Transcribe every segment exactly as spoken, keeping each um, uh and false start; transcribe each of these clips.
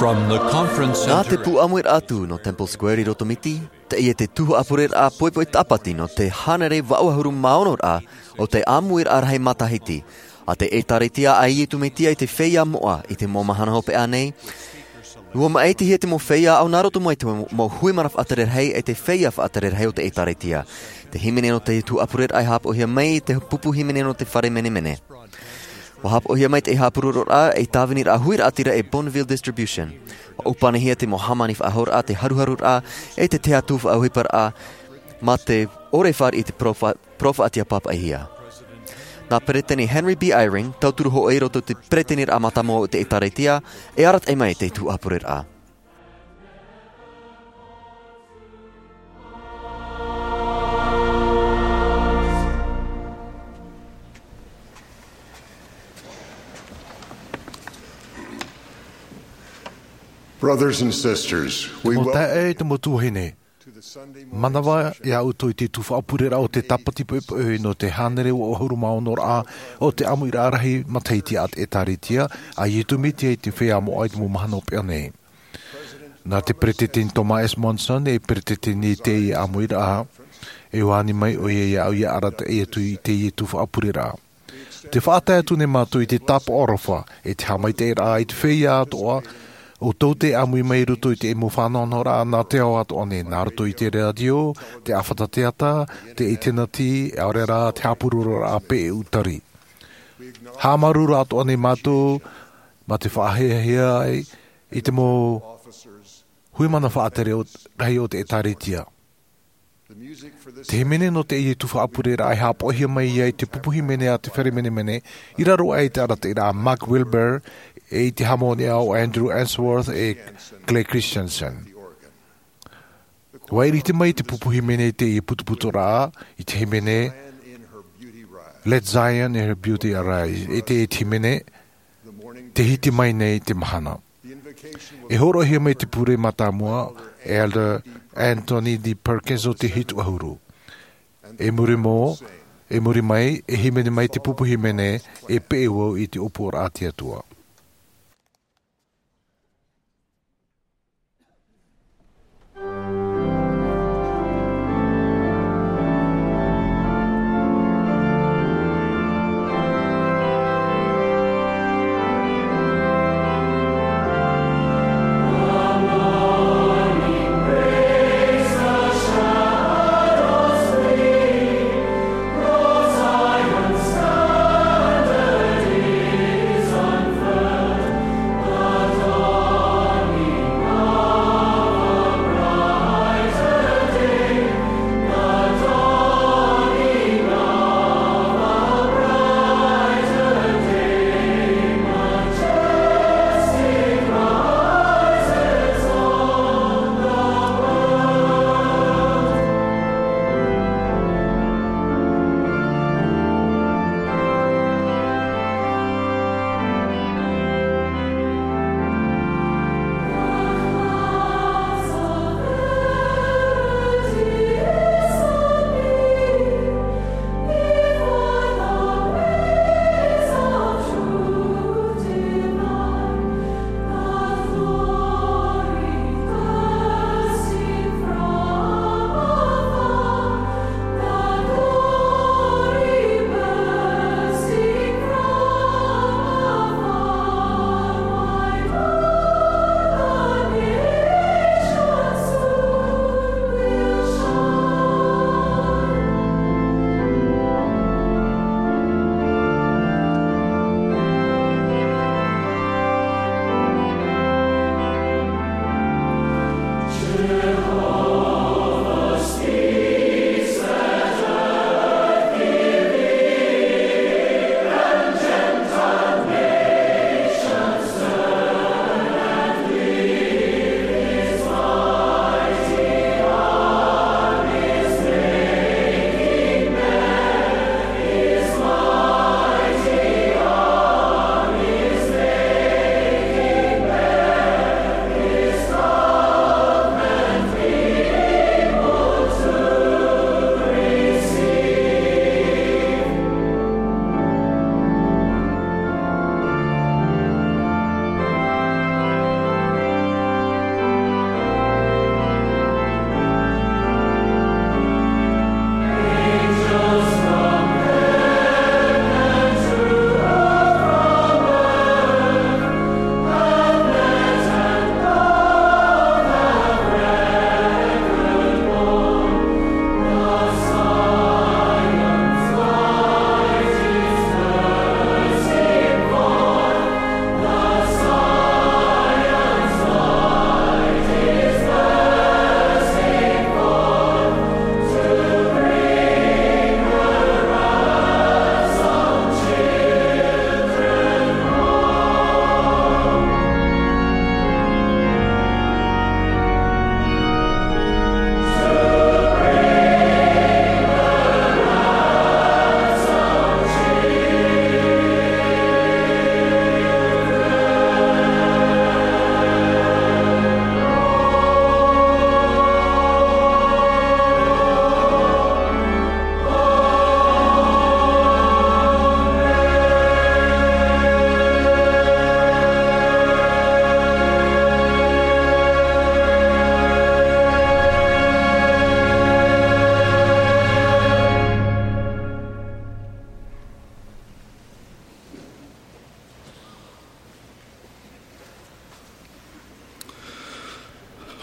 From the conference center. Nā te pū ʻāmuiraʻa atu nō Temple Square i roto Miti, teie te tuhaʻa pureraʻa poʻipoʻi tāpati nō te hānere vaʻu ʻahuru mā ono raʻa o te ʻāmuiraʻa rahi matahiti a te ʻĒtārētia a Iesu Mesia i te feiā moʻa i te mau mahana hopeʻa nei. ʻUa maʻitihia te mau feiā ʻo nā roto mai te mau hui mana faʻatere rahi e te feiā faʻatere rahi o te ʻĒtārētia. Te hīmene nō te tuhaʻa pureraʻa e haʻapaʻohia mai i te pupu hīmene nō te fare menemene. ʻUa haʻapaʻohia mai te haʻapurororaʻa e tāviniraʻa huiraʻatira e Bonneville Distribution. ʻUa ʻōpanihia te mau hāmani faʻahouraʻa, te haruharuraʻa, e te tahi atu faʻaʻohiparaʻa, mā te ʻore fāriʻi i te parau faʻa-, parau faʻaʻiteʻa pāpaʻihia. Nā Peresideni Henry B. Eyring, tauturu hōʻē i roto i te peresideniraʻa mātāmua o te ʻĒtārētia, e arataʻi mai te tuhaʻa pureraʻa. Brothers and sisters, we Te mau taeaʻe, te mau tuahine, manava ia ʻoutou i te tuhaʻa pureraʻa o te tāpati poʻipoʻi nō te hānere vaʻu ʻahuru mā ono raʻa o te ʻāmuiraʻa rahi matahiti a te ʻĒtārētia a Iesu Mesia i te feiā moʻa i te mau mahana hopeʻa nei. Nā te Peresideni Thomas S. Monson e peresideni i teie ʻāmuiraʻa, e ani mai ʻoia iāʻu ʻia arataʻi atu i teie tuhaʻa pureraʻa. Tē faʻatae atu nei mātou i te tāpaʻo aroha, e te haʻamaitaʻiraʻa i te feiā atoʻa, ʻoutou tē ʻāmui mai i roto i te mau faʻanahonahoraʻa nā te ao atoʻa nei, nā roto i te rātio, te ʻāfata teata, te ʻinitēneti, ʻaore rā te haʻapurororaʻa pēʻeʻutari. Haʻamāuruuru atoʻa nei mātou, mā te faʻahiahia ai i te mau hui mana faʻatere o, rahi o te ʻĒtārētia. Te hīmene nō teie tuhaʻa pureraʻa e haʻapaʻohia mai ai te pupu hīmene a te fare menemene, i raro aʻe i te arataʻiraʻa a Mark Wilber, e i te hāmoniʻa o Andrew Answorth e Clay Christensen. ʻUa ʻiriti mai te pupu hīmene i teie putuputuraʻa, i te hīmene, Let Zion in her beauty arise, e te, e te hīmene, Tē hiti mai nei te mahana. E hōroʻahia mai te pure mātāmua, Elder Anthony D. Perkins o te Hitu ʻAhuru. E muri mō, e muri mai, e hīmene mai te pupu hīmene, e peʻe vau i te ʻōpuaraʻa a te Atua.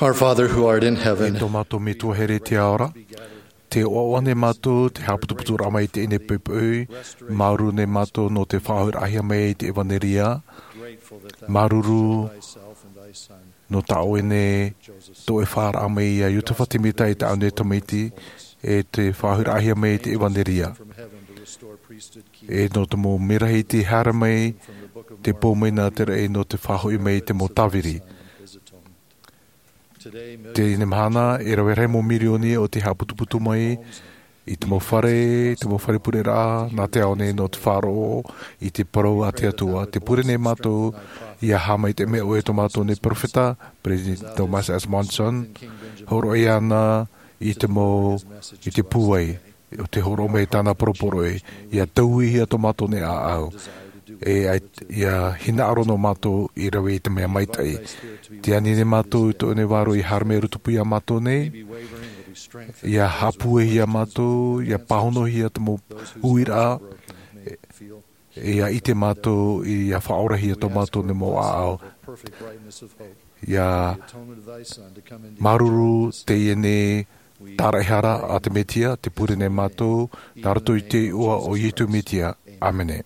Our Father who art in heaven, E tō mātou Metua here i te ao ra, tē ʻoaʻoa nei mātou te haʻaputuputuraʻa mai i teie nei poʻipoʻi, māuruuru nei mātou nō te faʻahoʻiraʻahia mai i te ʻevanelia, māuruuru nō tā ʻoe nei tō ʻoe faʻaara mai iā Iosepha Semita i tāʻu nei tamaiti, e te faʻahoʻiraʻahia mai i te ʻevanelia. E nō te mau merahi i te haere mai, te pō mai nā te raʻi nō te faʻahoʻi mai i te mau tāviri. Teie mahana, e rave rahi mau mirioni o te haʻaputuputu mai i te mau fare, te mau fare pureraʻa, nā te ao nei nō te faʻaroʻo i te parau a te Atua. Tē pure nei mātou, ʻia haʻamaitaʻi mai ʻoe tō mātou nei peropheta, Peresideni Thomas S. Monson, hōroʻa iāna i te mau, i te pūai, o te hōroʻa mai tāna poroporoʻi, ʻia tauihia tō mātou nei ʻāʻau. E ai, ʻia hinaʻaro nō mātou i rave i te mea maitaʻi. Tē ani nei mātou i tō ʻoe nei vārua ʻia haere mai i roto pū iā mātou nei, ʻia haʻapūaihia mātou, ʻia pāhonohia te mau uiraʻa, ʻia ʻite mātou, ʻia faʻaorahia tō mātou nei mau ʻāʻau. ʻIa māuruuru teie nei tāraʻehara a te Mesia, tē pure nei mātou, nā roto i te iʻoa o Iesu Mesia. ʻĀmene.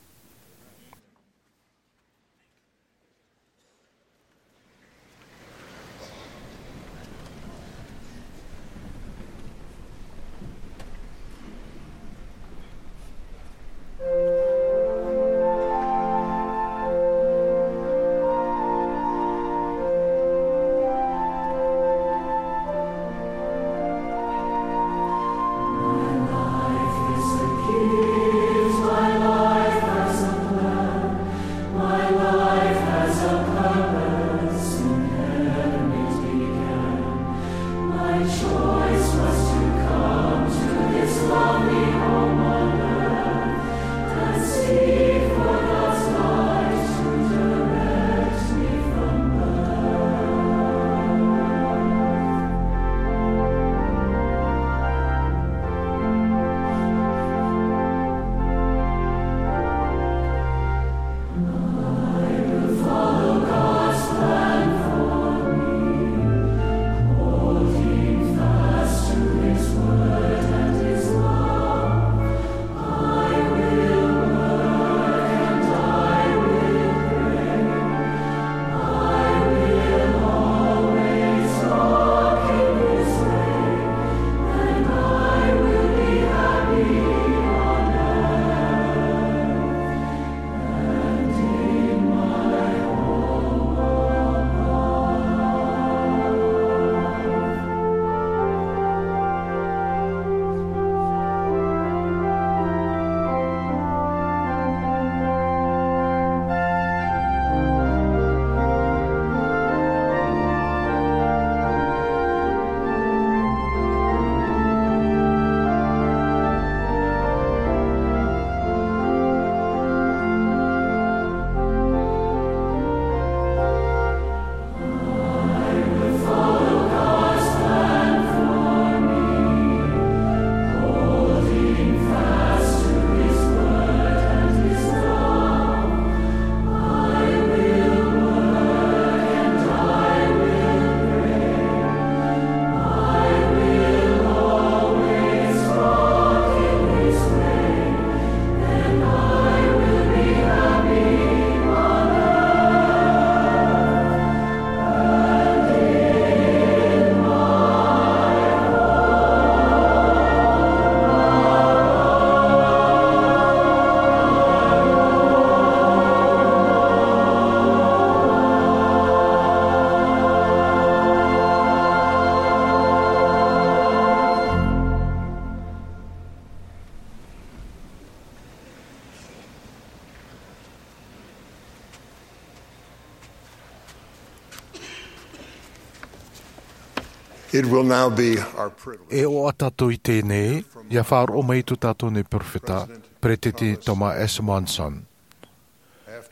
It will now be our privilege. E ʻoaʻoa tātou i teie nei, ʻia faʻaroʻo mai i tō tātou nei peropheta, Peresideni Thomas S. Monson.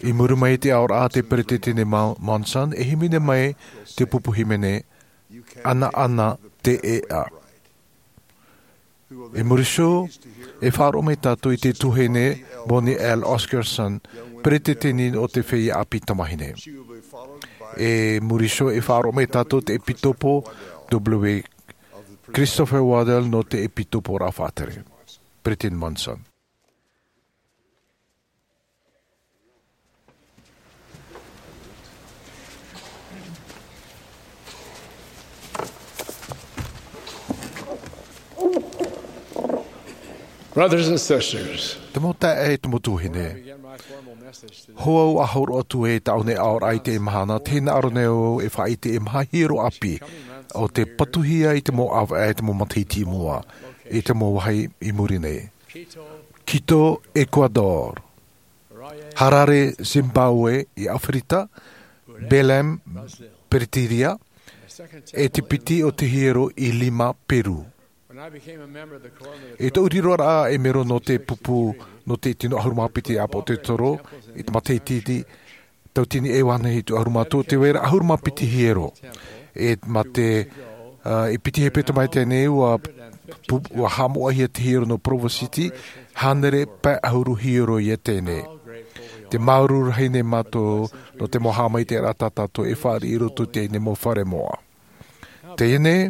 I muri mai i te aoraʻa a te Peresideni Mo-, Monson, e hīmene mai te pupu hīmene, ʻAnaʻana te ʻēʻa. I muri iho, e faʻaroʻo mai tātou i te tuahine Bonnie L. Oscarson, peretiteni o te feiā ʻāpī tamāhine. E muri iho e faʻaroʻo mai tātou te ʻEpitopo W. Christopher Waddell nō te ʻEpitopo Rā Faʻatere. Peresideni Monson. Brothers and sisters, te mau taeaʻe, te mau tuahine, hou au ʻa hōroʻa atu e tāʻu nei aʻoraʻa i teie mahana, te hinaʻaro nei au e faʻaʻite e maha hiero ʻāpī o te patuhia i te mau ʻāvaʻe, te mau matahiti i mua, i te mau vāhi i muri nei. Quito, Ecuador. Harare, Zimbabwe, i ʻAfirika. Belém, Brasilia. E te piti o te hiero i Lima, Peru. I tōʻu riroraʻa e mero nō te pupu, nō te tino ʻahuru mā piti ʻāpōsetolo, i te matahiti tautini e iva anaʻe hitu ʻahuru mā toru, tē vai ra ʻahuru mā piti hiero. E mā te, ā, i piti hepetoma i teie nei, ʻua pu-, ʻua haʻamoʻahia te hiero nō Provo City, hānere pae ʻahuru hiero ia teie nei. Tē māuruuru rahi nei mātou nō te mau haʻamaitaʻiraʻa tā tātou e fāriʻi i roto i teie nei mau fare moʻa. Teie nei,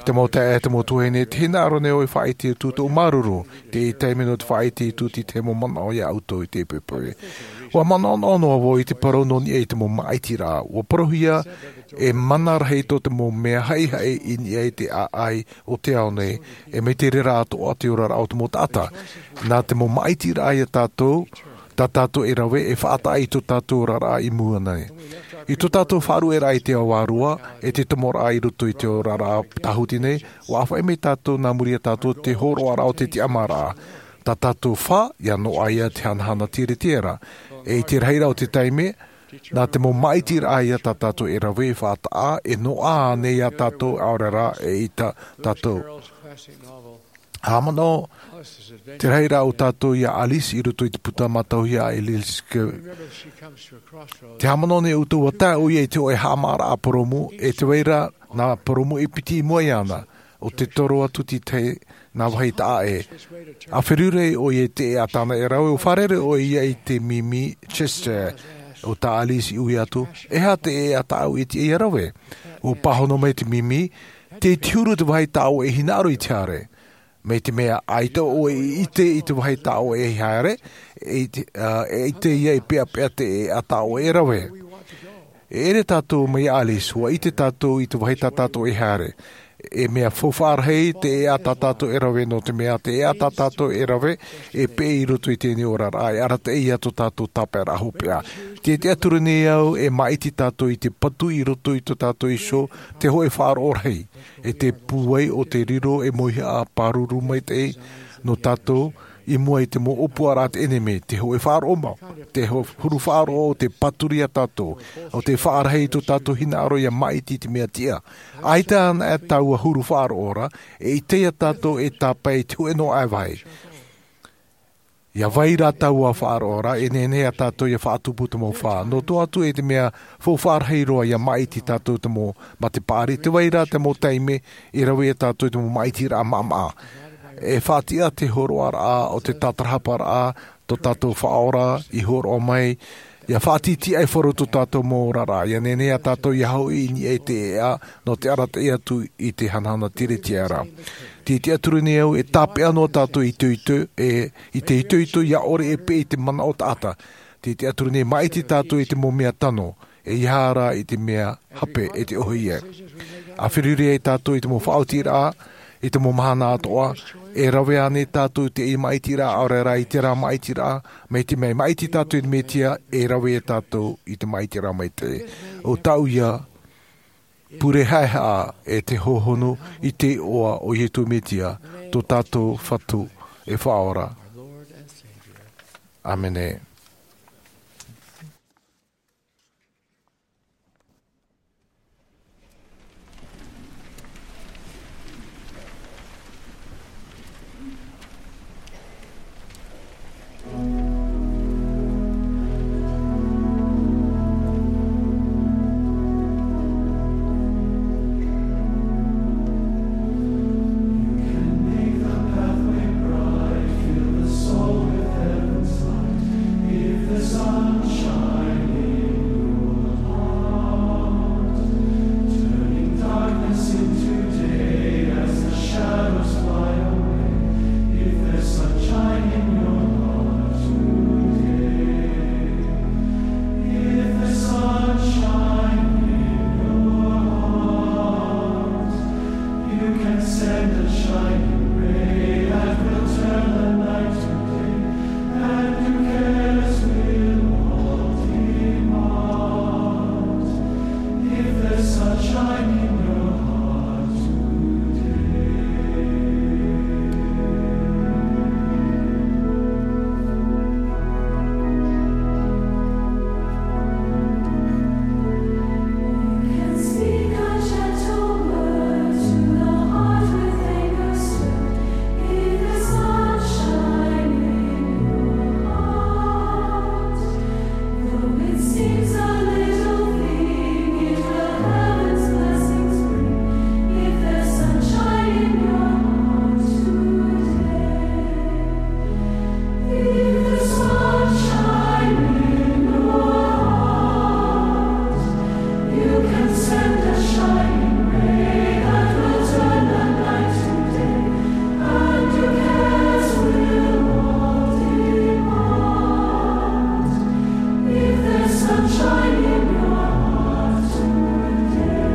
te mau taeaʻe, te mau tuahine, te hinaʻaro nei au e faʻaʻite atu tōʻu māuruuru, te taime nō te faʻaʻite atu i te mau manaʻo ia ʻoutou i teie poʻipoʻi. ʻUa manaʻonaʻo noa vau i te parau nō niʻa i te mau māʻitiraʻa. ʻUa parauhia e mana rahi tō te mau mea haʻihaʻi i niʻa i te ʻāʻai o te ao nei, e mai te reira atoʻa te oraraʻa o te mau taʻata. Nā te mau māʻitiraʻa ia tātou, tā tātou e rave e faʻataʻa i tō tātou oraraʻa i mua nei. I tō tātou faʻaruʻeraʻa i te ao vārua, e te tomoraʻa i roto i te oraraʻa tāhuti nei, ʻua ʻāfaʻi mai tātou nā muri ia tātou te hōroʻaraʻa o te tiʻamāraʻa. Tā tātou fā, ʻia noaʻa ia te hanahana tiretiera. E i te rahiraʻa o te taime, nā te mau māʻitiraʻa ia tā tātou e rave e faʻataʻa, e noaʻa ānei ia tātou, ʻaore rā, eʻita tātou. Haʻamanaʻo te rahiraʻa o tātou ia Alice i roto i te puta mātauhia a Elias K. Te haʻamanaʻo nei ʻoutou ʻua tae ʻoia i te hōʻē haʻamāraʻa purōmu, e tē vai ra nā purōmu e piti i mua iāna, ʻo tē toro atu i te tahi nā vāhi taʻa ʻē. ʻA feruri ʻoia i te ʻēʻa tāna e rave, ʻua fārerei ʻoia i te mimi Chester, ʻo tā Alice i ui atu, "E aha te ʻēʻa tāʻu e tiʻa ia rave?" ʻUa pāhono mai te mimi, "Tei te huru te vāhi tā ʻoe e hinaʻaro i te haere." Mai te mea ʻaita ʻoe i ʻite i te vāhi tā ʻoe e haere, e ʻite, ā, e ʻite ia i peʻapeʻa te ʻēʻa tā ʻoe e rave. E ʻere tātou mai ia Alice, ʻua ʻite tātou i te vāhi tā tātou e haere. E mea faufaʻa rahi te ʻēʻa tā tātou e rave, nō te mea te ʻēʻa tā tātou e rave, e peʻe i roto i teie nei oraraʻa, e arataʻi ia tō tātou tāpaeraʻa hopeʻa. Tē tiʻaturi nei au e māʻiti tātou i te patu i roto i tō tātou iho, te hōʻē faʻaroʻo rahi. E te pūai o te riro e mauhaʻa pāruru maitaʻi nō tātou i mua i te mau ʻōpuaraʻa teie nei, te hōʻē faʻaroʻo mau, te ho-, huru faʻaroʻo o te pāturi ia tātou, ʻo tē faʻarahi i tō tātou hinaʻaro ʻia māʻiti i te mea tiʻa. ʻAita anaʻe taua huru faʻaroʻo ra, e ʻite ia tātou e tāpae i te hōʻē noa ʻāvaʻe. ʻIa vai rā taua faʻaroʻo ra, e nehenehe ia tātou ʻia faʻatupu te mau fā. Nō te ʻoaʻoa atu e te mea faufaʻa rahi roa ʻia māʻiti tātou te mau mate paʻari, tē vai ra te mau taime e rave ia tātou i te mau māʻitiraʻa maʻamaʻa. E faʻatiʻa te hōroʻaraʻa o te tātarahaparaʻa, tō tātou Faʻaora i hōroʻa mai, ʻia faʻatītīʻaifaro tō tātou mau oraraʻa, ʻia nehenehe ia tātou ʻia hoʻi i niʻa i te ʻēʻa, nō te arataʻi atu i te hanahana tiretiera. Tē tiʻaturi nei au e tāpeʻa noa tātou i te itoito, e, i te itoito ʻia ʻore e peʻe i te manaʻo taʻata. Tē tiʻaturi nei māʻiti tātou i te mau mea tano, e ʻeiaha rā i te mea hape e te ʻohipa. ʻA feruri ai tātou i te mau faʻaotiraʻa, i te mau mahana atoʻa, e rave ānei tātou i te māʻitiraʻa, ʻaore rā i terā māʻitiraʻa, mai te mea māʻiti tātou i te Mesia, e rave ia tātou i te māʻitiraʻa maitaʻi. ʻO tāʻu ia, pure haʻehaʻa e te hōhonu i te iʻoa o Iesu Mesia, tō tātou Fatu e Faʻaora. ʻĀmene. Is a little thing, it will heaven's blessings bring. If there's sunshine in your heart today, if there's sunshine in your heart, you can send a shining ray that will turn the night to day, and your cares will all depart. If there's sunshine in your heart today.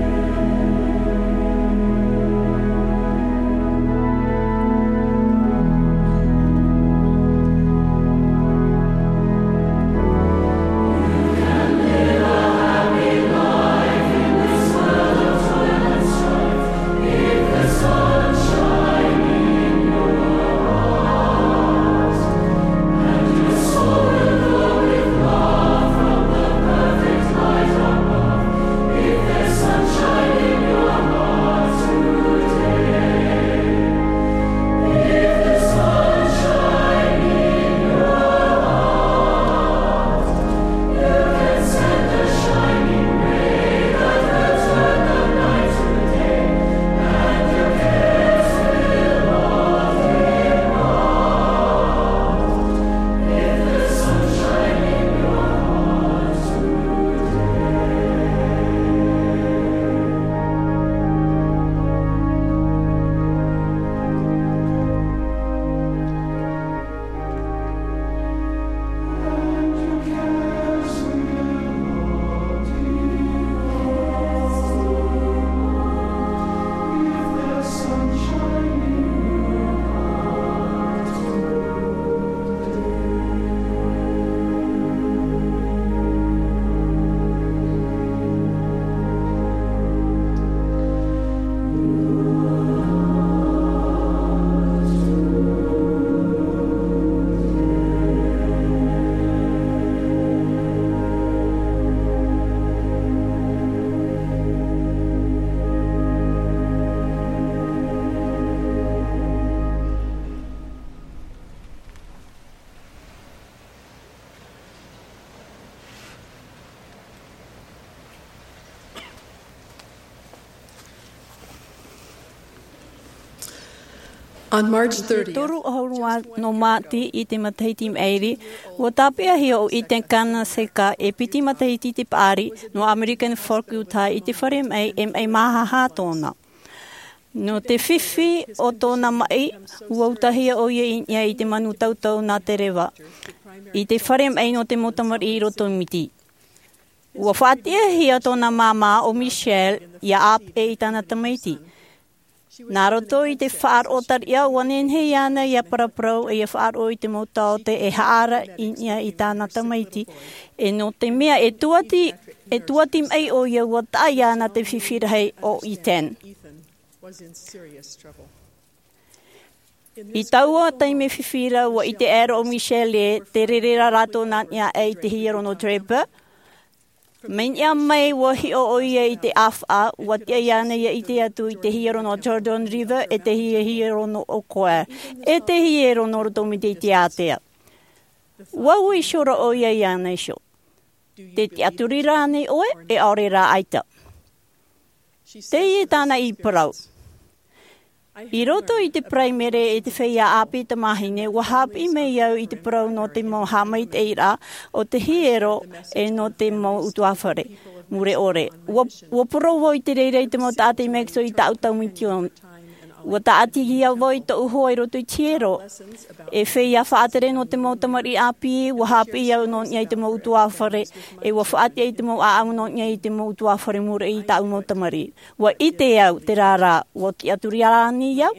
On March thirtieth, toru ʻahuru nō Māti i te matahiti maʻiri, ʻua tāpeʻahia ʻo Ethan Kaneshka e piti matahiti te paʻari nō American Fork, Utah, i te fare maʻi e maʻi māhaha tōna. Nō te fifi o tōna maʻi, ʻua utahia ʻoia i niʻa i te manu tautau nā te reva, i te fare maʻi nō te mau tamariʻi i Roto Miti. ʻUa faʻatiʻahia tōna māmā ʻo Michelle ʻia ʻāpeʻe i tāna tamaiti. Nā roto i te faʻaroʻo tariʻa, ʻua nehenehe iāna ʻia paraparau, ʻia faʻaroʻo i te mau taote e haʻaara i niʻa i tāna tamaiti, e nō te mea e tuati, e tuati maʻi ʻoia, ʻua taʻa iāna te fifi rahi ʻo Ethan. I taua taime fifi ra, ʻua ʻite aʻera ʻo Michelle ē, tē rere ra rātou nā niʻa aʻe i te hiero nō Draper. Mai niʻa mai ʻua hiʻo ʻoia i te ʻāfaʻa, ʻua tiʻa iāna ʻia ʻite atu i te hiero nō Jordan River, e te hie-, hiero nō Ocoee, e te hiero nō Roto Miti i te ātea. ʻUa ui iho ra ʻoia iāna iho. Tē tiʻaturi ra ānei ʻoe, e ʻaore rā ʻaita? Teie tāna i parau. I roto i te Paraimere e te feiā ʻāpī tamāhine, ʻua haʻapiʻi mai au i te parau nō te mau haʻamaitaʻiraʻa o te hiero e nō te mau ʻutuāfare mure ʻore. ʻUa, ʻua parau vau i te reira i te mau taʻata i Mexico i tāʻu tau misiōni. ʻUa tāʻatihia vau i tōʻu hoa i roto i te hiero. E feiā faʻatere nō te mau tamariʻi ʻāpī, ʻua haʻapiʻi au nō niʻa i te mau ʻutuāfare, e ʻua faʻatiʻa i te mau ʻāʻau nō niʻa i te mau ʻutuāfare mure i tāʻu mau tamariʻi. ʻUa ʻite au, terā rā, ʻua tiʻaturi ānei au?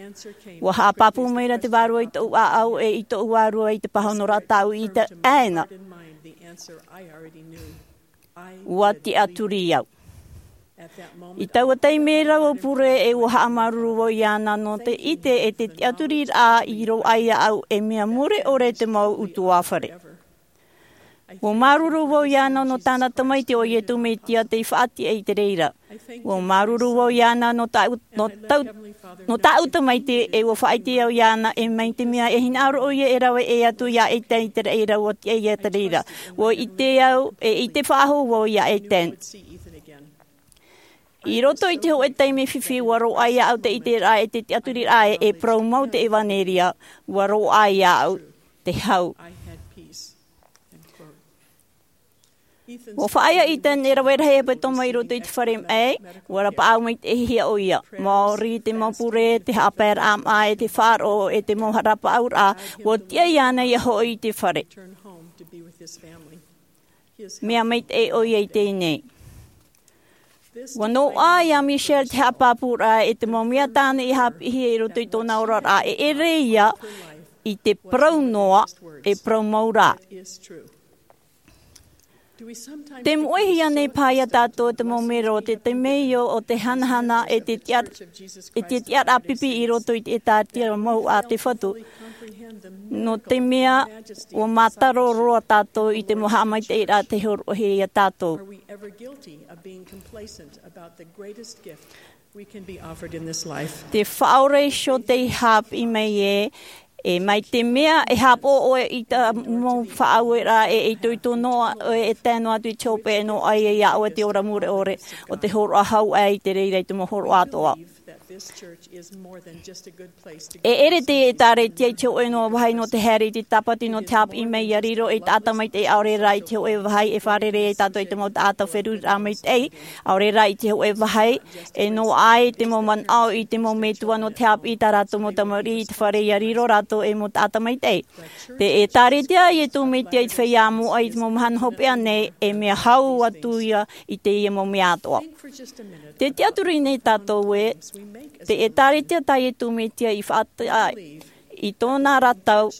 ʻUa haʻapāpū mai ra te vārua i tōʻu ʻāʻau e i tōʻu vārua i te pāhonoraʻa tāʻu i ʻite aʻe na. ʻUa tiʻaturi au. I taua taime ra ʻua pure e ʻua haʻamāuruuru vau iāna nō te ʻite e te tiʻaturiraʻa i roaʻa iāʻu e mea mure ʻore te mau ʻutuāfare. Ua māuruuru vau iāna nō tāna tamaiti ʻo Iesu Mesia tei faʻatiʻa i te reira. Ua māuruuru vau iāna nō tāʻu, nō tāʻu, nō tāʻu tamaiti, e ua faʻaʻite au iāna e mai te mea e hinaʻaro ʻoia e rave ʻē atu iā Ethan i te reira, ua tiʻa ia te reira. Ua ʻite au, e ʻite faʻahou vau iā Ethan. I roto i te hōʻē taime fifi, ua roaʻa iāʻu te ʻiteraʻa e te tiʻaturiraʻa e, e parau mau te ʻevanelia. Ua roaʻa iāʻu te hau. Ua faʻaea Ethan e rave rahi e hepetoma i roto i te fare maʻi, ua rapaʻau maitaʻihia ʻoia. Maori te mau pure, te haʻapaeraʻa maʻa, e te faʻaroʻo, e te mau rapaʻauraʻa, ua tiʻa iāna ia hoʻi i te fare. Mea maitaʻi ʻoia i teie nei. Ua noaʻa iā Michelle te haʻapāpūraʻa e te mau mea tāna i haʻapiʻihia i roto i tōna oraraʻa, e ʻere ia i te parau noa, e parau mau rā. Te moʻehia nei paha iā tātou te mau mero, te temeio o te hanahana e te tiʻa-, e te tiʻaraʻa pipi i roto i te ʻĒtārētia mau a te Fatu. Nō te mea, ua mātaro roa tātou i te mau haʻamaitaʻiraʻa tei hōroʻahia iā tātou. Te Faʻaora iho tei haʻapiʻi mai ē, e mai te mea e haʻapaʻo ʻoe i te mau faʻaueraʻa e, e itoito noa ʻoe e tae noa atu i te hopeʻa, e noaʻa ia iā ʻoe te ora mure ʻore o te hōroʻa hau aʻe i te reira i te mau hōroʻa atoʻa. E ʻere te ʻĒtārētia i te hōʻē noa vāhi nō te haere i te tāpati nō te haʻapiʻi mai ia riro ei taʻata maitaʻi, ʻaore rā i te hōʻē vāhi e fārerei ai tātou i te mau taʻata feruriraʻa maitaʻi, ʻaore rā i te hōʻē vāhi e noaʻa ai te mau manaʻo i te mau metua nō te haʻapiʻi i tā rātou mau tamariʻi i te fare ia riro rātou ei mau taʻata maitaʻi. Te ʻĒtārētia a Iesu Mesia i te feiā moʻa i te mau mahana hopeʻa nei, e mea hau atu ia i teie mau mea atoʻa. Tē tiʻaturi nei tātou ē, te ʻĒtārētia tā Iesu Mesia i faʻataʻa i tōna ra tau,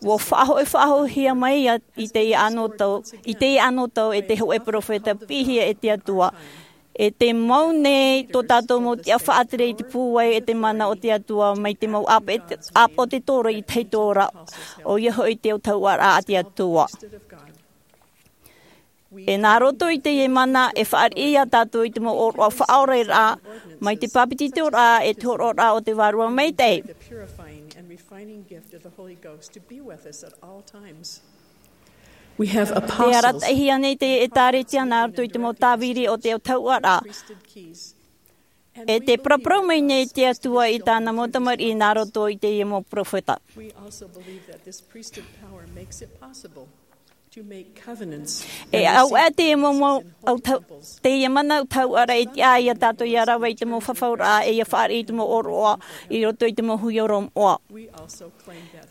ua faʻahoʻi-, faʻahoʻihia mai ia i teie anotau, i teie anotau e te hōʻē peropheta piʻihia e te Atua. E te mau nei tō tātou mau tiʻa faʻatere i te pūai e te mana o te Atua mai te mau ʻāpō-, ʻāpōsetolo i te hau ora, ʻoia hoʻi te autahuʻaraʻa a te Atua. E nā roto i teie mana e fāriʻi ia tātou i te mau ʻōroʻa faʻaoraraʻa, mai te bāpetizoraʻa e te hōroʻaraʻa o te Vārua Maitaʻi. Tē arataʻihia nei te ʻĒtārētia nā roto i te mau tāviri o te autahuʻaraʻa. E tē paraparau mai nei te Atua i tāna mau tamariʻi nā roto i teie mau peropheta. E au ʻā teie mau, mau, autau-, teie mana autahuʻaraʻa e tiʻa ai ia tātou ia rave i te mau fafauraʻa, e ia fāriʻi i te mau ʻōroʻa i roto i te mau hui ora moʻa.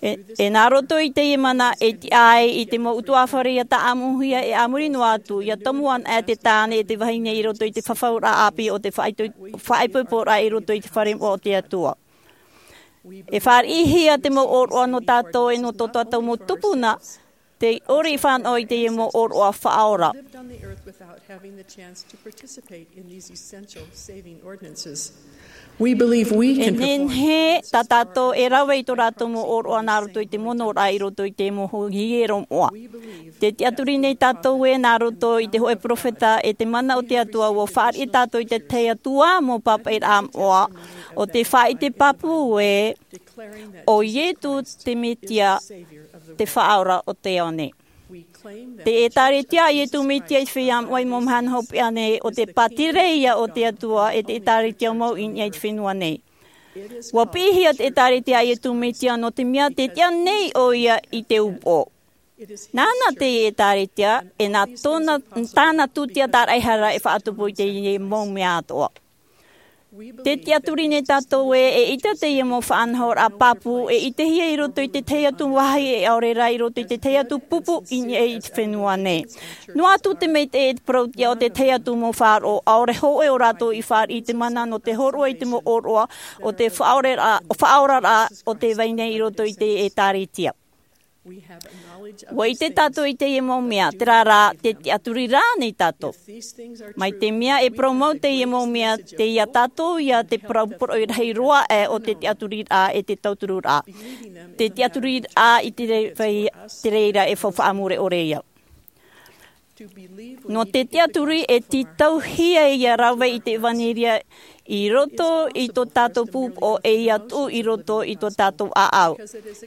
E, e nā roto i teie mana e tiʻa ai i te mau ʻutuāfare ia tāʻamuhia e a muri noa atu, ia tomo anaʻe te tāne e te vahine i roto i te fafauraʻa ʻāpī o te faʻaito-, faʻaipoiporaʻa i roto i te fare moʻa o te Atua. E fāriʻihia te mau ʻōroʻa nō tātou e nō tō tātou mau tupuna, tei ʻore i fānaʻo i teie mau ʻōroʻa faʻaora. E nehenehe tā tātou e rave i tō rātou mau ʻōroʻa nā roto i te monoraʻa i roto i te mau hiero moʻa. Tē tiʻaturi nei tātou ē nā roto i te hōʻē peropheta e te mana o te Atua, ua fāriʻi tātou i te tahi atu ā mau pāpaʻiraʻa moʻa, ʻo tē faʻaʻite pāpū ē ʻo Iesu te Mesia, te Faʻaora o te ao nei. Te ʻĒtārētia a Iesu Mesia i te feiā moʻa i te mau mahana hopeʻa nei, ʻo te pātireia o te Atua e te ʻĒtārētia mau i niʻa i te fenua nei. Ua piʻihia te ʻĒtārētia a Iesu Mesia nō te mea tē tiʻa nei ʻoia i te upoʻo. Nāna te ʻĒtārētia, e nā tōna, tāna tūtia tāraʻehara e faʻatupu i teie mau mea atoʻa. Tē tiʻaturi nei tātou ē, eʻita teie mau faʻanahoraʻa pāpū e ʻitehia i roto i te tahi atu vāhi, e ʻaore rā i roto i te tahi atu pupu i niʻa i te fenua nei. Noa atu te maitaʻi e te parauʻtiʻa o te tahi atu mau faʻaroʻo, ʻaore hōʻē o rātou i fāriʻi i te mana nō te hōroʻa i te mau ʻōroʻa o te faʻaoraraʻa, faʻaoraraʻa o te vai nei i roto i te ʻĒtārētia. Ua ʻite tātou i teie mau mea, terā rā, tē tiʻaturi rā nei tātou. Mai te mea e parau mau teie mau mea, tei ia tātou ia te parau poroʻi rahi roa aʻe o te tiʻaturiraʻa e te tautururaʻa. Te tiʻaturiraʻa i te rei-, te reira e faufaʻa mure ʻore ia. Nō te tiʻaturi e tītauhia ia rave i te ʻevanelia i roto i tō tātou pūpoʻo e ia tuʻu i roto i tō tātou ʻāʻau.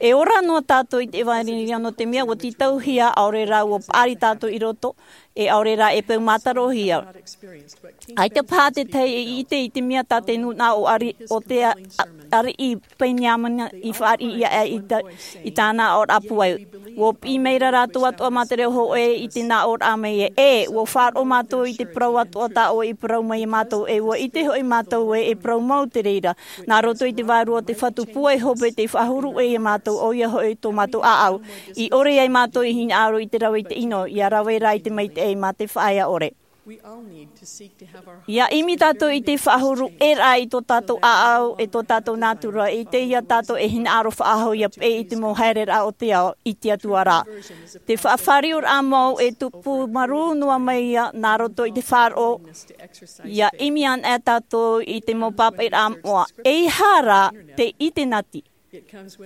E ora noa tātou i te ʻevanelia nō te mea ua tītauhia, ʻaore rā ua paʻari tātou i roto, e ʻaore rā e peu mātarohia. ʻAita paha te tahi e ʻite i te mea tā te nūnaʻa o Ari, o te a-, a-, ariʻi Peniamina i fāriʻi ia e i ta-, i tāna aʻoraʻa pūai. Ua piʻi maira rātou atoʻa mā te reo hōʻē i te nā aʻoraʻa mai e, e, ua faʻaroʻo mātou i te parau atoʻa tā ʻoe i parau mai ia mātou, e ua ʻite hoʻi mātou e, e parau mau te reira. Nā roto i te vārua o te Fatu pūai hope tei faʻahuru e ia mātou, ʻoia hoʻi tō mātou ʻāʻau. I ʻore ai mātou i hinaʻaro i te rave i te ʻino, ia rave rā i te maitaʻi mā te faʻaea ʻore. Ia ʻimi tātou i te faʻahuru e rā i tō tātou ʻāʻau, e tō tātou nātura, i te ia tātou e hinaʻaro faʻahou ia peʻe i te mau haereraʻa o te ao, i te Atua rā. Te faʻafārioraʻa mau e tupu marū noa mai ia nā roto i te faʻaroʻo, ia ʻimi ana e tātou i te mau pāpaʻiraʻa moʻa, e aha rā te ʻite nati.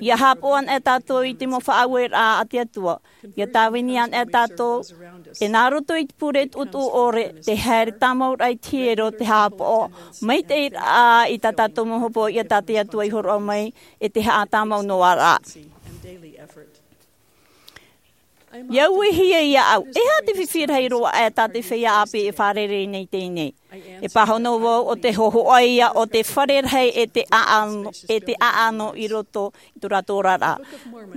Ia haʻapaʻo ana e tātou i te mau faʻaueraʻa a te Atua. Ia tāvini ana e tātou, e nā roto i te pure tuʻutuʻu ʻore, te haere tāmau raʻa i te hiero, te haʻapaʻo, maitaʻi rā i tā tātou mau hopoiʻa tā te Atua i hōroʻa mai, e te haʻatāmau noa rā. Ia uehia ia au, e aha te fifi rahi roa aʻe tā te feiā ʻāpī e fārerei nei teie nei. E pāhono vau ʻo te hōhoʻa ia o te fare rahi e te ʻāʻano, e te ʻāʻano i roto i tō rātou oraraʻa.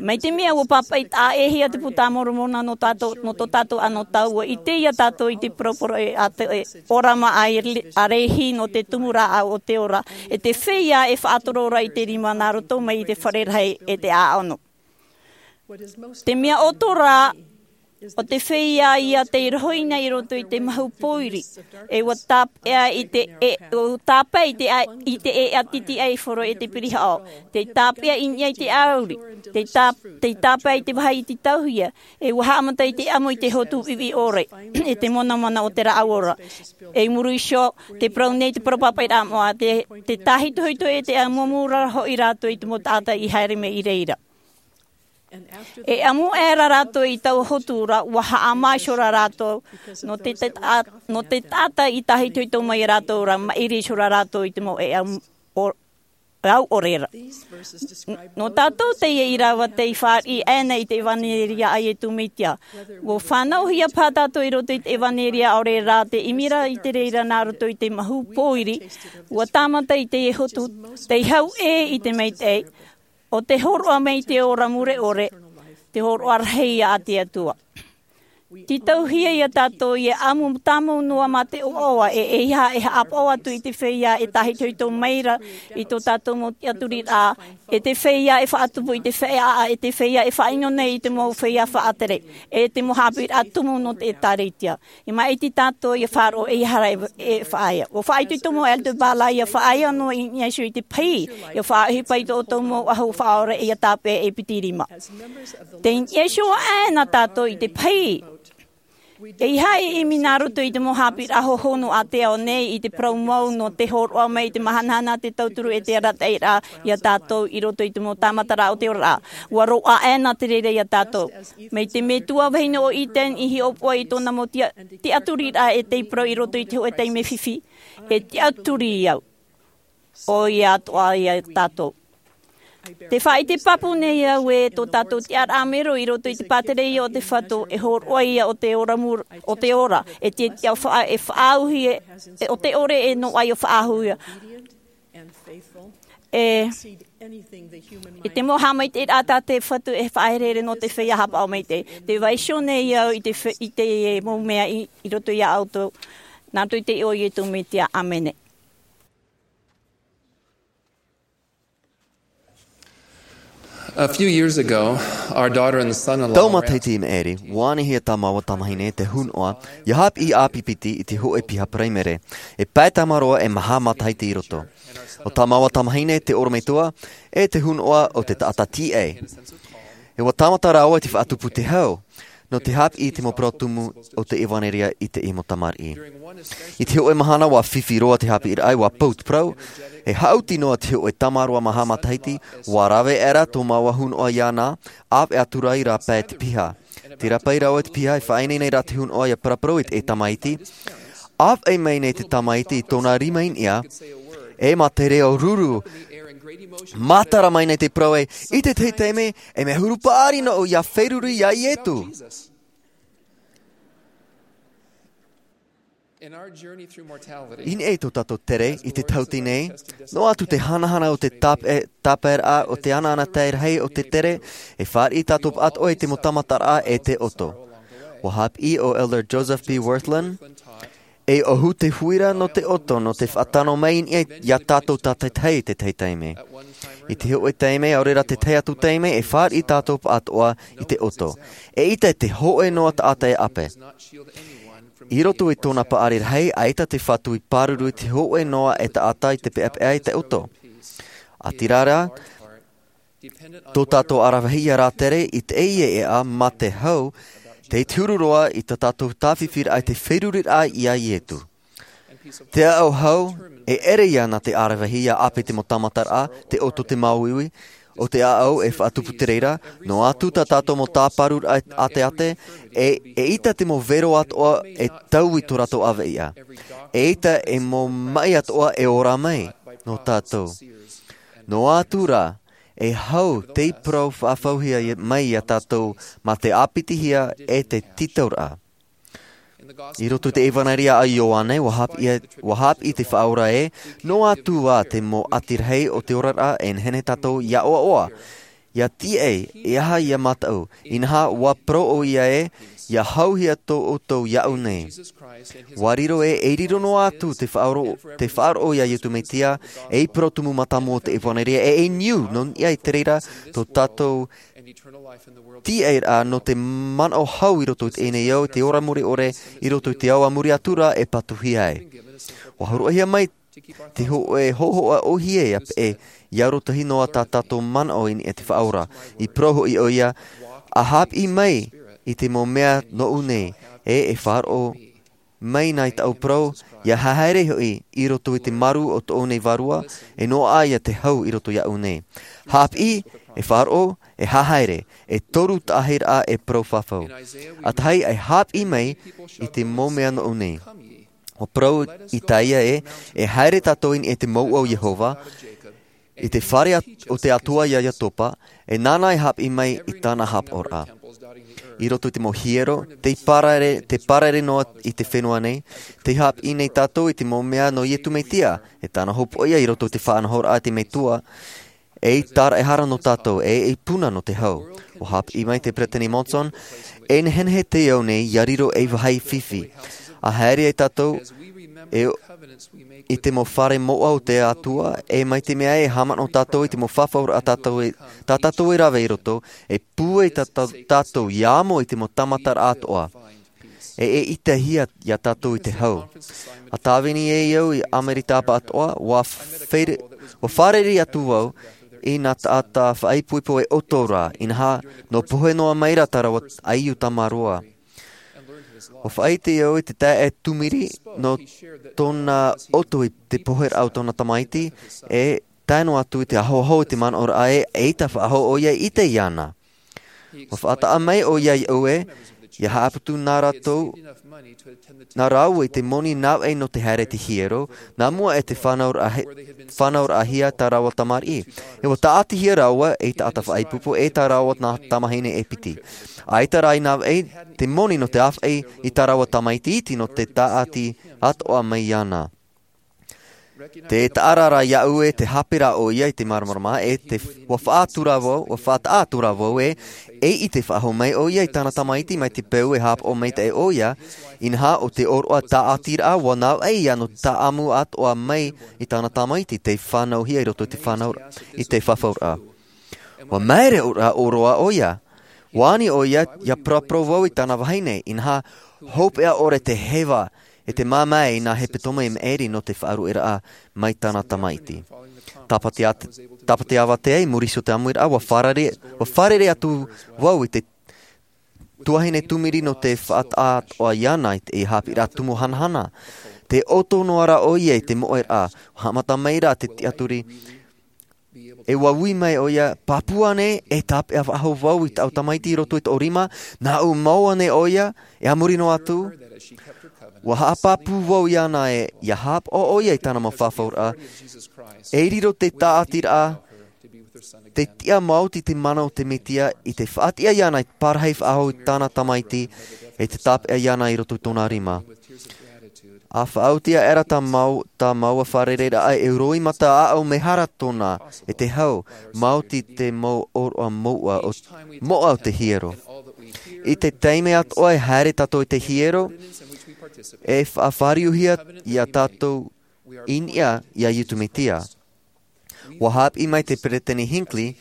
Mai te mea ua pāpaʻi taʻa ʻē hia te Puta a Moromona nō tātou, nō tō tātou anotau, ua ʻite ia tātou i te poroporoʻi a te, e, ʻōrama a Lehi nō te tumu rāʻau o te ora, e te feiā e faʻatoro ra i te rima nā roto mai i te fare rahi e te ʻāʻano. Te mea ʻoto rā, ʻo te feiā ia tei rohi nei i roto i te mahu pōiri, e ua tāpeʻa i te, e, ua tāpeʻa i te, i te ʻēʻa titiʻaiforo e te pirihaʻo, tei tāpeʻa i niʻa i te ʻauri, tei tā-, tei tāpeʻa i te vāhi i te tauhia, e ua haʻamata i te ʻamu i te hotu viʻiviʻi ʻore, e te monamona o te rāʻau ora. E i muri iho, te parau nei te parau pāpaʻiraʻa moʻa, te, te tāhitohito e te ʻamuʻamu ra hoʻi rātou i te mau taʻata i haere mai i reira. E ʻamu aʻera rātou i taua hotu ra, ua haʻamā iho ra rātou, nō te, te ta-, nō te taʻata i tāhitohito mai ia rātou ra, maʻiri iho ra rātou i te mau ʻēʻa o-, au ʻore ra. N-, nō tātou teie i rave tei fāriʻi aʻena i te ʻevanelia a Iesu Mesia. Ua fānauhia paha tātou i roto i te ʻevanelia, ʻaore rā te ʻimi ra i te reira nā roto i te mahu pōiri, ua tāmata i teie hotu, tei hau ʻē i te maitaʻi, ʻo te hōroʻa mai i te ora mure ʻore, te hōroʻa rahi ia a te Atua. Tītauhia ia tātou ia ʻamu tāmau noa mā te ʻoaʻoa, e, e aha e haʻapaʻo atu i te feiā e tāhitohito mai ra i tō tātou mau tiʻaturiraʻa, e te feiā e faʻatupu i te feiā, e te feiā e faʻaʻino nei i te mau feiā faʻatere, e te mau haʻapiʻiraʻa tumu nō te ʻĒtārētia. E maʻiti tātou ia faʻaroʻo e aha rā e, e faʻaea. Ua faʻaitoito mau Elder Ballard ia faʻaea noa i niʻa iho i te pahī, ia faʻaʻohipa i tō ʻoutou mau ʻahu faʻaora ia tāpeʻa e piti rima. Tei niʻa iho aʻena tātou i te pahī. E aha e ʻimi nā roto i te mau haʻapiʻiraʻa hohonu a te ao nei i te parau mau nō te hōroʻa mai i te mahanahana, te tauturu e te arataʻiraʻa ia tātou i roto i te mau tāmataraʻa o te oraraʻa. Ua roaʻa aʻena te reira ia tātou. Mai te metua vahine o Eden i hiʻopoʻa i tōna mau tiʻa-, tiʻaturiraʻa e tei parau i roto i te hōʻē taime fifi, e tiʻaturi au. ʻOia atoʻa ia tātou. Te faʻaʻite pāpū nei au e tō tātou tiʻaraʻa mero i roto i te pātereia o te Fatu, e hōroʻa ia o te ora mur-, o te ora, e te, te faʻa-, e faʻaauhia, e, o te ʻore e noaʻa ia faʻaauhia. E, e te mau haʻamaitaʻiraʻa tā te Fatu e faʻaherehere nō te feiā haʻapaʻo maitaʻi. Tē vaiiho nei au i te fe-, i te mau mea i, i roto ia ʻoutou. Nā roto i te iʻoa o Iesu Mesia, ʻāmene. A few years ago, our daughter and son-in-law Tau were matahiti i maʻiri, ua anihia tā māua tamahine te hunoʻa, ia haʻapiʻi ʻāpī piti i te hōʻē piha paraimere. E pae tamaroa e maha matahiti i roto. ʻO tā māua tamahine te ʻorometua, e te hunoʻa o te taʻata tīaʻi. E ua tāmata rāua i te faʻatupu te hau, nō te haʻapiʻi i te mau parau tumu o te ʻevanelia i te mau tamariʻi. I te hōʻē mahana ua fifi roa te haʻapiʻiraʻa, ua pau te parau, e haʻuti noa te hōʻē tamaroa maha matahiti, ua rave aʻera tō māua hunoʻa iāna, ʻāvaʻe atu ra i rāpae te piha. Te rāpae rāua te piha e faʻaineine ra te hunoa ia paraparau i te tamaiti. Āfaʻi mai nei te tamaiti i tōna rima i niʻa, e mā te reo ruru mātara mai nei te parau ē, i te tahi taime e mea huru paʻari noʻu ia feruri ia iesu. I niʻa i tō tātou tere i te tauti nei, noa atu te hanahana o te tāpaeraʻa o te anaanatae rahi o te tere, e fāriʻi tātou atoʻa i te mau tāmataraʻa e te ʻoto. Ua hāpiʻi o elder joseph b wirthlin, e ʻohu te huira nō te ʻoto nō te faʻatano mai i niʻa iā tātou tātaitahi i te tahi taime. I te hoʻe taime ʻaore rā te tahi atu taime e fāriʻi tātou atoʻa i te ʻoto, e ʻita i te hoʻe noa taʻata e ʻape. I roto i tōna paʻari rahi ʻaita te fatu i pāruru i te hoʻe noa e taʻata i te peʻapeʻa i te ʻoto. ʻĀtīrā rā, tō tātou aravehia rātere i te ʻeʻa mā te hau, te huru roa i tā tātou tāfifiraʻa i te feruriraʻa iā iesu. Te ʻaʻau hau e ʻere ia nā te aravehia ʻape i te mau tāmataraʻa, te ʻoto te māuiui o te ʻaʻau e faʻatupu te reira. Noa atu tā tātou mau tāparuraʻa ʻateʻate, e ʻita te mau vero atoʻa e tau i tō rātou ʻaveʻa. E ʻita e mau maʻi atoʻa e ora mai nō tātou. Noa atu rā, e hau te parau faʻafauhia mai iā tātou mā te ʻāpitihia e te tītauraʻa. I roto i te ʻevanelia a ioane ua hāpiʻi te faʻaora ē, noa atu ā te mau ʻati rahi o te oraraʻa e nehenehe tātou ia ʻoaʻoa, ia tiaʻi e aha ia mataʻu. Inaha ua parau ʻo ia ē, ia hauhia tō ʻoutou iaʻu nei. Ua riro ē e riro noa atu te faʻaroʻo iā iesu mesia, ei parau tumu mātāmua o te ʻevanelia e e niu nō niʻa i te reira tō tātou tiaʻiraʻa nō te manaʻo hau i roto i teie nei ao i te ora mure ʻore, i roto i te ao a muri atu rā e patuhia ai. Ua horoʻahia mai te hoʻe hohoʻa ʻohie ia peʻe ia arotahi noa tā tātou manaʻo i niʻa i te faʻaora. I parau hoʻi ʻo ia, a hāpiʻi mai i te mau mea nōʻu nei, e e faʻaroʻo mai nā i tāʻu parau, ia haere hoʻi i roto i te maru o tōʻu nei vārua, e noaʻa ia te hau i roto iaʻu nei. Hāpiʻi, e faʻaroʻo, e haere. E toru taʻahiraʻa e parau fafau. ʻA tahi e hāpiʻi mai i te mau mea nōʻu nei. Ua parau isaia ē, e haere tātou i niʻa i te mouʻa o iehova, i te fare o te atua iā iakoba, e nāna e hāpiʻi mai i tāna hapaʻoraʻa. I roto i te mau hiero te parare noa i te fenua nei, te hāpiʻi nei tātou i te mau mea nō iesu mesia, e tāna hopoiʻa i roto i te faʻanahoraʻa a te metua, ei tāraʻehara nō tātou e ei puna nō te hau. Ua hāpiʻi mai te peresideni monson, e nehenehe te ao nei ia riro ei vāhi fifi. A haere ai tātou e i te mau fare moʻa o te atua, e mai te mea e haʻamanaʻo tātou i te mau fafauraʻa tā tātou e rave i roto, e pūai tātou ia amo i te mau tāmataraʻa atoʻa, e e ʻitehia iā tātou i te hau. A tāvini ai au i amerika atoʻa, ua fārerei atu au i nā taʻata faʻaipoipo e ʻoto rā, inaha nō pohe noa mai rā tā rāua ʻaiū tamaroa. Ua faʻaite au i te taeaʻe tūmiri nō tōna ʻoto i te poheraʻa o tōna tamaiti, e tae noa atu i te ahoaho i te manaʻoraʻa e ʻaita faʻahou ʻo ia i ʻite iāna. Ua faʻataʻa mai ʻo ia iaʻu ē, ia haʻaputu nā rātou nā rāua i te moni nāvaʻi nō te haere i te hiero, nā mua e te fānauraʻahia tā rāua tamariʻi. E ua tāʻatihia rāua ei taʻata faʻaipoipo e tā rāua tamahine e piti. ʻAita rā i nāvaʻi te moni nō te āfaʻi i tā rāua tamaiti iti nō te tāʻati atoʻa mai iāna. Te taʻarara iaʻu e te hāpera ʻo ia i te māramarama e te ua faʻatura vau ua faʻataʻa tura vau e, e i te faʻahou mai ʻo ia i tāna tamaiti mai te peu e hāpaʻo maitaʻi ʻo ia. Inaha o te ʻōroʻa tāʻatiraʻa ua nāvaʻi ia nō te tāʻamu atoʻa mai i tāna tamaiti te fānauhia i roto i te fānau i te fafauraʻa. Ua maere ʻōroʻa ʻo ia. Ua ani ʻo ia ia paraparau vau i tāna vahine inaha hopeʻa ʻore te heva e te māmā i nā hepetoma i maʻiri nō te faʻaruʻeraʻa mai tāna tamaiti. Tāpati avatea i muri iho te ʻamuiraʻa ua fārerei atu vau i te tuahine tūmiri nō te faʻataʻa atoʻa iāna i te hāpiʻiraʻa tumu hanahana. Te ʻoto noa rā ʻo ia i te moʻeraʻa ua haʻamata mai rā te tiaturi. E ua ui mai ʻoia, pāpū ānei e tāpeʻa faʻahou vau i tāʻu tamaiti i roto i tōʻu rima? Nāʻu mau ānei ʻoia? E a muri noa atu, ua haʻapāpū vau iāna ē ia haʻapaʻo ʻoia i tāna mau fafauraʻa. E riro te tāʻatiraʻa te tiʻa maoti te mana o te mesia i te faʻatiʻa iāna i te parahi faʻahou i tāna tamaiti e te tāpeʻa iāna i roto i tōna rima. A faʻaoti aʻera tā mau tā maua fārereiraʻa e roimata aʻau mehara tōna e te hau maoti te mau ʻōroʻa moʻa o moʻa o te hiero. I te taime atoʻa e haere tātou i te hiero e faʻafāriuhia iā tātou i niʻa iā iesu mesia. Ua hāpiʻi mai te peresideni hinckley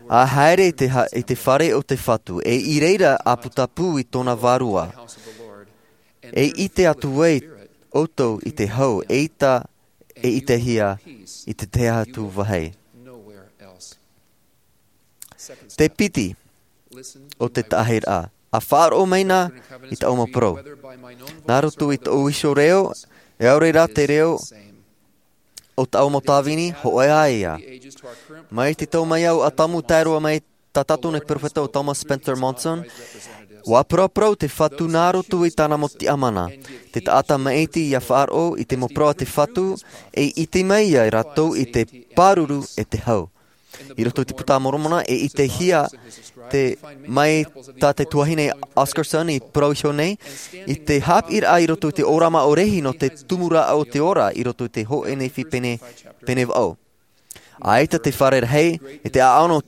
a haere i te fare o te fatu e i reira a putapū i tōna vārua. E ʻite atu ai ʻoutou i te hau e ʻita e ʻitehia i te tahi atu vāhi. Te piti o te taʻahiraʻa, a faʻaroʻo mai na i tāʻu mau parau nā roto i tōʻu iho reo e aore rā te reo o tāʻu mau tāvini hoʻi ā ia. Mai te tau mai au a tamu tae roa mai tā tātou nei peropheta o thomas spencer monson, ua paraparau te fatu nā roto i tāna mau tiʻamana. Te taʻata maʻiti ia faʻaroʻo i te mau parau a te fatu e ʻite mai ia rātou i te pāruru e te hau. I roto i te puta a moromona e ʻitehia mai tā te tuahine oscarson i parau iho nei i te hāpiʻiraʻa i roto i te ʻōrama o rehi nō te tumuraʻa o te ora i roto i te hoʻe nehenehe pene vaʻu. ʻAita te fare rahi e te ʻaʻano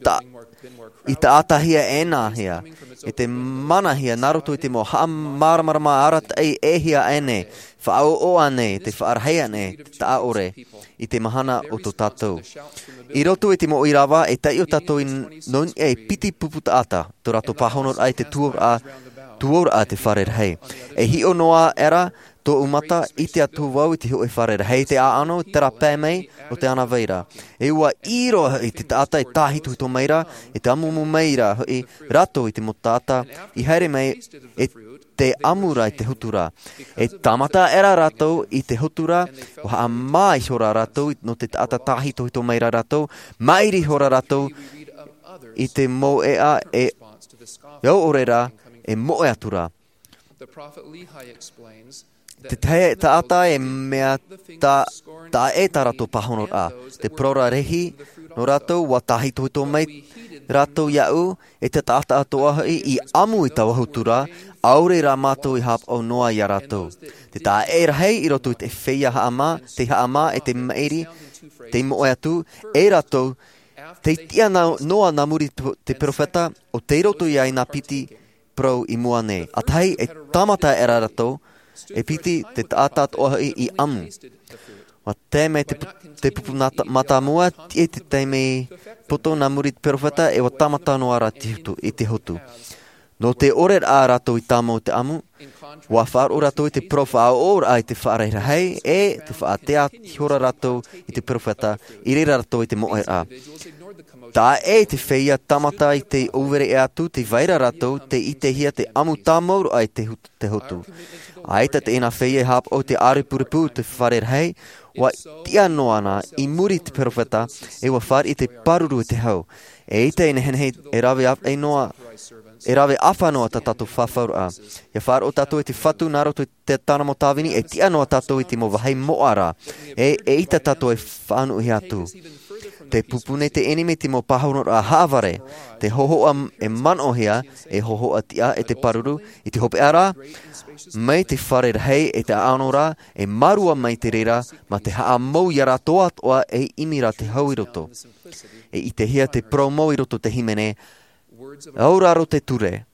i taʻatahia ʻenahia e te manahia nā roto i te mau haʻamāramarama arataʻi ʻehia ʻānei faʻaʻoʻo ānei te faʻarahi ānei te taʻaʻore i te mahana o tō tātou. I roto i te mau ʻīrava e taiʻo tātou i nō niʻa e piti pupu taʻata tō rātou pāhonoraʻa i te tuauraʻa tuauraʻa te fare rahi. E hiʻo noa aʻera tōʻu mata ʻite atu vau i te hoʻe fare rahi te ʻaʻano i te rāpae mai o te ana vaira. E ua ʻī roa hoʻi te taʻata e tāhitohito mai ra e te amuamu mai ra hoʻi rātou i te mau taʻata i haere mai e te amu ra i te hotu ra. E tāmata aʻera rātou i te hotu ra ua haʻamā ihora rātou nō te taʻata tāhitohito mai ra rātou maʻiri ihora rātou i te mau ʻeʻa e ʻaore rā e moʻe atu ra. Te tahi taʻata e mea taʻa ʻē tā rātou pāhonoraʻa te parau ra rehi nō rātou ua tāhitohito mai rātou iaʻu e te taʻata atoʻa hoʻi i amu i taua hotu ra ʻaore rā mātou i haʻapaʻo noa iā rātou. Te taʻa ʻē rahi i roto i te feiā haʻamā te haʻamā e te maʻiri te moʻe atu e rātou te tiʻa noa nā muri te peropheta o tei roto iā ʻina piti parau i mua nei ʻātahi e tāmata aʻera rātou e piti te taʻata atoʻa hoʻi i amu. Ua tae mai te pupu mātāmua tiʻa i te taime poto nā muri te peropheta e ua tāmata noa ra i te hotu. Nō te ʻore rā rātou i tāmau i te amu ua faʻaroʻo rātou i te parau faʻaʻoʻoraʻa i te faʻarahi rahi e te faʻatea ihora rātou i te peropheta i reira rātou i te moʻeraʻa. Taʻa ʻē i te feiā tāmata i te ʻōvere ʻē atu te vaira rātou te ʻitehia te amu tāmau roa i te hotu. ʻAita te ʻina feiā e haʻapaʻo i te ʻārepurepu te fare rahi ua tiʻa noa na i muri i te peropheta e ua fāriʻi te pāruru e te hau. E ʻita e nehenehe e rave ʻāfaʻi noa e rave ʻāfa noa tā tātou fafauraʻa. Ia faʻaroʻo tātou i te fatu nā roto i te tāna mau tāvini e tiʻa noa tātou i te mau vāhi moʻa ra e e ʻita tātou e faʻanuʻuhia atu. Te pupu nei te ʻenemi te mau pāhonoraʻa haʻavare te hohoʻa e manaʻohia e hohoʻa tiʻa e te pāruru i te hopeʻa ra mai te fare rahi e te ʻaʻano ra e mārua mai te reira mā te haʻamau iā rātou atoʻa e ʻimi ra te hau i roto. E ʻitehia te parau mau i roto te hīmene auraro te ture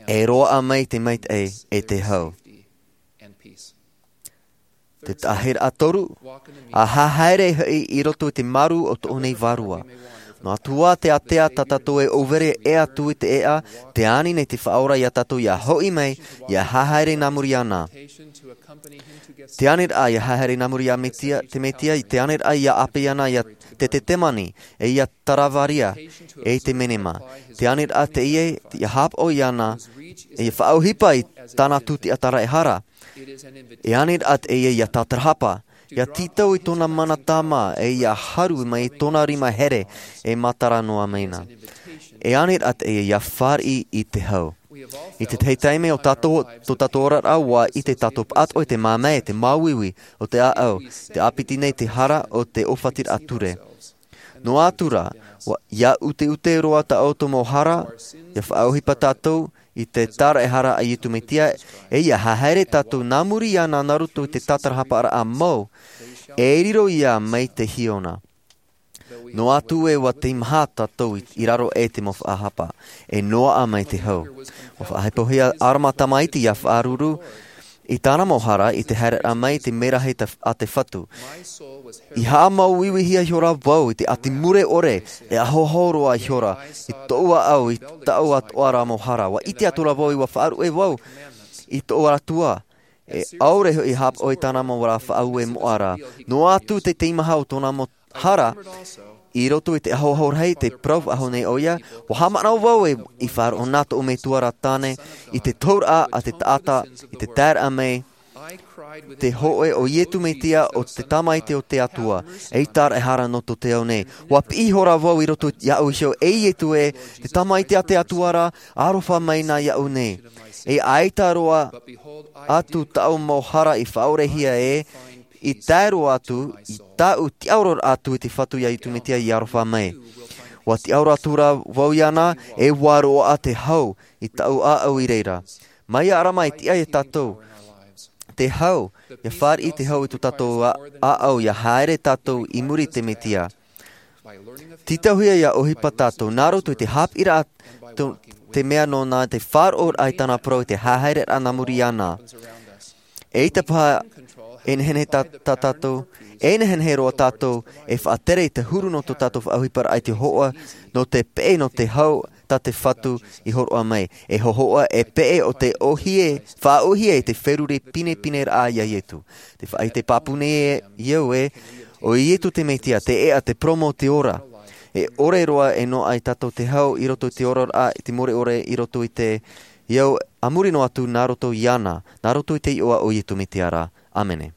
e roaʻa mai te maitaʻi e te hau. Te taʻahiraʻa toru a hahaere hoʻi i roto i te maru o tōʻu nei vārua. Noa atu ā te ātea tā tātou e ʻōvere ʻē atu i te ʻeʻa te ani nei te faʻaora iā tātou ia hoʻi mai ia hahaere nā muri iāna. Te aniraʻa ia hahaere nā muri iā te mesia te mesia i te aniraʻa ia ʻāpī ana iā te tetemani e iā taravaria e i te menema. Te aniraʻa teie ia haʻapaʻo iāna ia faʻaʻohipa i tāna tūtiʻa taraehara. E aniraʻa teie ia tātarahapa ʻIa tītau i tōna mana tāmā, ʻe ʻia haru mai i tōna rima here, e matara noa mai na. E ānei rā teie ʻia fāriʻi i te hau. I tētahi taime o tātou, tō tātou oraraʻa, ʻua ʻite tātou pāʻatoʻa i te māmā, te māuiui o te ʻāʻau, te ʻāpiti nei te hara o te ʻōfatiraʻa ture. Noa atu rā, ʻua, ʻia ʻuteʻute roa tā ʻoutou mau hara, ʻia faʻaʻohipa tātou i te tāraʻehara a Iesu Mesia, ʻe ʻia haere tātou nā muri iāna nā roto i te tātarahaparaʻa mau, e riro ia mai te hiona. Noa atu ē ʻua teimaha tātou i, i raro aʻe i te mau faʻahapa, e noaʻa mai te hau. ʻUa faʻahepohia ʻArama tamaiti ʻia faʻaruru i tāna mau hara i te haereraʻa mai i te mērahi ta-, a te Fatu. I haʻamāuiuihia ihora vau i te ʻati mure ʻore, e ahoaho roa ihora i tōʻu ʻāʻau i taʻu atoʻa ra mau hara. ʻUa ʻite atu ra vau ʻua faʻaruʻe vau i tōʻu Atua, e ʻaore hoʻi i haʻapaʻo i tāna mau ra faʻaue moʻa ra. Noa atu te teimaha o tōna mau hara, i roto i te ahoaho rahi te parau faʻahou nei ʻoia, ʻua haʻamanaʻo vau ē i faʻaroʻo na tōʻu metua ra tāne i te tohuraʻa a te taʻata, i te taeraʻa mai, te hōʻē o Iesu Mesia ʻo te Tamaiti o te Atua, ei tāraʻehara nō tō te ao nei. ʻUa piʻi ihora vau i roto iāʻu iho, e Iesu ē, te Tamaiti a te Atua ra, aroha mai na iāʻu nei. E ʻaita roa atu tāʻu mau hara i faʻaorehia ē, i tae roa atu i tāʻu tiʻaoro atu i te Fatu iā Iesu Mesia i aroha mai. ʻUa tiʻaoro atu ra vau iāna, e ʻua roaʻa te hau i tāʻu ʻāʻau i reira. Mai iā ʻArama e tiʻa ia tātou te hau, ʻia fāriʻi te hau i tō tātou ʻā-, ʻāʻau, ʻia haere tātou i muri i te Mesia. Tītauhia ʻia ʻohipa tātou, nā roto i te haʻapiʻiraʻa tō, te mea nōna, te faʻaroʻoraʻa i tāna parau, i te haereraʻa nā muri iāna. ʻEita paha e nehenehe tā, tā tātou, e nehenehe roa tātou e faʻatere i te huru nō tō tātou faʻaʻohiparaʻa i te hōhoʻa, nō te peʻe, nō te hau tā te Fatu i hōroʻa mai. E hōhoʻa, e peʻe ʻo te ʻōhie, faʻaʻōhie i te feruri pinepineraʻa iā Iesu. Te faʻaʻite pāpū nei ē, au ē, ʻo Iesu te Mesia, te ʻēʻa, te parau mau, te ora. E ʻore roa e noaʻa ia tātou te hau i roto i te oraraʻa, i te mure ʻore i roto i te, au, a muri noa atu nā roto iāna, nā roto i te iʻoa o Iesu Mesia ra. ʻĀmene.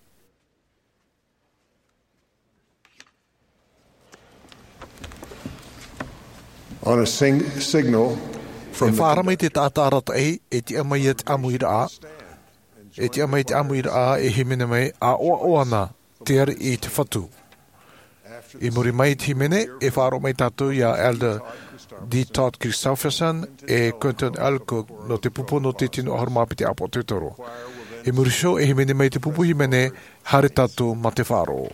On a sing-, signal from the faʻaara mai te taʻata arataʻi, e tiʻa mai ia te ʻāmuiraʻa, e tiʻa mai te ʻāmuiraʻa, e hīmene mai, ʻa ʻoaʻoa na te ariʻi i te Fatu. I muri mai i te hīmene, e faʻaroʻo mai tātou iā Elder D. Todd Christofferson, e Quentin L. Cook, nō te pupu nō te tino ʻahuru mā piti ʻāpoʻo tētoro. I muri iho, e hīmene mai te pupu hīmene, haere tātou mā te faʻaroʻo.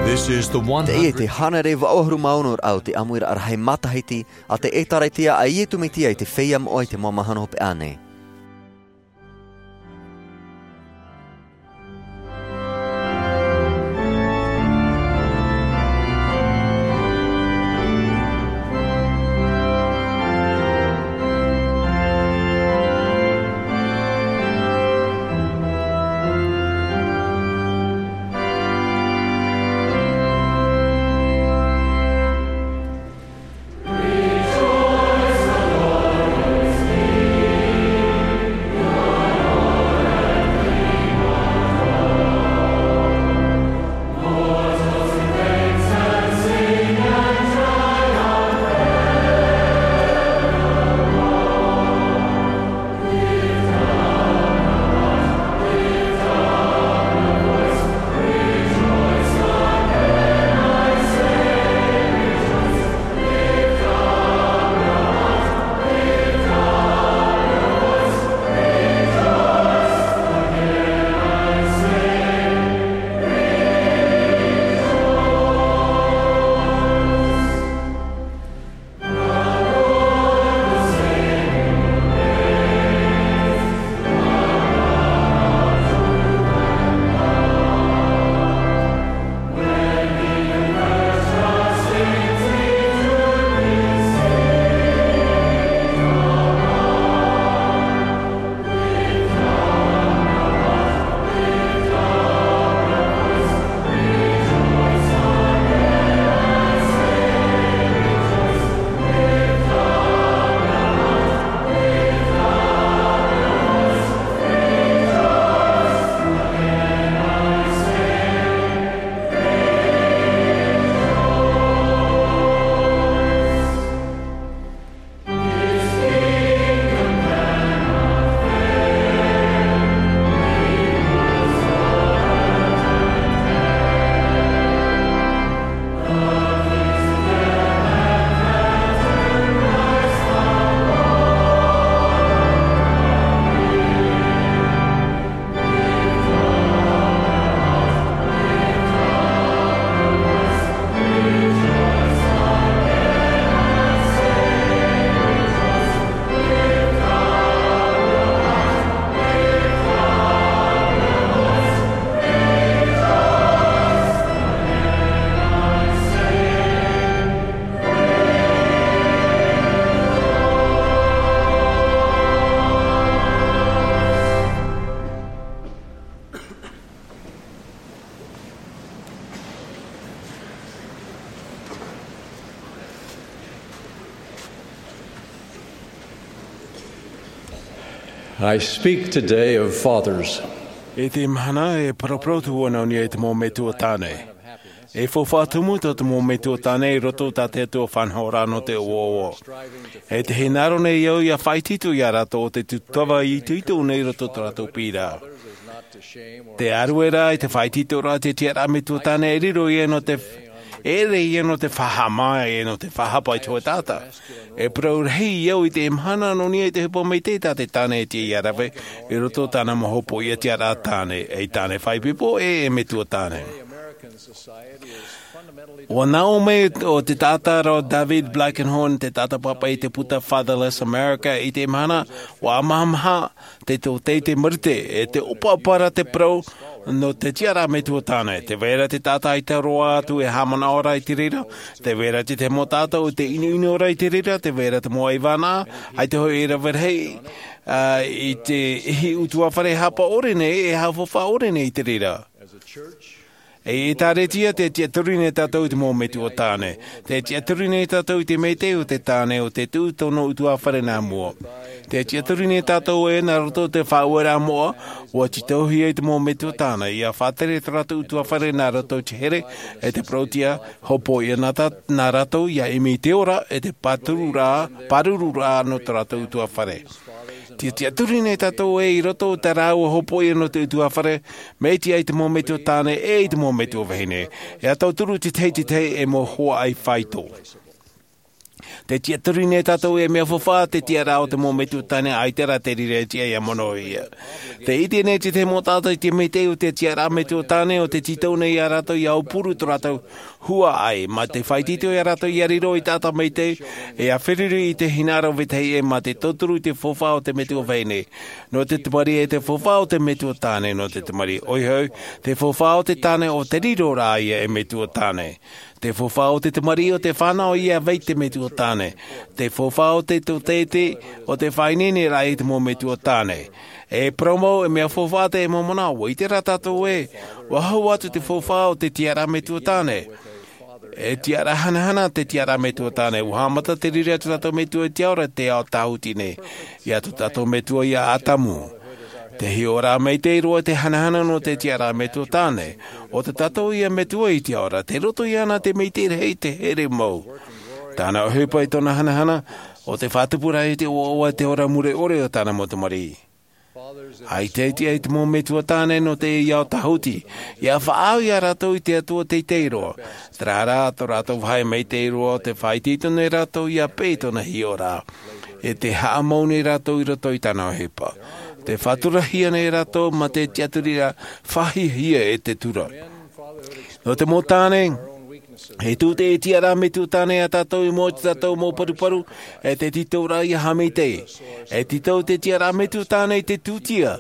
This is the one hundred. Teie te hānere vaʻu ʻahuru mā ono raʻa o te ʻāmuiraʻa rahi matahiti a te ʻĒtārētia a Iesu Mesia i te Feiā Moʻa i te Mau Mahana Hopeʻa nei. I speak today of fathers. I te mahana e paraparau atu vau nā niʻa i te mau metua tāne. E faufaʻa tumu tō te mau metua tāne i roto i tā te Atua faʻanahoraʻa nō te ʻoaʻoa. E te hinaʻaro nei au ia faʻaitoito ia rātou o te tūtava i itoito nei i roto i tō rātou piʻiraʻa. Te ʻārueraʻa i te faʻaitoitoraʻa te tiʻaraʻa metua tāne e riro ia nō te ʻere ia nō te faʻahaʻamā e nō te faʻahapa i te hōʻē taʻata. E parau rahi au i te mahana nō niʻa i te ʻohipa maitaʻi tā te tāne e tiʻa ia rave i roto i tāna mau hopoiʻa tiʻaraʻa tāne, e tāne faʻaipoipo e e metua tāne. Ua nā ʻō mai o te taʻata rā David Blankenhorn, te taʻata pāpaʻi i te puta Fatherless America, i te mahana ua ʻamahamaha te tōtē i te marite e te ʻopaʻopa ra te parau nō te tiʻaraʻa metua tāne. Te vai ra te taʻata ʻaita roa atu e haʻamanaʻo ra i te reira, te vai ra te mau taʻata ʻaita e ʻinoʻino ra i te reira, te vai ra te mau ʻaivānaʻa ʻaita hoʻi e rave rahi i te ʻihi ʻutuāfare haʻapaʻo ʻore nei e haʻafaufaʻa ʻore nei i te reira. E ʻēkālesia, te tiʻaturi nei tātou i te mau metua tāne. Te tiʻaturi nei tātou i te maitaʻi o te tāne o te tuʻu tōna ʻutuāfare nā mua. Te tiʻaturi nei tātou ē nā roto i te faʻaueraʻa moʻa, ua tītauhia i te mau metua tāne ia faʻatere tō rātou ʻutuāfare nā roto i te here e te parauʻtiʻa, hopoiʻa nā tā nā rātou ia ʻimi i te ora e te pārururaʻa pārururaʻa nō tō rātou ʻutuāfare. Te tiʻaturi nei tātou ē i roto i tā rāua hopoiʻa nō te ʻutuāfare, mai te ʻai te mau metua tāne e i te mau metua vahine, e tauturu te tahi te tahi e mau hoa ʻai faito. Te tiʻaturi nei tātou e mea faufaʻa te tiʻaraʻa o te mau metua tāne ʻaita rā te reira e tiʻa ia mono ia. Te ʻite nei te tahi mau taʻata i te maitaʻi o te tiʻaraʻa metua tāne o te tītau nei ia rātou ia aupuru tō rātou huaʻai mā te faʻaitoito ia rātou ia riro i taʻata maitaʻi, e ia feruri i te hinaʻaro vetahi e mā te tauturu i te faufaʻa o te metua vahine nō te tamariʻi e te faufaʻa o te metua tāne nō te tamariʻi ʻoia hoʻi, te faufaʻa o te tāne o te riro rā ia e metua tāne. Te faufaʻa o te tamariʻi o te fānau ia vai te metua tāne. Te faufaʻa o te tōtēti o te faʻaineineraʻa i te mau metua tāne. E parau mau e mea faufaʻa te mau manaʻo ua ʻite rā tātou ē, ua hau atu te faufaʻa o te tiʻaraʻa metua tāne. E tiʻaraʻa hanahana te tiʻaraʻa metua tāne ua haʻamata te riri a tō tātou metua i te ao ra te ao tāhuti nei, ia tō tātou metua ia ʻātamu. Te hiʻoraʻa maitaʻi roa te hanahana nō te tiʻaraʻa metua tāne, o tō tātou ia metua i te ao ra te roto iāna te maitaʻi rahi te here mau. Tāna ʻohipa i tōna hanahana o te faʻatupu rahi te ʻoaʻoa te ora mure ʻore o tāna mau tamariʻi. ʻAita e tiʻa i te mau metua tāne nō te ao tāhuti ia faʻaau ia rātou i te Atua teitei roa. Terā rā tō rātou vāhi maitaʻi roa o te faʻaitoito nei rātou ia peʻe i tōna hiʻoraʻa, e te haʻamau nei rātou i roto i tāna ʻohipa. Te faʻaturahia nei rātou mā te tiʻaturiraʻa faʻahiahia e te tura. Nō te mau tāne, e tū te tiʻaraʻa metua tāne a tātou i mua i tō tātou mau paruparu, e te tītauraʻa ia haʻamaitaʻi. E tītau te tiʻaraʻa metua tāne i te tūtia.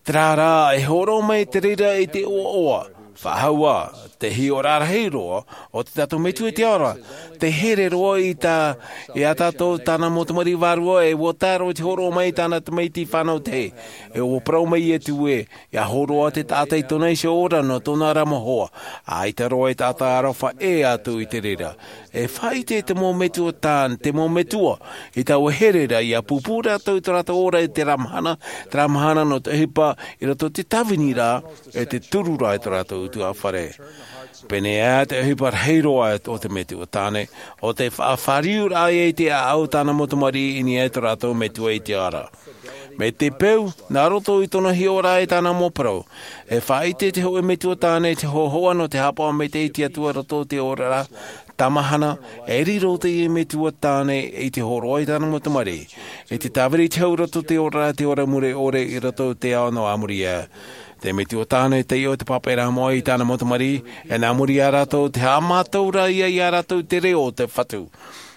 Terā rā e hōroʻa mai te reira i te ʻoaʻoa. Faʻahou ā, te hiʻoraʻa rahi roa o tō tātou metua i te ao ra, te here roa i tā, i a tātou tāna mau tamariʻi vārua e ua tae roa i te hōroʻa mai i tāna tamaiti fānau tahi. E ua parau mai Ietu ē, ia hōroʻa te taʻata i tōna iho ora nō tōna ra mau hoa, ʻaita roa e taʻata aroha ʻē atu i te reira. E faʻaʻite te mau metua tāne, te mau metua i taua here ra ia pūpū rātou i tō rātou ora i terā mahana, terā mahana nō te ʻohipa i roto i te tāviniraʻa, e te tururaʻa i tō rātou ʻutuāfare. Pēneiaʻe te ʻohipa rahi roa o te metua tāne, o te faʻafāriuraʻa ia i te ʻāʻau tāna mau tamariʻi i niʻa i tō rātou metua i te ao ra. Mai te peu, nā roto i tōna hiʻoraʻa e tāna mau parau, e faʻaʻite te hōʻē metua tāne te hōhoʻa nō te haʻapaʻo maitaʻi i te Atua i roto i te oraraʻa tāmahana, e riro teie metua tāne i te hōroʻa i tāna mau tamariʻi, i te tāviri i te hau i roto i te oraraʻa te ora mure ʻore i roto i te ao nō a muri aʻe. Te metua tāne taiʻo te pāpaʻiraʻa moʻa i tāna mau tamariʻi, e nā muri iā rātou te haʻamātau ra ia iā rātou i te reo o te Fatu.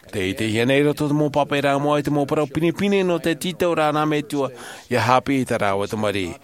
Tē ʻitehia nei i roto i te mau pāpaʻiraʻa moʻa i te mau parau pinepine nō te tītauraʻa nā metua ia haʻapiʻi i tā rāua tamariʻi.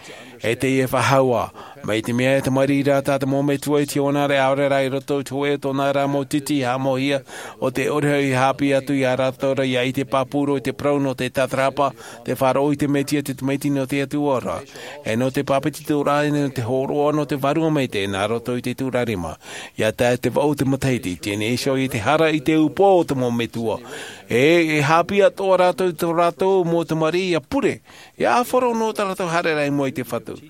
E teie e faʻahou ā, Mai te mea e tamariʻi ra tā te mau metua i te ʻōna ra e ʻaore rā i roto i te hoʻe o tōna rā mau titi haʻamoʻehia, ʻo te ʻore hoʻi e hāpiʻi atu iā rātou ra ia ʻite pāpū roa i te parau nō te tātarahapa, te faʻaroʻo i te mesia te tamaiti nō te atua ra, e nō te pāpetitoraʻa e nō te hōroʻa nō te vārua maitaʻi nā roto i te tūrarima. Ia tae te vaʻu te matahiti teie nei iho i te hara i te upoʻo o te mau metua. E e hāpiʻi atoʻa rātou i tō rātou mau tamariʻi ia pure, ia ʻāfaro nō tā rātou haereraʻa i mua i te fatu.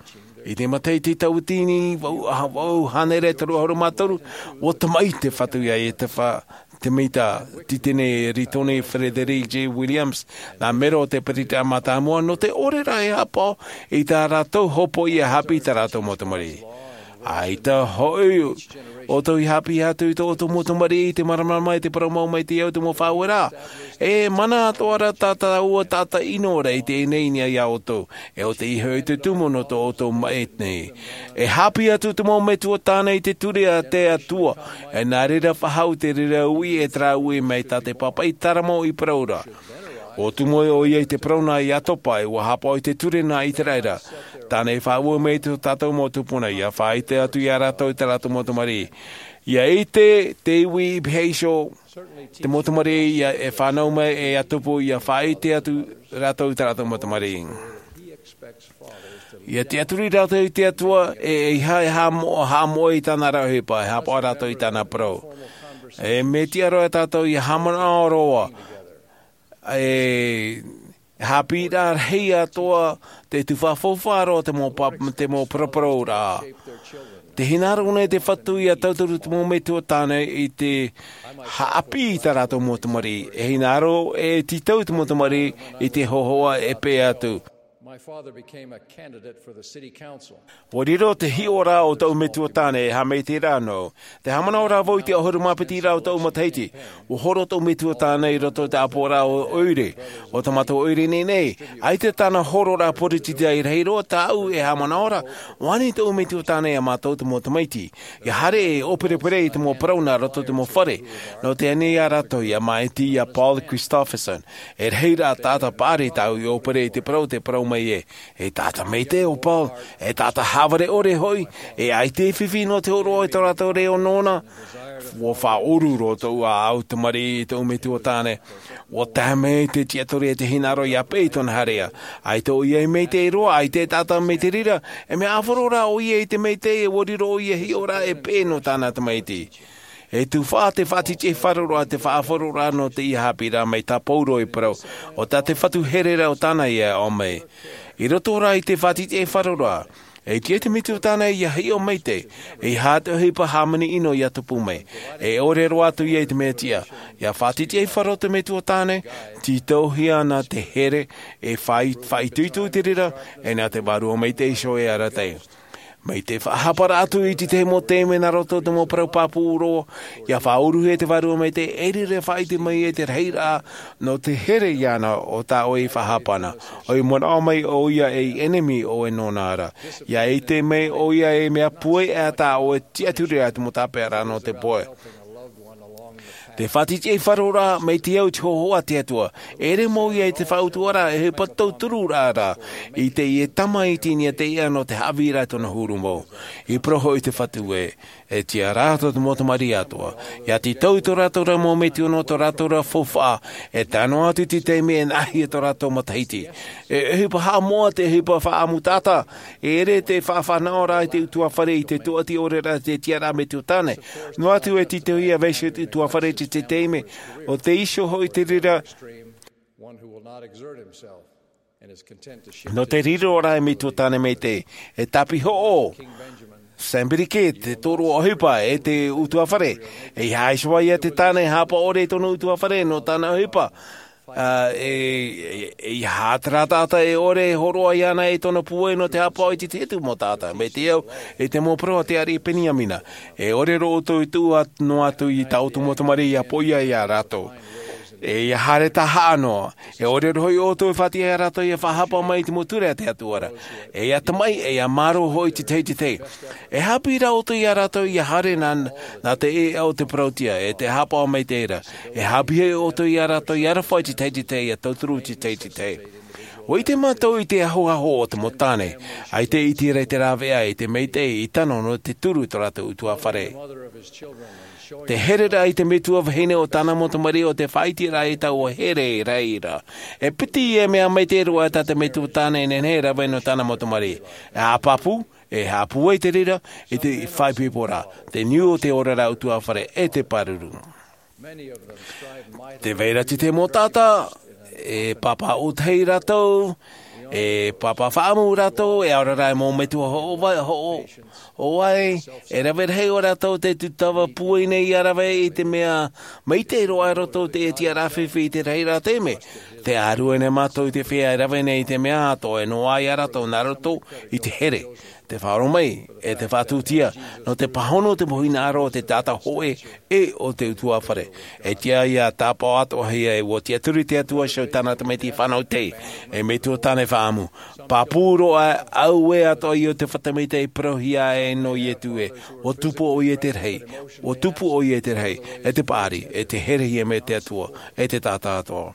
I te matahiti tauatini vaʻu hānere toru ʻahuru mā toru, ua tamaʻi te fatu iā ietafa, te metua titene ritoni frederick j williams, nā mero o te peresideni mātāmua nō te ʻore ra e hāpaʻo i tā rātou hopoiʻa hāpiʻi i tā rātou mau tamariʻi. ʻAita hoʻi ʻoutou i hāpiʻi atu i tō ʻoutou mau tamariʻi i te māramarama i te parau mau mai te au te mau faʻaueraʻa. E mana atoʻa ra tā tāua taʻata ʻino ra i teie nei iā ʻoutou, e ʻo tei iho i te tumu nō tō ʻoutou maʻi nei. E hāpiʻi atu te mau metua tāne i te ture a te atua, e nā reira faʻahou te reira uʻi e terā uʻi mai tā te pāpaʻi taramo i parau ra. Ua tumu ʻoia i te parau nā iā topa e ua hāpaʻo i te ture nā iseraela. Tāna e faʻaue mai i tō tātou mau tupuna ia faʻaʻite atu iā rātou i tā rātou mau tamariʻi. Ia ʻite te ivi i pēhea iho te mau tamariʻi ia e fānau mai e ia tupu ia faʻaʻite atu rātou i tā rātou mau tamariʻi. Ia tiʻaturi rātou i te atua e e ia haʻamoʻe i tāna ra ʻohipa e hāpaʻo rātou i tāna parau. E mea tiʻa roa e tātou ia haʻamanaʻo roa e hāpiʻi rā rahi atoʻa te tufa faufaʻa roa te mau paraparau rā. Te hinaʻaro nei te fatu ia tauturu te mau metua tāne i te haʻapiʻi i tā rātou mau tamariʻi e hinaʻaro e tītau te mau tamariʻi i te hōhoʻa e pēʻe atu. My father became a candidate for the city council. Ua riro te hiʻoraʻa o taʻu metua tāne e haʻamaitaʻi rā nō te haʻamanaʻo rā vau i te ʻahuru mā piti rā o taʻu matahiti. Ua horo taʻu metua tāne i roto i te ʻāpoʻoraʻa o ʻoire, o te mātou ʻoire nei nei. ʻAita tāna hororaʻa poritita i rahi roa tāʻu e haʻamanaʻo ra. Ua ani taʻu metua tāne iā mātou te mau tamaiti ia haere e ʻōperepere i te mau parau nā roto i te mau fare. Nō te ani iā rātou ia māʻiti iā paul christopherson. E rahi rā taʻata paʻari tāʻu i ʻōpere i te parau te parau mai ē, e taʻata maitaʻi o paul, e taʻata hāvare ʻore hoʻi, e ʻaita e fifi nō te hōroʻa i tō rātou reo nōna. Ua faʻaʻoru roa tōʻu ʻāʻau tamariʻi i tōʻu metua tāne. Ua tae mai te tiʻaturi e te hinaʻaro ia pēʻe i tōna haereʻa. ʻAita ʻoia e maitaʻi roa, ʻaita e taʻata mai te reira. E mea ʻāfaro rā ʻoia i te maitaʻi e ua riro ʻoia hiʻoraʻa e pēʻe nō tāna tamaiti. E tufaʻa te faʻatitiʻaifaroraʻa te faʻaʻāfaroraʻa nō teie hāpiʻiraʻa mai tā paulo i parau, ʻo tā te fatu hereraʻa o tāna ia e ʻō mai. I roto rā i te faʻatitiʻaifaroraʻa, e tiʻa te metua tāne ia hiʻo maitaʻi, e ia haʻa te ʻohipa hāmani ʻino ia tupu mai. E ʻore roa atu ia i te mea tiʻa ia faʻatitiʻaifaro te metua tāne, tītauhia ana te here e faʻaitoito i te reira, e nā te vārua maitaʻi iho e arataʻi. Mai te faʻahaparaʻa atu i te tahi mau taime nā roto i te mau parau pāpū roa, ia faʻauruhia te vārua maitaʻi e riro e faʻaʻite mai e te rahiraʻa nō te here iāna o tā ʻoe i faʻahapa ana. ʻOia manaʻo mai ʻoia ei ʻenemi ʻoe nōna ra. Ia ʻite mai ʻoia ei mea puai ʻā tā ʻoe tiʻaturi ʻā te mau tāpeʻaraʻa nō te poe. Te faʻatitiʻaifaro rā mai te au i te hōhoʻa a te atua. E ʻere mau ia i te faʻautuaraʻa e ʻohipa tautururaʻa rā i teie tama i tīnia teie nō te haʻavīraʻa i tōna huru mau. I parau hoʻi te fatu ē, e tiʻa rā tō te mau tamariʻi atoʻa ia tītau i tō rātou ra mau metua nō tō rātou ra faufaʻa. E tae noa atu i te taime e nāhia tō rātou matahiti. E ʻohipa haʻamoʻa te ʻohipa faʻaʻamu taʻata. E ʻere te faʻafānaʻoraʻa i te utuafare i te tōʻati ʻore rā te tiʻaraʻa metua tāne. Noa atu e tītauhia vaiho i te utuafare i te taime o te iho hoʻi te reira. Nō te riro rā e metua tāne maitaʻi e tāpihoʻo, samberike te tōroʻa ʻohipa e te utuafare. E ia haʻaiho ai ia te tāne e hāpaʻo ʻore i tōna utuafare nō tāna ʻohipa. E ia haʻatarataʻata e ʻore e hōroʻa iāna e tōna puai nō te hāpaʻo i te tahi atu mau taʻata mai te au i te mau parau a te ariʻi peniamina. E ʻore roa ʻoutou i tuʻu noa atu i tā ʻoutou mau tamariʻi ia poʻia iā rātou. E ia haere tahaʻa noa. E ʻore roa hoʻi ʻoutou e faʻatiʻa iā rātou ia faʻahapa mai i te mau ture a te atua ra. E ia tamaʻi e ia mārō hoʻi te tahi te tahi. E hāpiʻi rā ʻoutou iā rātou ia haere nā te ʻēʻa o te parautia e te hāpaʻo mai te reira. E hāpiʻi hoʻi ʻoutou iā rātou ia aroha i te tahi te tahi ia tauturu i te tahi te tahi. ʻUa ʻite mātou i te ahoaho o te mau tāne, ʻaita i ʻite ra i te rāveʻa i te maitaʻi i tano nō te turu i tō rātou ʻutuāfare. Te hereraʻa i te metua vahine o tāna mau tamariʻi, ʻo te faʻaʻiteraʻa i taua here i reira. E piti e mea maitaʻi roa tā te metua tāne e nehenehe e rave nō tāna mau tamariʻi. E haʻapāpū, e haʻapū ai te reira i te faʻaipoipo ra, te niu o te oraraʻa ʻutuāfare e te pāruru. Te vai ra te mau taʻata, e pāpā ʻōtahi rātou, e pāpā faʻaʻamu rātou, e ʻaore rā e mau metua hoʻo vai, hoʻo, hoʻo vai, e rave rahi ʻo rātou te tūtava pūai nei ʻia rave i te mea maitaʻi roa i roto i te tiʻaraʻa fifi i te rahiraʻa taime. Tē ʻārue nei mātou i te feiā e rave nei i te mea atoʻa e noaʻa ia rātou nā roto i te here, te faʻaʻoromaʻi, e te faʻatūtia, nō te pāhono o te mau hinaʻaro o te taʻata hōʻē ʻe o te ʻutuāfare. E tiʻa ia tāpaʻo atoʻahia e ʻua tiʻaturi te Atua iho i tāna tamaiti fānau tahi, e metua tāne faʻaʻamu. Pāpū roa, auē atoʻa ïa te fatu maitaʻi parauhia e nō Ietu ē, ʻua tupu ʻoia i te rahi, ʻua tupu ʻoia i te rahi, e te paʻari, e te herehia mai te Atua, e te taʻata atoʻa.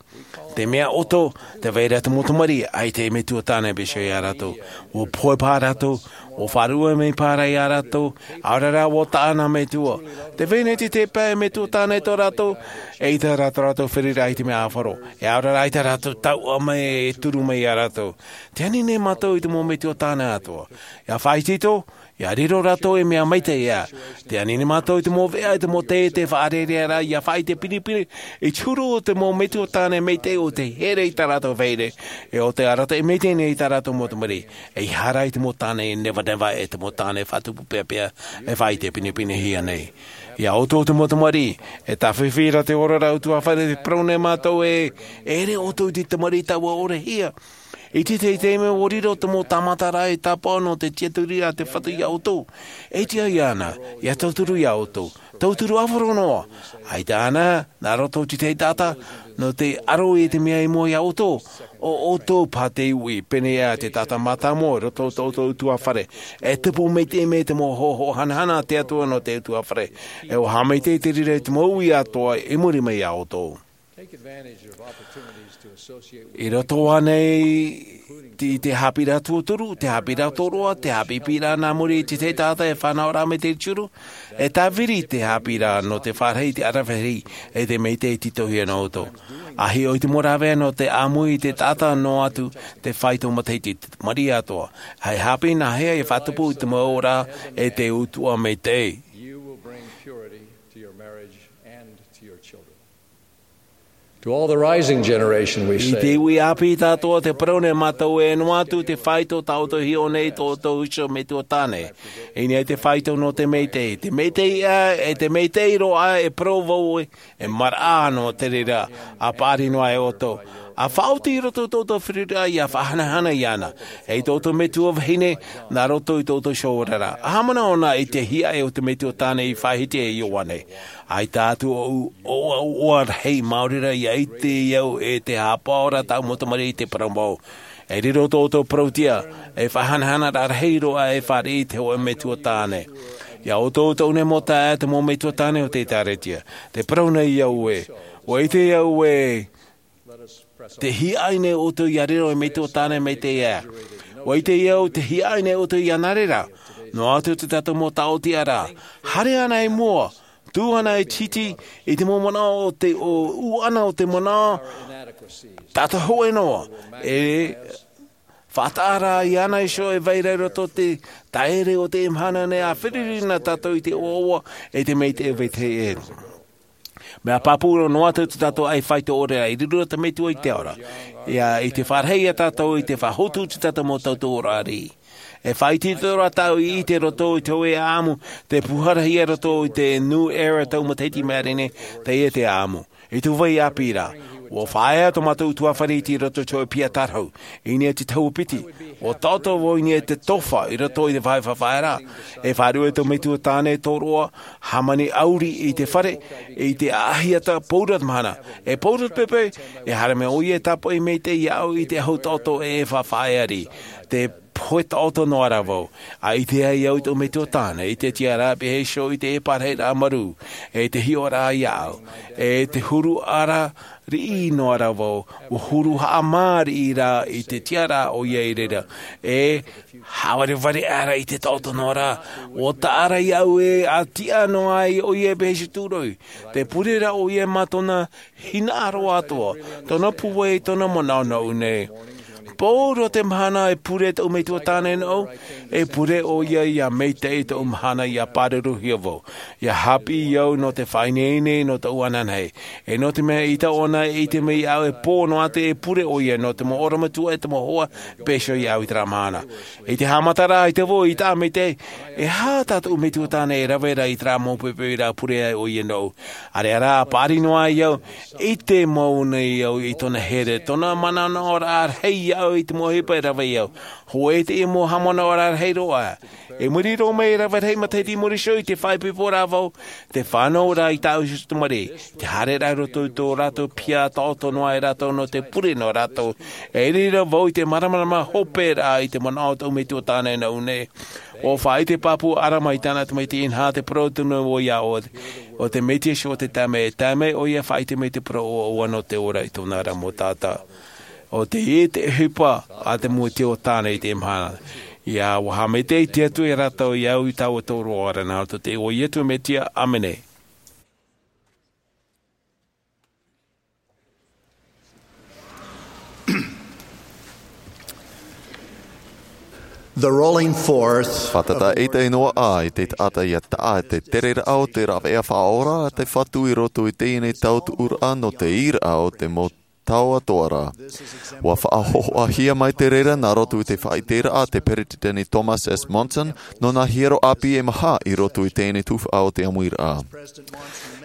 Te mea ʻoto, tē vai ra te mau tamariʻi, ʻaita e metua tāne e pīhaʻi ia rātou. ʻUa pohe paha rātou, ʻua faʻaruʻe mai paha ia rātou, ʻaore rā ʻua taʻa nā metua. Tē vai nei te pae e metua tāne tō rātou, eʻita rā tō rātou feruriraʻa i te mea ʻāfaro. E ʻaore rā ʻaita rātou tauʻa mai e turu mai ia rātou. Tē ani nei mātou i te mau metua tāne atoʻa. ʻIa faʻaitoito, ʻia riro rātou ei mea maitaʻi ā. Tē ani nei mātou i te mau veʻa, i te mau taiete faʻarerearaʻa, ʻia faʻaʻite pinepine i te huru o te mau metua tāne maitaʻi ʻo tē here i tā rātou vahine, ʻe ʻo tē arataʻi maitaʻi nei i tā rātou mau tamariʻi. ʻEiaha rā i te mau tāne nevaneva, ʻe te mau tāne faʻatupu peapea e faʻaʻite pinepinehia nei. Ia ʻoutou te mau tamariʻi, e tāfifi ra te oraraʻa ʻutuāfare, tē parau nei mātou ē, e ʻere ʻoutou i te tamariʻi taua ʻorehia. I te tahi taime ʻua riro te mau tāmataraʻa e tāpaʻo nō te tiʻaturiraʻa a te Fatu ia ʻoutou. E tiʻa iāna ʻia tauturu ia ʻoutou. Tauturu ʻāfaro noa. ʻAita ānei, nā roto i te tahi taʻata, nō te aro i te mea i mua ia ʻoutou. ʻO ʻoutou paha tei uʻi, pēneiaʻe te taʻata mātāmua i roto i tō ʻoutou ʻutuāfare. E tupu maitaʻi mai te mau hōhoʻa hanahana a te Atua nō te ʻutuāfare. E ʻua haʻamaitaʻi te reira i te mau uʻi atoʻa i muri mai ia ʻoutou. I roto ānei i te haʻapiʻiraʻa tuatoru, te haʻapiʻiraʻa tōroʻa, te haʻapiʻiraʻa nā muri i te tahi taʻata e fānaʻo ra mai te turu, e tāviri te haʻapiʻiraʻa nō te fāriʻi i te ʻaravihi, ʻe te maitaʻi i tītauhia nō ʻoutou. ʻA hiʻo i te mau rāveʻa nō te ʻāmui i te taʻata noa atu te faito matahiti, te tamariʻi atoʻa. ʻAita e haʻapiʻi nā hea e faʻatupu i te mau ora ʻe te ʻutuʻa maitaʻi. You will bring purity to your marriage and to your children. To all the rising generation, we say, i te uʻi ʻāpī tātou, tē parau nei mātou ē, noa atu te faito tā ʻoutou e hiʻo nei i tō ʻoutou iho metua tāne. ʻIniʻiniʻi te faito nō te maitaʻi, te maitaʻi ā, ʻe te maitaʻi roa ā, e parau vau ē, e maraʻa noa te reira, ʻa paʻari noa e ʻoutou. ʻA faʻaoti i roto i tō ʻoutou feruriraʻa ʻia faʻahanahana iāna, ʻe i tō ʻoutou metua vahine, nā roto i tō ʻoutou iho oraraʻa. ʻA haʻamanaʻo anaʻe i te hiaʻai o te metua tāne i faʻahiti e Ioane. ʻAita atu ʻoʻu, ʻoʻu, ʻoʻu, ʻoʻu rahi maori ra ʻia ʻite au ʻe te haʻapaʻo ra tāʻu mau tamariʻi, tē parau mau. E riro tō ʻoutou parauʻtiʻa, e faʻahanahanaraʻa rahi roa e fāriʻi i te hōʻē metua tāne. Ia ʻoutou, tōʻu nei mau taeaʻe, te mau metua tāne o te ʻĒtārētia. Tē parau nei au ē, ʻua ʻite au ē, tē hiaʻai nei ʻoutou ʻia riro ei metua tāne maitaʻi ā. ʻUa ʻite au, tē hiaʻai nei ʻoutou ʻia nā reira. Noa atu tā tātou mau taʻotiʻaraʻa. Haere anaʻe i mua. Tū anaʻe i te hiti, i te mau manaʻo o te, ʻo, ʻū ʻana o te manaʻo, taʻata hōʻē noa. E faʻataʻa ra iāna iho e vai ra i roto i te taere o teie mahana nei, ʻa feruri na tātou i te ʻoaʻoa, ʻe te maitaʻi vetahi ʻē. Mea pāpū roa noa atu tā tātou ʻaʻai faito ʻore ra, i riro te Metua i te ao ra. ʻIa, i te fāriʻi ia tātou, i te faʻahotu tā tātou mau tauturu ʻāriʻi. E faʻaitoito ra tāʻu i ʻite i roto i te hōʻē ʻāʻamu, tē pūharahia i roto i te New Era tau matahiti i maʻiri nei, teie te ʻāʻamu. I tō vai ʻāpī ra, ʻua faʻaea tō mātou ʻutuāfare i roto i te hōʻē piha tārahu. I niʻa i te tahua piti, ʻua taʻoto vau i niʻa i te tofa i roto i te vāhi faʻafaʻaeraʻa. E faʻaruʻe tō Metua tāne tōroʻa, hāmani ʻauri i te fare, i te ʻahiʻahi ata, paʻura te mahana. E paʻura te pepe, e haere mai ʻoia e tāpaʻo maitaʻi iāʻu i te ahu taʻoto ʻe e faʻafaʻaea riʻi. Te Pohe taʻoto noa rā vau. A ʻite ai au i tōʻu metua tāne, i te tiʻaraʻa pēhea iho i te ʻēparahi rā marū, e te hiʻoraʻa iāʻu, e te huru ara riʻi noa rā vau, ua huru haʻamāriʻi rā i te tiʻaraʻa ʻoia i reira, e hāvarevare ara i te taʻoto noa rā, ua taʻa ra iāʻu e a tiʻa noa ai ʻoia pēhea iho tūroi, te pure rā ʻoia mā tōna hinaʻaro atoʻa, tōna pūai, tōna manaʻo nōʻu nei. Pauroa te mahana e pure tōʻu metua tāne nōʻu, e pure ʻoia ia maitaʻi tōʻu mahana ia pāruruhia vau. Ia haʻapiʻi au nō te faʻaineine nō tōʻu ananahi. E nō te mea i taʻu ʻana e ʻite mai au e pō noa atu e pure ʻoia nō te mau ʻorometua e te mau hoa pēhea iho iāʻu i terā mahana. I te haʻamataraʻa i te vau i taʻa maitaʻi, e aha tā tōʻu metua tāne e rave ra i terā mau poipoi ra pure ai ʻoia nōʻu. ʻĀreʻa rā, paʻari noa ai au, ʻite mau nei au i tōna here, tōna manaʻonaʻoraʻa rahi iāʻu i te mau ʻohipa e rave au. Hōʻē teie mau haʻamanaʻoraʻa rahi roa. I muri roa mai e rave rahi matahiti i muri iho i te faʻaipoipo ra vau, te fānau ra i tāʻu iho tamariʻi, te haere ra i roto i tō rātou piha taʻoto noa ai rātou nō te pure nō rātou. I reira vau i te māramarama hope ra i te manaʻo o tōʻu metua tāne nōʻu nei. ʻUa faʻaʻite pāpū ʻara mai tāna tamaiti inaha te parau tonu ʻoia ʻo, ʻo te Metua Iesu o te taime, e tae mai ʻoia faʻaʻite mai te parau ʻoaʻoa nō te ora i tōna ra mau taʻata. ʻO teie te ʻohipa a te metua tāne i teie mahana. Ia ʻua haʻamaitaʻi te Atua ia rātou i au i taua tōroʻa ra nā roto i te iʻoa o Iesu Mesia. ʻĀmene. The rolling forth. Fātata ʻaita i noa ā i te taʻata ia taʻa te tereraʻa o te rāveʻa faʻaora a te Fatu i roto i teie nei tautuʻuraʻa nō te ʻīraʻa o te mau tau atoʻa ra. ʻUa faʻahōhoʻahia mai te reira nā roto i te faʻaʻiteraʻa a te Peretiteni Thomas S. Monson nō nā hiero ʻāpī e maha i roto i teie nei tuhaʻa o te ʻāmuiraʻa.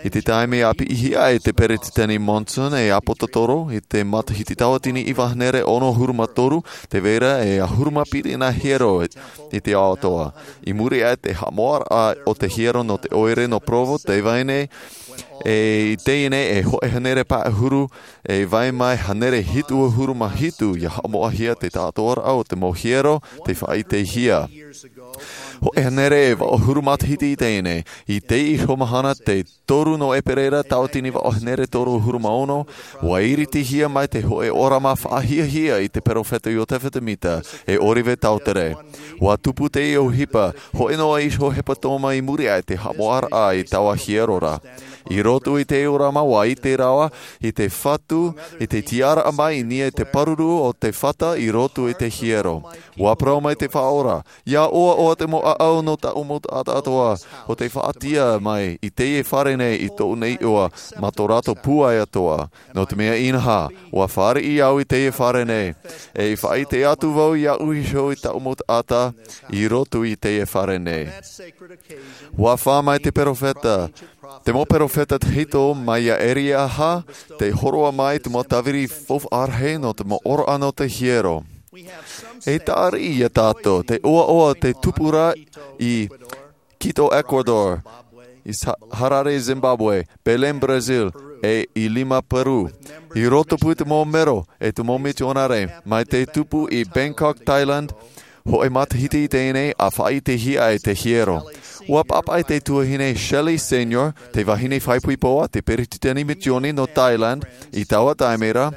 I te taime i ʻāpīhia ai e te Peretiteni Monson e ʻāpōsetolo i te matahiti tauatini iva hānere ono ʻahuru mā toru, tē vai ra e ʻahuru mā piti nā hiero i te ao atoʻa. I muri aʻe i te haʻamoʻaraʻa o te hiero nō te ʻoire nō Provo, tē vai nei, e i teie nei e hōʻē hānere pae ʻahuru, e vai mai hānere hitu ʻahuru mā hitu ia haʻamoʻahia te taʻatoʻaraʻa o te mau hiero tei faʻaʻitehia. Hōʻē hānere e vaʻu ʻahuru matahiti i teie nei, i teie iho mahana te toru nō ʻEperēra tauatini vaʻu hānere toru ʻahuru mā ono, ʻua iritihia mai te hōʻē ʻōrama faʻahiahia i te perofeta Iotefa Semita, e ʻŌliva Tautere. ʻUa tupu teie ʻohipa, hōʻē noa iho hepetoma i muri aʻe i te haʻamoʻaraʻa i taua hiero ra. I roto i te ʻōrama ʻua ʻite rāua i te Fatu, i te tiʻaraʻa mai i niʻa i te pāruru o te fata i roto i te hiero. ʻUa parau mai te Faʻaora, ʻia ʻoaʻoa te mau ʻāʻau nō tāʻu mau taʻata atoʻa, ʻo tei faʻatiʻa mai i teie fare nei i tōʻu nei iʻoa, mā tō rātou pūai atoʻa. Nō te mea inaha, ʻua fāriʻi au i teie fare nei, e i faʻaʻite atu vau iāʻu iho i tāʻu mau taʻata, i roto i teie fare nei. ʻUa fā mai te perofeta, te mau perofeta tahito mai iā Elia, tei hōroʻa mai te mau tāviri faufaʻa rahi nō te mau ʻōroʻa nō te hiero. E tāriʻi iā tātou, te ʻoaʻoa tei tupu ra i Quito, Ecuador, i Sa-, Harare, Zimbabwe, Belém, Brazil, e i Lima, Peru. I roto pū te mau mero e te mau mitionare, mai te tupu i Bangkok, Thailand, hōʻē matahiti i teie nei ʻa faʻaʻitehia ai te hiero. ʻUa pāpaʻi te tuahine Shelley Senior, te vahine faʻaipoipo a te peretiteni misioni nō Thailand, i taua taime ra,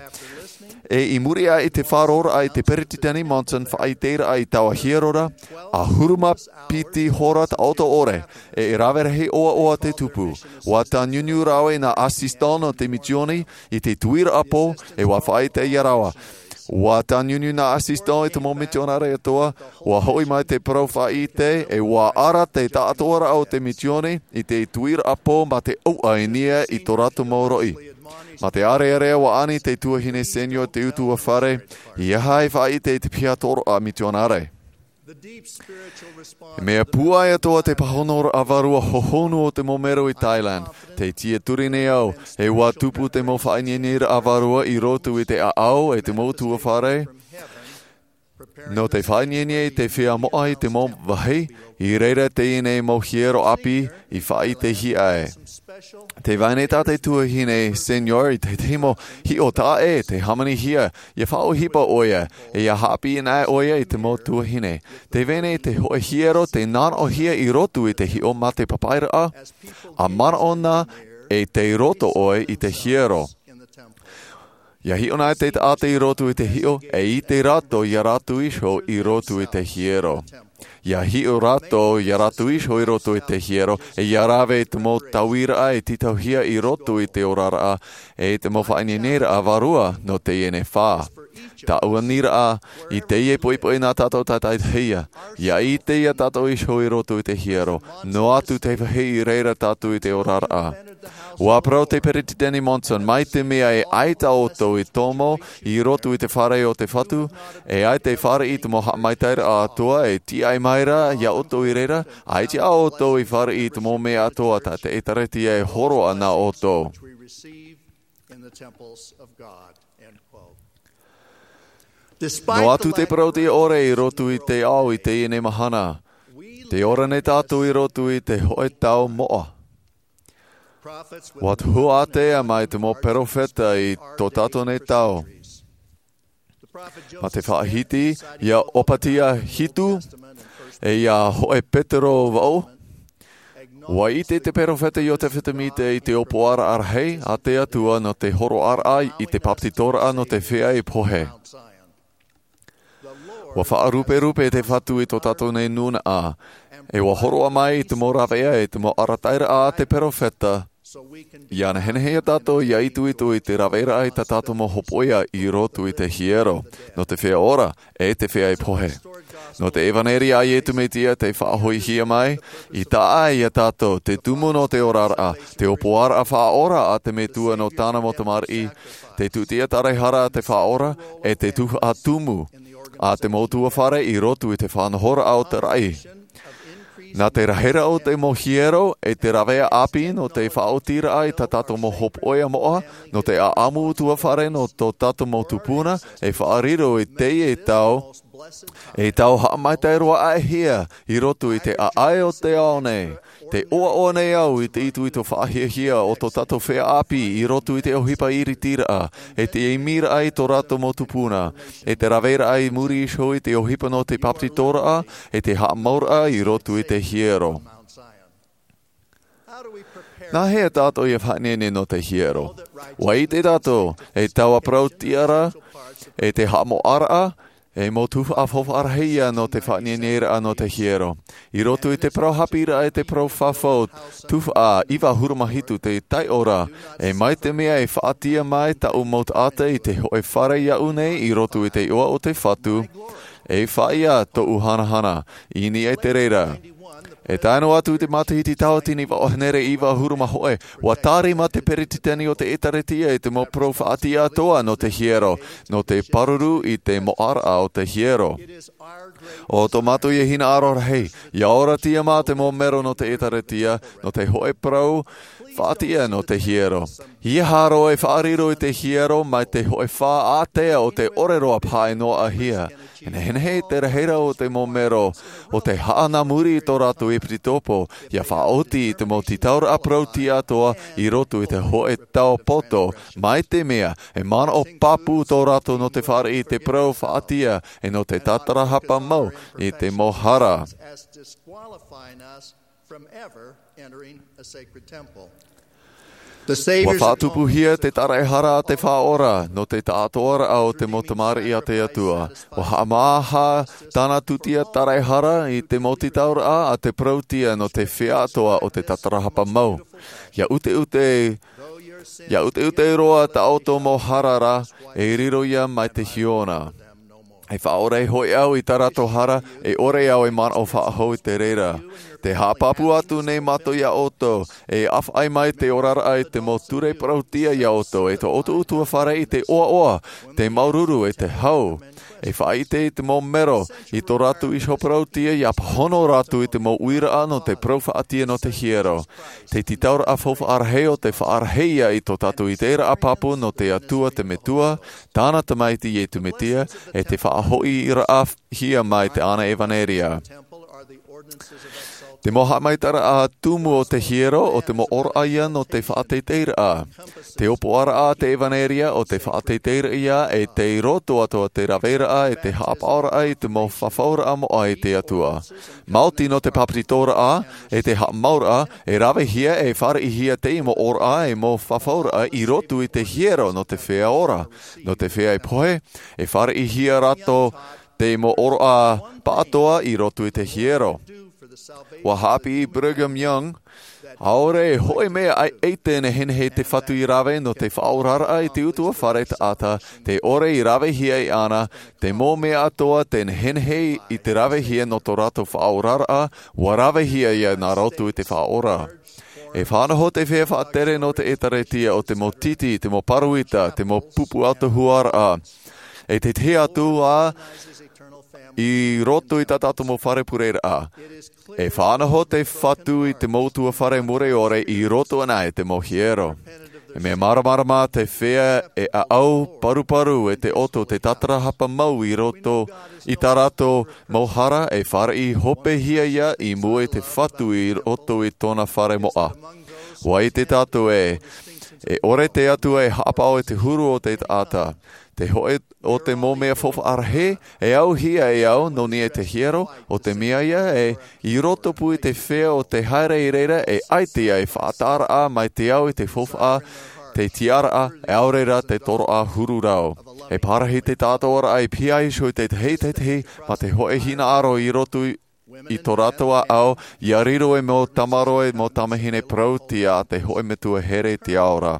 e i muri aʻe i te faʻaroʻoraʻa i te Peretiteni Monson faʻaʻiteraʻa i taua hiero ra, ʻahuru mā piti hora taʻoto ʻore, e rave rahi ʻoaʻoa te tupu. ʻUa tāniuniu rāua i nā assistant nō te misioni i te tuiraʻa pō, e ʻua faʻaʻite ia rāua. ʻUa tāniuniu nā assistant i te mau mitionare atoʻa, ʻua hoʻi mai te parau faʻaʻite, e ʻua ara te taʻatoʻaraʻa o te misioni i te tuiraʻa pō mā te ʻauʻa i niʻa i tō rātou mau roʻi. Mā te ʻārearea ʻua ani te tuahine Senior te ʻutuāfare, ʻeiaha e faʻaʻite i te piha tōroʻa mitionare. Mea pūai atoʻa te pāhonoraʻa vārua hohonu o te mau mero i Thailand, tei tiʻaturi nei au, e ʻua tupu te mau faʻaineineraʻa vārua i roto i te ʻāʻau e te mau ʻutuāfare. Nō te faʻaineinei i te feiā moʻa i te mau vāhi, i reira teie nei mau hiero ʻāpī i faʻaʻitehia ai. Tē vai nei tā te tuahine Senior i te, te mau hiʻo taʻa ʻē, tē hāmanihia, ʻia faʻaʻohipa ʻoia, e ʻia haʻapiʻi anaʻe ʻoia i te mau tuahine. Tē vai nei te hōʻē hiero tē nānaʻohia i roto i te hiʻo mā te papaʻiraʻa, ʻa manaʻo na e tei roto ʻoe i te hiero. ʻIa hiʻo na te taʻata i roto i te hiʻo, e ʻite rātou ia rātou iho i roto i te hiero. ʻIa hiʻo rātou ia rātou iho i roto i te hiero, e ʻia rave i te mau tauiraʻa e tītauhia i roto i te oraraʻa, e te mau faʻaineineraʻa vārua nō teie nei fā. Taʻu aniraʻa, i teie poʻipoʻi nā tātou tātaʻihia, ʻia ʻite ia tātou iho i roto i te hiero, noa atu te vāhi i reira tātou i te oraraʻa. ʻUa parau te Peresideni Monson, mai te mea e ʻaita ʻoutou i tomo i roto i te fare o te Fatu, e ʻaita e fāriʻi i te mau haʻamaitaʻiraʻa atoʻa e tīaʻi mai ra ia ʻoutou i reira, ʻaita ʻoutou i fāriʻi i te mau mea atoʻa tā te ʻĒtārētia e hōroʻa nā ʻoutou. Noa atu te parauʻtiʻa ʻore i roto i te ao i teie nei mahana, tē ora nei tātou i roto i te hōʻē tau moʻa. ʻUa tuhu ātea mai te mau perofeta i tō tātou nei tau. Mā te faʻahiti ia Ōpatia hitu, e ia hōʻē Petero vaʻu, ʻua ʻite te perofeta Iosepha Semita i te ʻōpuaraʻa rahi a te Atua nō te hōroʻaraʻa i te bāpetizoraʻa nō te feiā i pohe. ʻUa faʻaruperupe te Fatu i tō tātou nei nūnaʻa, e ʻua hōroʻa mai i te mau rāveʻa e te mau arataʻiraʻa a te perofeta, ʻia nehenehe ia tātou ʻia itoito i te rāveʻa i tā tātou mau hopoiʻa i roto i te hiero, nō te feiā ora, e te feiā i pohe. Nō te ʻevaneria a Iesu Mesia tei faʻahoʻihia mai, i taʻa ia tātou, te tumu nō te oraraʻa, te ʻōpuaraʻa faʻaora a te Metua nō tāna mau tamariʻi, te tūtia taraehara a te Faʻaora, e te tuhaʻa tumu a te mau ʻutuāfare i roto i te faʻanahoraʻa o te raʻi. Nā te rahiraʻa o te mau hiero, e te rāveʻa ʻāpī nō te faʻaotiraʻa i tā tātou mau hopoiʻa moʻa, nō te ʻaʻamu ʻutuāfare nō tō tātou mau tupuna, e faʻariro i teie tau, e tau haʻamaitaʻi roa aʻe hia i roto i te ʻāʻai o te ao nei. Tē ʻoaʻoa nei au i te itoito faʻahiahia o tō tātou feiā ʻāpī i roto i te ʻohipa iritiraʻa, e te imiraʻa i tō rātou mau tupuna, e te rāveʻa i muri iho i te ʻohipa nō te bāpetizoraʻa, e te haʻamauraʻa i roto i te hiero. Nā hea tātou ʻia faʻaineine nō te hiero? ʻUa ʻite tātou, e taua parau tiʻaraʻa, e te haʻamoʻaraʻa, e mau tuhaʻa faufaʻa rahi ia nō te faʻaineineraʻa nō te hiero. I roto i te parau haʻapiʻiraʻa e te parau fafau, tuhaʻa iva ʻahuru mā hitu te taiʻo ra, e mai te mea e faʻatia mai tāʻu mau taʻata i te hōʻē fare iaʻu nei i roto i te iʻoa o te Fatu, e faʻaʻite tōʻu hanahana, i niʻa i te reira. E tae noa atu i te matahiti tautini vaʻu hānere iva ʻahuru mā hōʻē, ʻua tārima te peretiteni o te ʻĒtārētia i te mau parau faʻatia atoʻa nō te hiero, nō te pāruru i te moʻaraʻa o te hiero. ʻO tō mātou ia hinaʻaro rahi, ʻia ora atu mā te mau mero nō te ʻĒtārētia, nō te hōʻē parau faʻatia nō te hiero. ʻIa haere e faʻariro i te hiero mai te hōʻē fā ātea o te ʻore roa paʻi noa ʻahia. E nehenehe te rahiraʻa o te mau mero, ʻo te haʻa nā muri i tō rātou ʻepisekopo, ʻia faʻaoti i te mau tītauraʻa parau tiʻa atoʻa i roto i te hōʻē tau poto, mai te mea, e manaʻo pāpū tō rātou nō te fāriʻi i te parau faʻatia, e nō te tātarahapa mau i te mau hara. From ever entering a sacred temple. The ʻUa Savior's faʻatupuhia te taraehara a te Faʻaora nō te taʻatoʻaraʻa o te mau tamariʻi a te Atua. ʻUa haʻamāha tāna tūtia taraehara i te mau tītauraʻa a te parautia nō te feiā atoʻa o te tātarahapa mau. ʻIa ʻuteʻute, ʻia ʻuteʻute roa tā ʻoutou mau hara ra, e riro ia mai te hiona. E faʻaora hoʻi au i tā rātou hara, e ʻore au e manaʻo faʻahou i te reira. Te haʻapāpū atu nei mātou iā ʻoutou, e ʻāfaʻi mai te oraraʻa i te mau ture parauʻtiʻa iā ʻoutou, e tō ʻoutou ʻutuāfare i te ʻoaʻoa, te māuruuru, e te hau. E faʻaʻite i te mau mero, i tō rātou iho parauʻtiʻa, ʻia pāhono rātou i te mau uiraʻa nō te parau faʻatiʻa nō te hiero. Te tītauraʻa faufaʻa rahi ʻo tē faʻarahihia i tō tātou ʻiteraʻa pāpū nō te Atua te Metua, tāna Tamaiti Iesu Mesia, e te faʻahoʻiraʻahia mai te ʻānaʻe ʻevanelia. Te mau haʻamaitaʻiraʻa tumu o te hiero, ʻo te mau ʻōraʻa ia nō te faʻateiteiraʻa. Te ʻōpuaraʻa a te ʻevanelia, ʻo te faʻateiteiraʻa ia, e tei roto atoʻa te raveraʻa, e te haʻapaʻoraʻa i te mau fafauraʻa moʻa i te Atua. Maoti nō te pāpetitoraʻa, e te haʻamauraʻa, e ravehia, e fāriʻihia teie mau ʻōraʻa, e mau fafauraʻa i roto i te hiero nō te feiā ora, nō te feiā e pohe, e fāriʻihia rātou te mau ʻōraʻa pāʻatoʻa i roto i te hiero. ʻUa haʻapiʻi Brigham Young, ʻaore e hōʻē mea ʻaita e nehenehe te Fatu i rave nō te faʻaoraraʻa i te ʻutuāfare taʻata, tē ʻore i ravehia iāna, te mau mea atoʻa tē nehenehe i te ravehia nō tō rātou faʻaoraraʻa, ʻua ravehia ia nā roto i te Faʻaora. E faʻanaho te feiā faʻatere nō te ʻĒkālesia, ʻo te mau tītī, te mau pāroita, te mau pupu ʻautohuaraʻa, e te tahi atu ā i roto i tā tātou mau fare pureraʻa. E faʻanaho te Fatu i te mau ʻutuāfare mure ʻore i roto anaʻe i te mau hiero. E mea māramarama te feiā e ʻaʻau paruparu e te ʻoto te tātarahapa mau i roto i tā rātou mau hara, e fāriʻi hopehia ia i mua i te Fatu i roto i tōna fare moʻa. ʻUa ʻite tātou ē, e ʻore te Atua e haʻapaʻo i te huru o te taʻata. Te hōʻē o te mau mea faufaʻa rahi, e auhia e au nō niʻa i te hiero, ʻo te mea ia ē, i roto pū i te feiā ʻo tē haere i reira, e ʻaita ia e faʻataʻaraʻa mai te ao i te faufaʻa, te tiʻaraʻa, ʻaore rā te toroʻa huru rau. E pārahi te tāʻatoʻaraʻa e pihaʻi iho i te tahi, te tahi, mā te hōʻē hinaʻaro i roto i, i tō rātou ʻāʻau, ʻia riro ei mau tamaroa, ei mau tamāhine parauʻtiʻa a te hōʻē Metua here i te ao ra.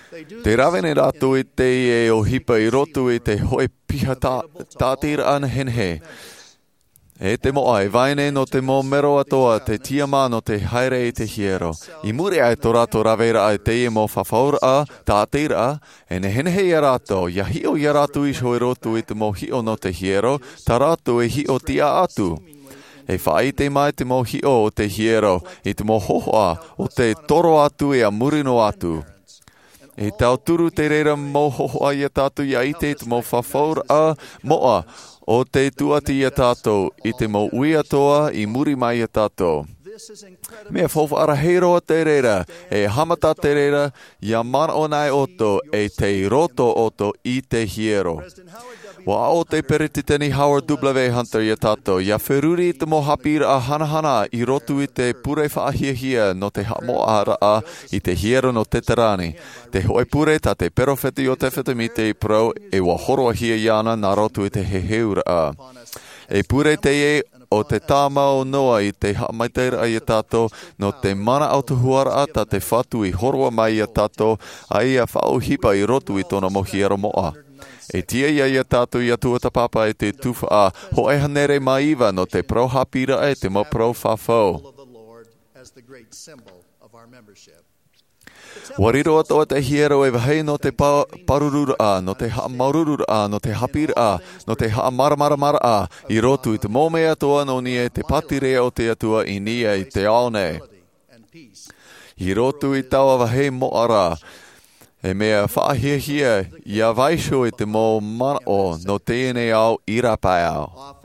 Tē rave nei rātou i teie ʻohipa i roto i te hōʻē piha tā-, tāʻatiraʻa nehenehe. E te moʻa, e vai nei nō te mau mero atoʻa te tiʻamā nō te haere i te hiero. I muri aʻe i tō rātou raveraʻa i teie mau fafauraʻa, tāʻatiraʻa, e nehenehe ia rātou, ʻia hiʻo ia rātou iho i roto i te mau hiʻo nō te hiero, tā rātou e hiʻo tiʻa atu. E faʻaʻite mai te mau hiʻo o te hiero, i te mau hōhoʻa, ʻo tē toro atu ʻia muri noa atu. E tauturu te reira mau hōhoʻa ia tātou ʻia ʻite i te mau fafauraʻa moʻa, ʻo tē tūʻati ia tātou, i te mau ui atoʻa i muri mai ia tātou. Mea faufaʻa rahi roa te reira, e haʻamata te reira, ʻia manaʻo anaʻe ʻoutou, e tei roto ʻoutou i te hiero. ʻUa aʻo te Peretiteni Howard W. Hunter ia tātou, ʻia feruri i te mau haʻapiʻiraʻa hanahana i roto i te pure faʻahiahia nō te haʻamoʻaraʻa i te hiero nō Teterani. Te hōʻē pure tā te peropheta Iotefa Semita i parau, e ʻua hōroʻahia iāna nā roto i te heheuraʻa. E pure teie ʻo te tāmau noa i te haʻamaitaʻiraʻa ia tātou, nō te mana ʻautohuaraʻa tā te Fatu i hōroʻa mai ia tātou, ʻa ia faʻaʻohipa i roto i tōna mau hiero moʻa. E tiʻa ia ia tātou ʻia tuatāpapa i te tuhaʻa hōʻē hānere mā iva nō te parau haʻapiʻiraʻa e te mau parau fafau. ʻUa riro atoʻa te hiero ei vāhi nō te pa-, pārururaʻa, nō te haʻamāuruururaʻa, nō te haʻapiʻiraʻa, nō te haʻamāramaramaraʻa, i roto i te mau mea atoʻa nō niʻa i te pātireia o te Atua i niʻa i te ao nei. I roto i taua vāhi moʻa ra, e mea faʻahiahia ʻia vaiiho i te mau manaʻo nō teie nei ao i rāpae ao.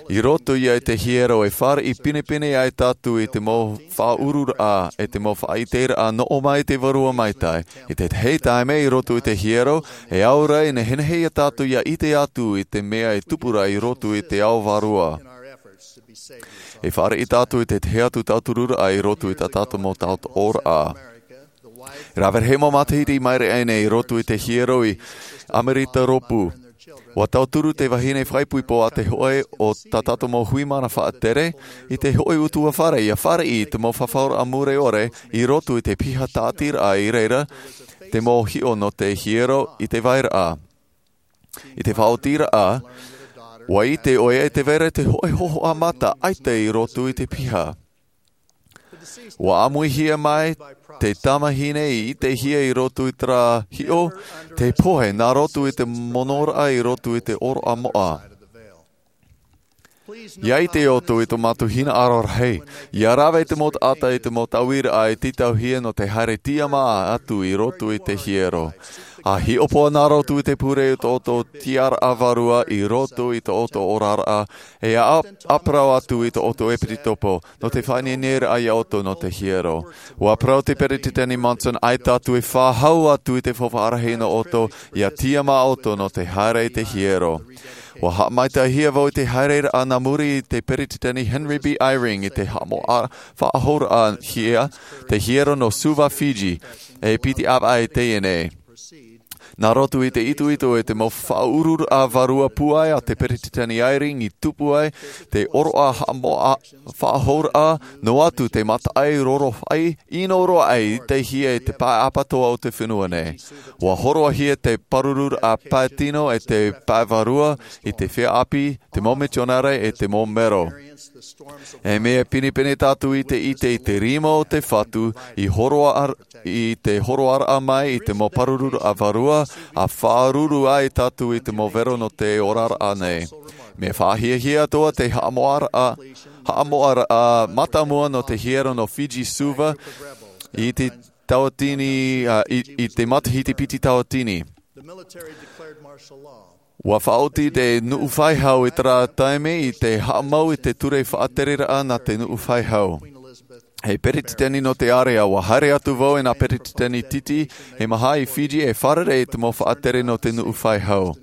I roto ia i te hiero e fāriʻi pinepine ai tātou i te mau faʻaururaʻa, e te mau faʻaʻiteraʻa nō ʻō mai te Vārua Maitaʻi. I te tahi taime i roto i te hiero, e aura e nehenehe ia tātou ʻia ʻite atu i te mea e tupu ra i roto i te ao vārua. E fāriʻi tātou i te tahi atu tautururaʻa i roto i tā tātou mau tautooraʻa. Rave rahi mau matahiti i maere aʻe nei i roto i te hiero i Amerika Rōpū. ʻUa tauturu te vahine faʻaipoipo a te hōʻē o tā tātou mau hui mana faʻatere, i te hōʻē ʻutuāfare ʻia fāriʻi i te mau fafauraʻa mure ʻore i roto i te piha tāʻatiraʻa i reira, te mau hiʻo nō te hiero i te vairaʻa. I te faʻaotiraʻa, ʻUa ʻite ʻoe e tē vai ra te hōʻē hōhoʻa mata ʻaita i roto i te piha. ʻUa ʻāmuihia mai te tamahine i ʻitehia i roto i terā hiʻo, te pohe nā roto i te monoraʻa i roto i te ʻōroʻa moʻa. ʻIa ʻite ʻoutou i tō mātou hinaʻaro rahi. ʻIa rave te mau taʻata i te mau tauiraʻa e tītauhia nō te haere tiʻamā atu i roto i te hiero. ʻA hiʻopoʻa nā roto i te pure i tō ʻoutou tiʻaraʻa vārua i roto i tō ʻoutou oraraʻa, e ʻa-, ʻa parau atu i tō ʻoutou ʻepisekopo, nō te faʻaineineraʻa ia ʻoutou nō te hiero. ʻUa parau te Peretiteni Monson, ʻaita atu e faʻahou atu i te faufaʻa rahi nō ʻoutou, ʻia tiʻamā ʻoutou nō te haere i te hiero. ʻUa haʻamaitaʻihia vau i te haereraʻa nā muri i te Peretiteni Henry B. Eyring i te haʻamoʻa-, faʻahouraʻahia te hiero nō Suva, Fiji, e piti ʻāvaʻe i teie nei. Nā roto i te itoito e te mau faʻaururaʻa vārua pūai a te Peretiteni Eyring i tupu ai te ʻōroʻa haʻamoʻa-, faʻahouraʻa, noa atu te mataʻi rorofaʻi, ʻino roa aʻe i ʻitehia e te pae ʻapatoa o te fenua nei. ʻUa hōroʻahia te pārururaʻa pae tino e te pae vārua i te feiā ʻāpī, te mau mitionare e te mau mero. E mea pinepine tātou i te ʻite i te rima o te Fatu i hōroʻa-, i te hōroʻaraʻa mai i te mau pārururaʻa vārua, ʻa faʻaruru ai tātou i te mau vero nō te oraraʻa nei. Mea faʻahiahia atoʻa te haʻamoʻaraʻa, haʻamoʻaraʻa mātāmua nō te hiero nō Fiji, Suva, i te tauatini, ā, i, i te matahiti piti tauatini. ʻUa faʻaoti te nuʻu faʻehau i terā taime i te haʻamau i te ture faʻatereraʻa nā te nuʻu faʻehau. Hei peretiteni nō te ārea, ʻua haere atu vau e nā peretiteni titi e maha i Fiji e fārerei i te mau faʻatere nō te nuʻu faʻehau.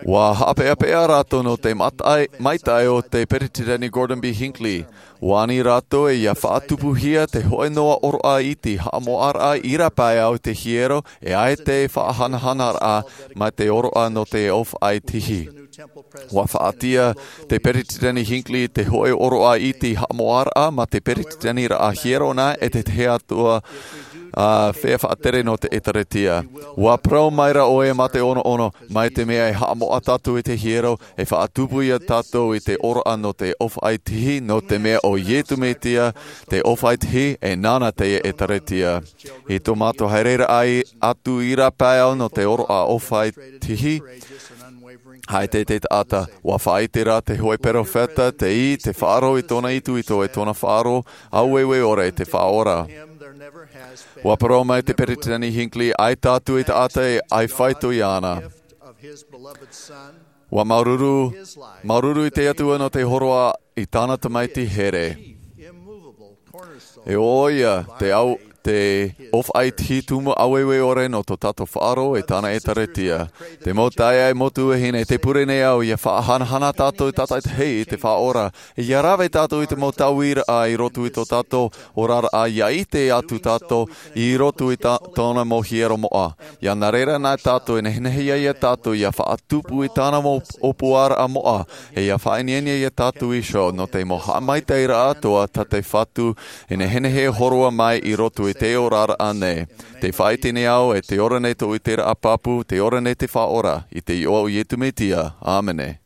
ʻUa haʻapeʻapeʻa rātou nō te matai-, maitaʻi o te Peretiteni Gordon B. Hinckley. ʻUa ani rātou e ʻia faʻatupuhia te hōʻē noa ʻōroʻa iti haʻamoʻaraʻa i rāpae au i te hiero, e ʻaita e faʻahanahanaraʻa mai te ʻōroʻa nō te ʻōfaʻi tihi. ʻUa faʻatia te Peretiteni Hinckley te hōʻē ʻōroʻa iti haʻamoʻaraʻa mā te peretiteniraʻa hiero nā e te tahi atu ā, ā, feiā faʻatere nō te ʻĒtārētia. ʻUa parau maira ʻoe mā te ʻonoʻono, mai te mea e haʻamoʻa tātou i te hiero, e faʻatupu ia tātou i te ʻōroʻa nō te ʻōfaʻi tihi, nō te mea ʻo Iesu Mesia te ʻōfaʻi tihi, e nāna te ʻĒtārētia. I tō mātou haereraʻa atu i rāpae au nō te ʻōroʻa ʻōfaʻi tihi, ʻaita te taʻata, ʻua faʻaʻite rā te hōʻē perofeta, tei te faʻaroʻo i tōna itoito e tōna faʻaroʻo, ʻaueue ʻore i te Faʻaora. ʻUa parau mai te Peretiteni Hinckley, ʻaita atu e taʻata e ʻaita e faito iāna. ʻUa māuruuru, māuruuru i te Atua nō te hōroʻa i tāna tamaiti here. E ʻo ia te au, te ʻōfaʻi tihi tumu ʻaueue ʻore nō tō tātou faʻaroʻo e tāna ʻĒtārētia. Te mau taeaʻe, mau tuahine, tē pure nei au ʻia faʻahanahana tātou tātaʻitahi i te Faʻaora, ʻia rave tātou i te mau tauiraʻa i roto i tō tātou oraraʻa, ʻia ʻite atu tātou i roto i tā-, tōna mau hiero moʻa. ʻIa nā reira nā tātou e nehenehe ai ia tātou ʻia faʻatupu i tāna mau ʻōpuaraʻa moʻa, e ʻia faʻaineine ia tātou iho nō te mau haʻamaitaʻiraʻa atoʻa tā te Fatu e nehenehe e hōroʻa mai i roto i te oraraʻa nei. Tē faʻaʻite nei au e tē ora nei tōʻu ʻiteraʻa pāpū, tē ora nei te Faʻaora, i te iʻoa o Iesu Mesia. ʻĀmene.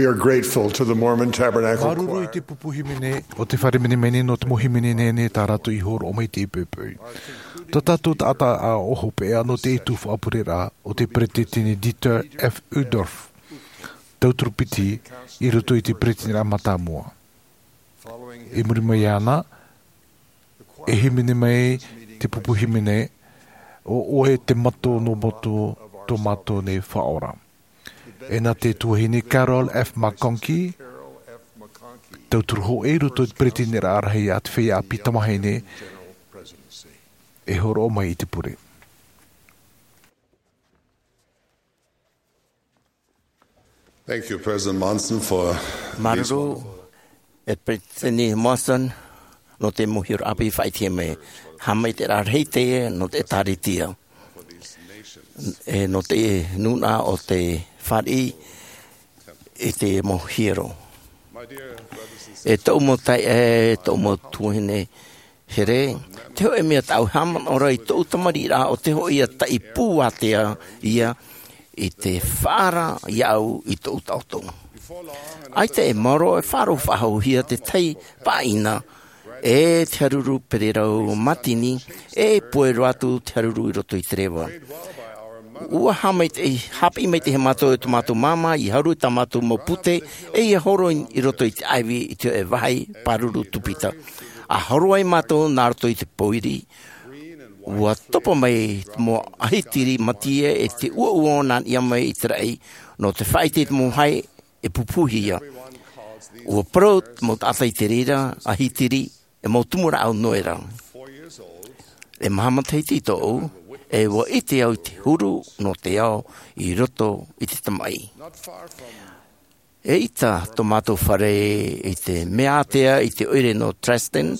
We are grateful to the Mormon Tabernacle Māuruuru i Choir. Te pupu hīmene o te fare minimini nō te mau hīmene nehenehe tā rātou i hōroʻa mai i te poʻipoʻi. Tā tātou taʻata ʻāʻau hopeʻa nō te ʻetu faʻapureraʻa o te peresideni Dieter F. Uchtdorf, tauturu piti i roto i te peresideniʻa mātāmua. I muri mai iāna, e hīmene mai te pupu hīmene, ʻo ʻoe te mato nō moto tō mātou nei Faʻaora. E nā te tuahine Carol F. McConkie, tauturu hōʻē i roto i te peresideniʻa rahi a te feiā ʻāpī tamāhine, e hōroʻa mai i te pure. Thank you, President Monson, for these Māuruuru, e Peresideni Monson, nō te mau hiero ʻāpī faʻaʻitehia mai. Haʻamaitaʻiraʻa rahi teie nō te ʻĒtārētia. E nō te nūnaʻa o te fāriʻi i te mau hiero. E tōʻu mau taeaʻe, e tōʻu mau tuahine here, te hōʻē mea tāʻu e haʻamanaʻo ra i tōʻu tamariʻiraʻa ʻo te hōʻē ia taʻi pū ātea ia i te faʻaara iāʻu i tōʻu taʻoto. ʻAita e maoro e faʻaroʻo faʻahouhia te tahi pāʻina, e te haruru pererau mātini, e puai roa atu te haruru i roto i te reva. ʻUa haʻamaitaʻi, haʻapiʻi maitaʻi e mātou e tō mātou māmā i haruru i tā mātou mau pute, e ia horo i, i roto i te ʻāivi i te hōʻē vāhi pāruru tupita. ʻA horo ai mātou nā roto i te pōiri, ʻua topa mai te mau ʻahitiri mātie e te ʻuoʻuo nā niʻa mai i te raʻi, nō te faʻaʻite i te mau vāhi e pupuhia. ʻUa parau te mau taʻata i te reira ʻahitiri e mau tumu rāʻau noa ra. E maha matahiti tōʻu, e ʻua ʻite au i te huru nō te ao i roto i te tamaʻi. Eʻita tō mātou fare i te mea ātea i te ʻoire nō Dresden,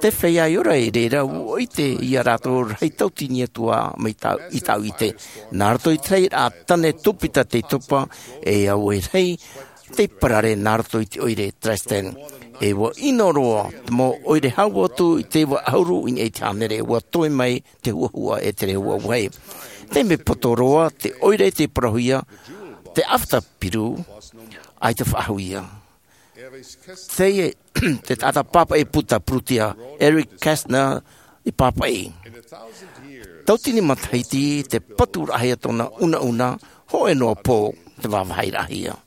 te feiā e ora i reira ʻua ʻite ia rātou rahi tauatini atu ā mai tāʻu, i tāʻu ʻite. Nā roto i te rahiraʻa tāne tupita tei topa, e au e rahi tei parare nā roto i te ʻoire Dresden. E ʻua ʻino roa te mau ʻoire hau atu i te iva ʻahuru i niʻa i te hānere, ʻua toe mai te huahua e te reira vāhi. Te mea poto roa, te ʻoire tei parauhia, te After Piru, ʻaita faʻahou ia. Teie, te taʻata pāpaʻi puta Prutia, Eric Kästner, i pāpaʻi. Tauatini matahiti, te paturaʻahia tōna unauna, hōʻē noa pō, te vāvāhiraʻahia.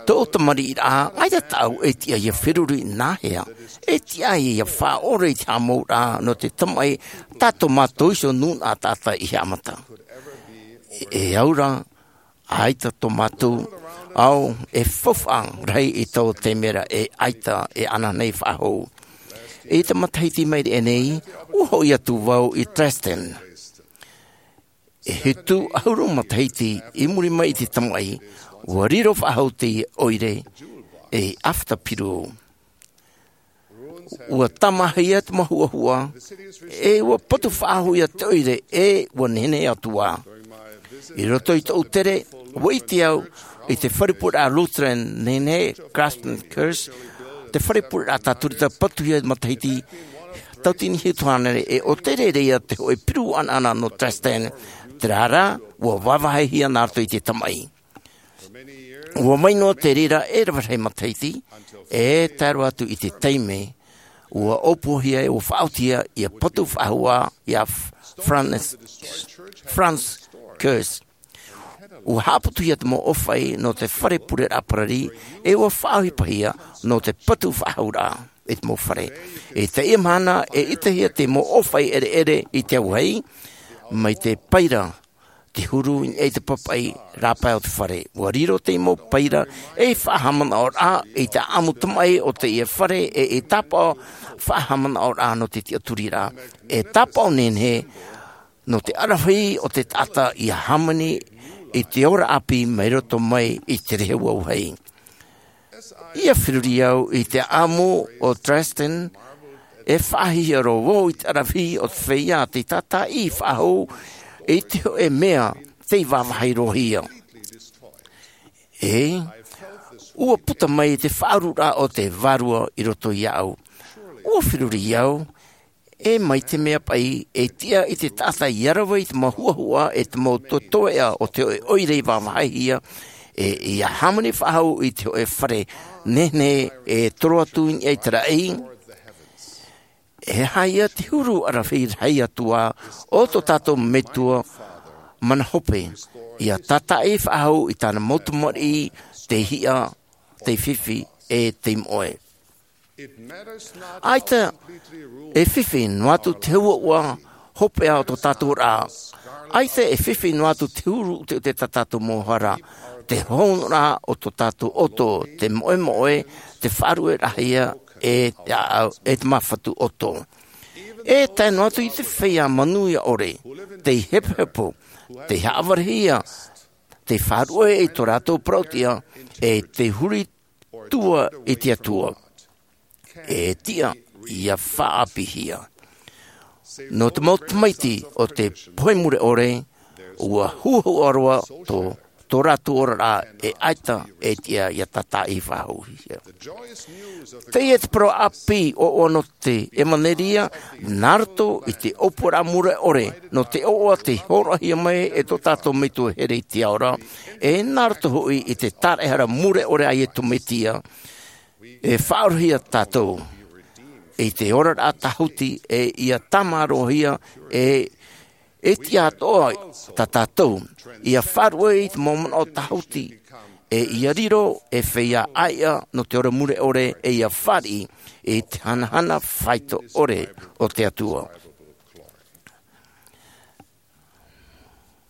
Tōʻu tamariʻiraʻa, ʻaita tāʻu e tiʻa ia feruri nāhea, e tiʻa ia faʻaʻore i te haʻamouraʻa nō te tamaʻi tā tō mātou iho nūnaʻa taʻata i haʻamata. E au ra, ʻaita tō mātou ao e faufaʻa rahi i taua taime ra e ʻaita e anaanei faʻahou. I te matahiti mai rā nei, ʻua hoʻi atu vau i Dresden. E hitu ʻahuru matahiti i muri mai i te tamaʻi, ʻua riro faʻahou te ʻoire ei After Piru. ʻUa tāmāhia te mau huahua, e ʻua patu faʻahou ia te ʻoire, e ʻua nehenehe atu ā. I roto i tōʻu tere, ʻua ʻite au i te fare pureraʻa Lutheran nehenehe, Craftsman Kirche, te fare pureraʻa Tātorita patuhia matahiti tauatini hitu hānere, e ʻo te reira ia te hōʻē piru anaana nō Dresden, terā rā, ʻua vāvāhihia nā roto i te tamaʻi. ʻUa mai noa te reira e rave rahi matahiti, e tae roa atu i te taime, ʻua ʻōpuahia, ʻua faʻaotihia, ʻia patu faʻahou ā, ia Franz, Franz Kirche. ʻUa haʻaputuhia te mau ʻōfaʻi nō te fare pureraʻa parari, e ʻua faʻaʻohipahia nō te patu faʻahouraʻa i te mau fare. I teie mahana, e ʻitehia te mau ʻōfaʻi ʻereʻere i te auahi, mai te paira, te huru i te papaʻi rāpae o te fare. ʻUa riro te mau paira ei faʻahaʻamanaʻoraʻa i te ʻāʻamu tamaʻi o teie fare, e ei tāpaʻo faʻahaʻamanaʻoraʻa nō te tiʻaturiraʻa, e tāpaʻo nehenehe nō te ʻaravihi o te taʻata ʻia hāmani i te ora ʻāpī mai roto mai i te rehu auahi. ʻIa feruri au i te ʻāʻamu o Dresden, e faʻahiahia roa vau i te ʻaravihi o te feiā tei tātaʻi faʻahou i te hōʻē mea tei vāvāhi roa hia. E, ʻua puta mai te faʻaururaʻa o te Vārua i roto iāʻu. ʻUa feruri au, e mai te mea paʻi, e tiʻa i te taʻata ʻia rave i te mau huahua e te mau toetoeʻa o te hōʻē ʻoire i vāvāhihia, E ia hāmani faʻahou i te hoʻe fare nehenehe e toro atu i niʻa i te raʻi. E aha ia te huru ʻaravihi rahi atu ā o tō tātou Metua mana hope, ia tātaʻi faʻahou i tāna mau tamariʻi, te hiʻa, te fifi, e te moʻe. ʻAita e fifi noa atu te hauʻauʻa hopeʻa o tō tātou ra. ʻAita e fifi noa atu te huru ʻuteʻute tā tātou mau hara. Te hōnoraʻa o tō tātou ʻoto, te moʻemoʻe, te faʻaruʻeraʻahia, e te ʻāʻau, e te māfatu ʻoto. E tae noa atu i te feiā manuia ʻore, tei hepohepo, tei haʻavarehia, tei faʻaruʻe i tō rātou parauʻtiʻa, e tei huri tua i te Atua. E tiʻa ia faʻaʻāpīhia. Nō te mau tamaiti o te pohe mure ʻore, ua huahua roa tō, tō rātou oraraʻa e ʻaita e tiʻa ia tātaʻi faʻahouhia. Teie te parau ʻāpī ʻoaʻoa nō te ʻevanelia, nā roto i te ʻōpuaraʻa mure ʻore, nō te ʻoaʻoa tei hōroʻahia mai e tō tātou Metua here i te ao ra, e nā roto hoʻi i te tāraʻehara mure ʻore a Iesu Mesia, e faʻaorahia tātou i te oraraʻa tāhuti, e ia tāmārohia, e, e tiʻa atoʻa tā tātou, ia faʻaruʻe i te mau manaʻo tāhuti, e ia riro ei feiā ʻāiʻa nō te ora mure ʻore, e ia fāriʻi i te hanahana faito ʻore o te Atua.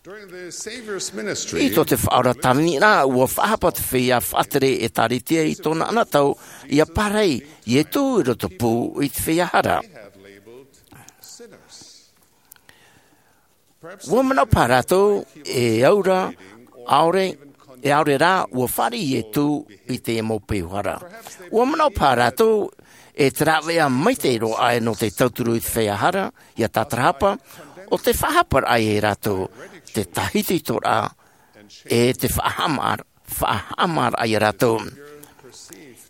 During the Savior's ministry, I tō te Faʻaora tāviniraʻa, ua faʻahapa te feiā faʻatere ʻĒtārētia i tōna anotau, ia pārahi Iesu i roto pū i te feiā hara. Ua manaʻo paha rātou, e au ra, ʻaore, e ʻaore rā, ua fāriʻi Iesu i te mau peu hara. Ua manaʻo paha rātou, e te rāveʻa maitaʻi roa aʻe nō te tauturu i te feiā hara, ia tātarahapa, ʻo te faʻahaparaʻa ia rātou, te tāhitohitoraʻa, e te faʻahaʻamā-, faʻahaʻamāraʻa ia rātou.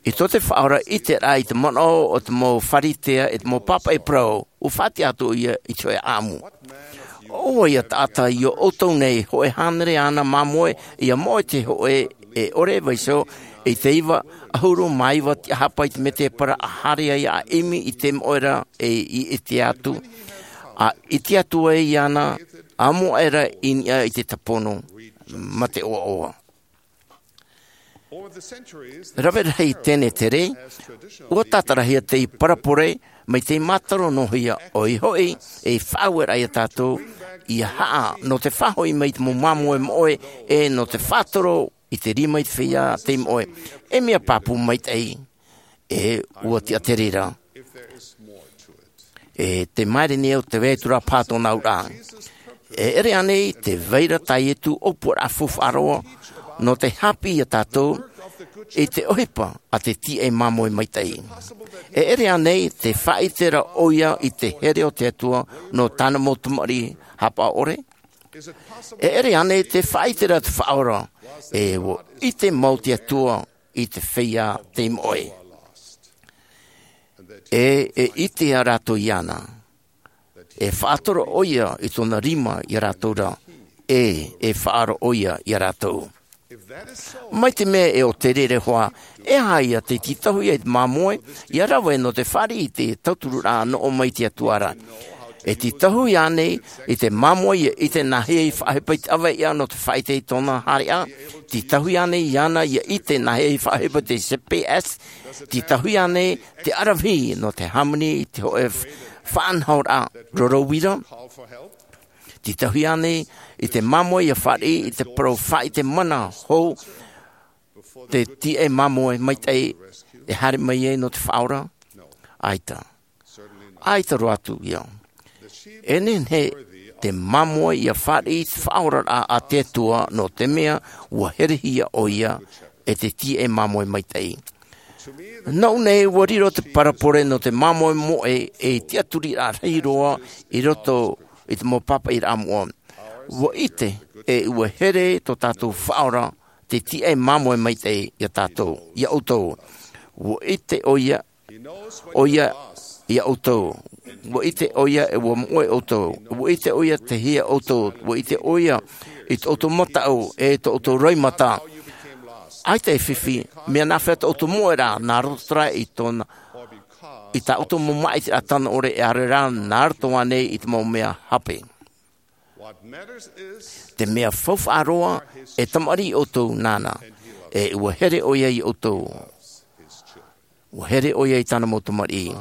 I tō te Faʻaora ʻiteraʻa i te manaʻo o te mau Pharisea e te mau pāpaʻi parau, ua faʻatiʻa atoʻa ia i te hōʻē ʻāʻamu. ʻO vai ia taʻata i ō ʻoutou nei, hōʻē hānere āna māmoe, ia moʻe te hōʻē e ʻore vaiiho, i te iva ʻahuru mā iva tiʻahapa i te mētēpara, ʻa haere ai ʻa ʻimi i te moʻe ra, e i ʻite atu, ʻa ʻite atu ai iāna, ʻa moʻe ra i niʻa i te tāpono, mā te ʻoaʻoa. Rave rahi tenetere, ua tātarahia te parabole, mai te mātaro noa hia, ʻoia hoʻi, e faʻaueraʻa ia tātou, ia haʻa, nō te faʻahoʻi mai i te mau māmoe moʻe, e nō te faʻatoro i te rima i te feiā tei moʻe, e mea pāpū maitaʻi, e ua tiʻa te reira. E te maere nei o te vai atu ra paha tōna auraʻa. E ʻere ānei te vai ra tā Iesu ʻōpuaraʻa faufaʻa roa, nō te haʻapiʻi ia tātou, i te ʻohipa a te tīaʻi māmoe maitaʻi. E ʻere ānei te faʻaʻite ra ʻoia i te here o te Atua, nō tāna mau tamariʻi haʻapaʻo ʻore? E ʻere ānei te faʻaʻite ra te Faʻaora, e ua ʻite mau te Atua i te feiā tei moʻe. E, e ʻite ā rātou iāna. E faʻatoro ʻoia i tōna rima ia rātou ra. E, e faʻaara ʻoia ia rātou. Mai te mea e ʻo te reira hoʻi, e aha ia te tītauhia i te māmoe, ia rave nō te fāriʻi i te tautururaʻa nō ʻō mai i te Atua ra. E tītauhia ānei i te māmoe ia ʻite nāhea i faʻaʻohipa i te ʻaveiʻa nō te faʻaʻite i tōna haereʻa? Tītauhia ānei iāna ia ʻite nāhea i faʻaʻohipa i te G P S? Tītauhia ānei te ʻaravihi nō te hāmani i te hōʻē f-, faʻanahoraʻa roro uira? Tītauhia ānei i te māmoe ia fāriʻi i te parau faʻaʻite mana hou, te tīaʻi māmoe maitaʻi e haere mai ai nō te Faʻaora? ʻAita. ʻAita roa atu ia. E nehenehe te māmoe ia fāriʻi i te faʻaoraraʻa a te Atua, nō te mea ua herehia ʻoia e te tīaʻi māmoe maitaʻi. Nōʻu nei, ua riro te parabole nō te māmoe moʻe ei tiʻaturiraʻa rahi roa i roto i te mau pāpaʻiraʻa moʻa. Ua ʻite, e ua here tō tātou Faʻaora, te tīaʻi māmoe maitaʻi ia tātou, ia ʻoutou. Ua ʻite ʻoia, ʻoia ia ʻoutou. Ua ʻite ʻoia e ua moʻe ʻoutou. Ua ʻite ʻoia te hia ʻoutou. Ua ʻite ʻoia i tō ʻoutou mataʻu, e tō ʻoutou roimata. ʻAita e fifi, mea nāfea tō ʻoutou moʻeraʻa, nā roto terā i tōna, i tā ʻoutou mau māʻitiraʻa tano ʻore, e ʻaore rā, nā roto ānei i te mau mea hape. Te mea faufaʻa roa, e tamariʻi ʻoutou nāna, e ʻua here ʻoia iā ʻoutou. ʻUa here ʻoia i tāna mau tamariʻi.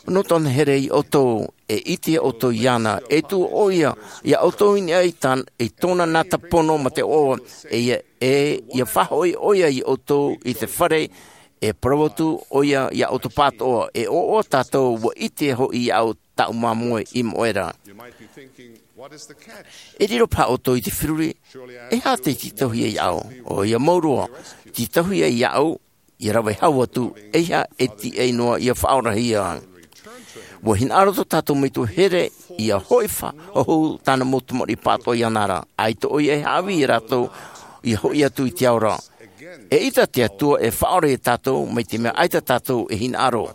Nō tōna here iā ʻoutou, e ʻite ʻoutou iāna, e tuʻu ʻoia iā ʻoutou i niʻa i tān-, i tōna nāta pono mā te ʻoaʻoa, e ʻia, e ʻia faʻahoʻi ʻoia iā ʻoutou i te fare, e parau atu ʻoia iā ʻoutou pāʻatoʻa, e ʻoaʻoa tātou, ʻua ʻite hoʻi iāʻu tāʻu māmoe i moʻe ra. E riro paha ʻoutou i te feruri, e aha te tītauhia iāʻu? ʻOia mau roa, tītauhia iāʻu, ʻia rave hau atu, eiaha e tiʻa noa ʻia faʻaorahia. ʻUa hinaʻaro tō tātou Metua here, ʻia hoʻi faʻahou tāna mau tamariʻi pāʻatoʻa iāna ra, ʻaita ʻoia e haʻavī iā rātou, ʻia hoʻi atu i te ao ra. Eʻita te Atua e faʻaora iā tātou, mai te mea ʻaita tātou e hinaʻaro.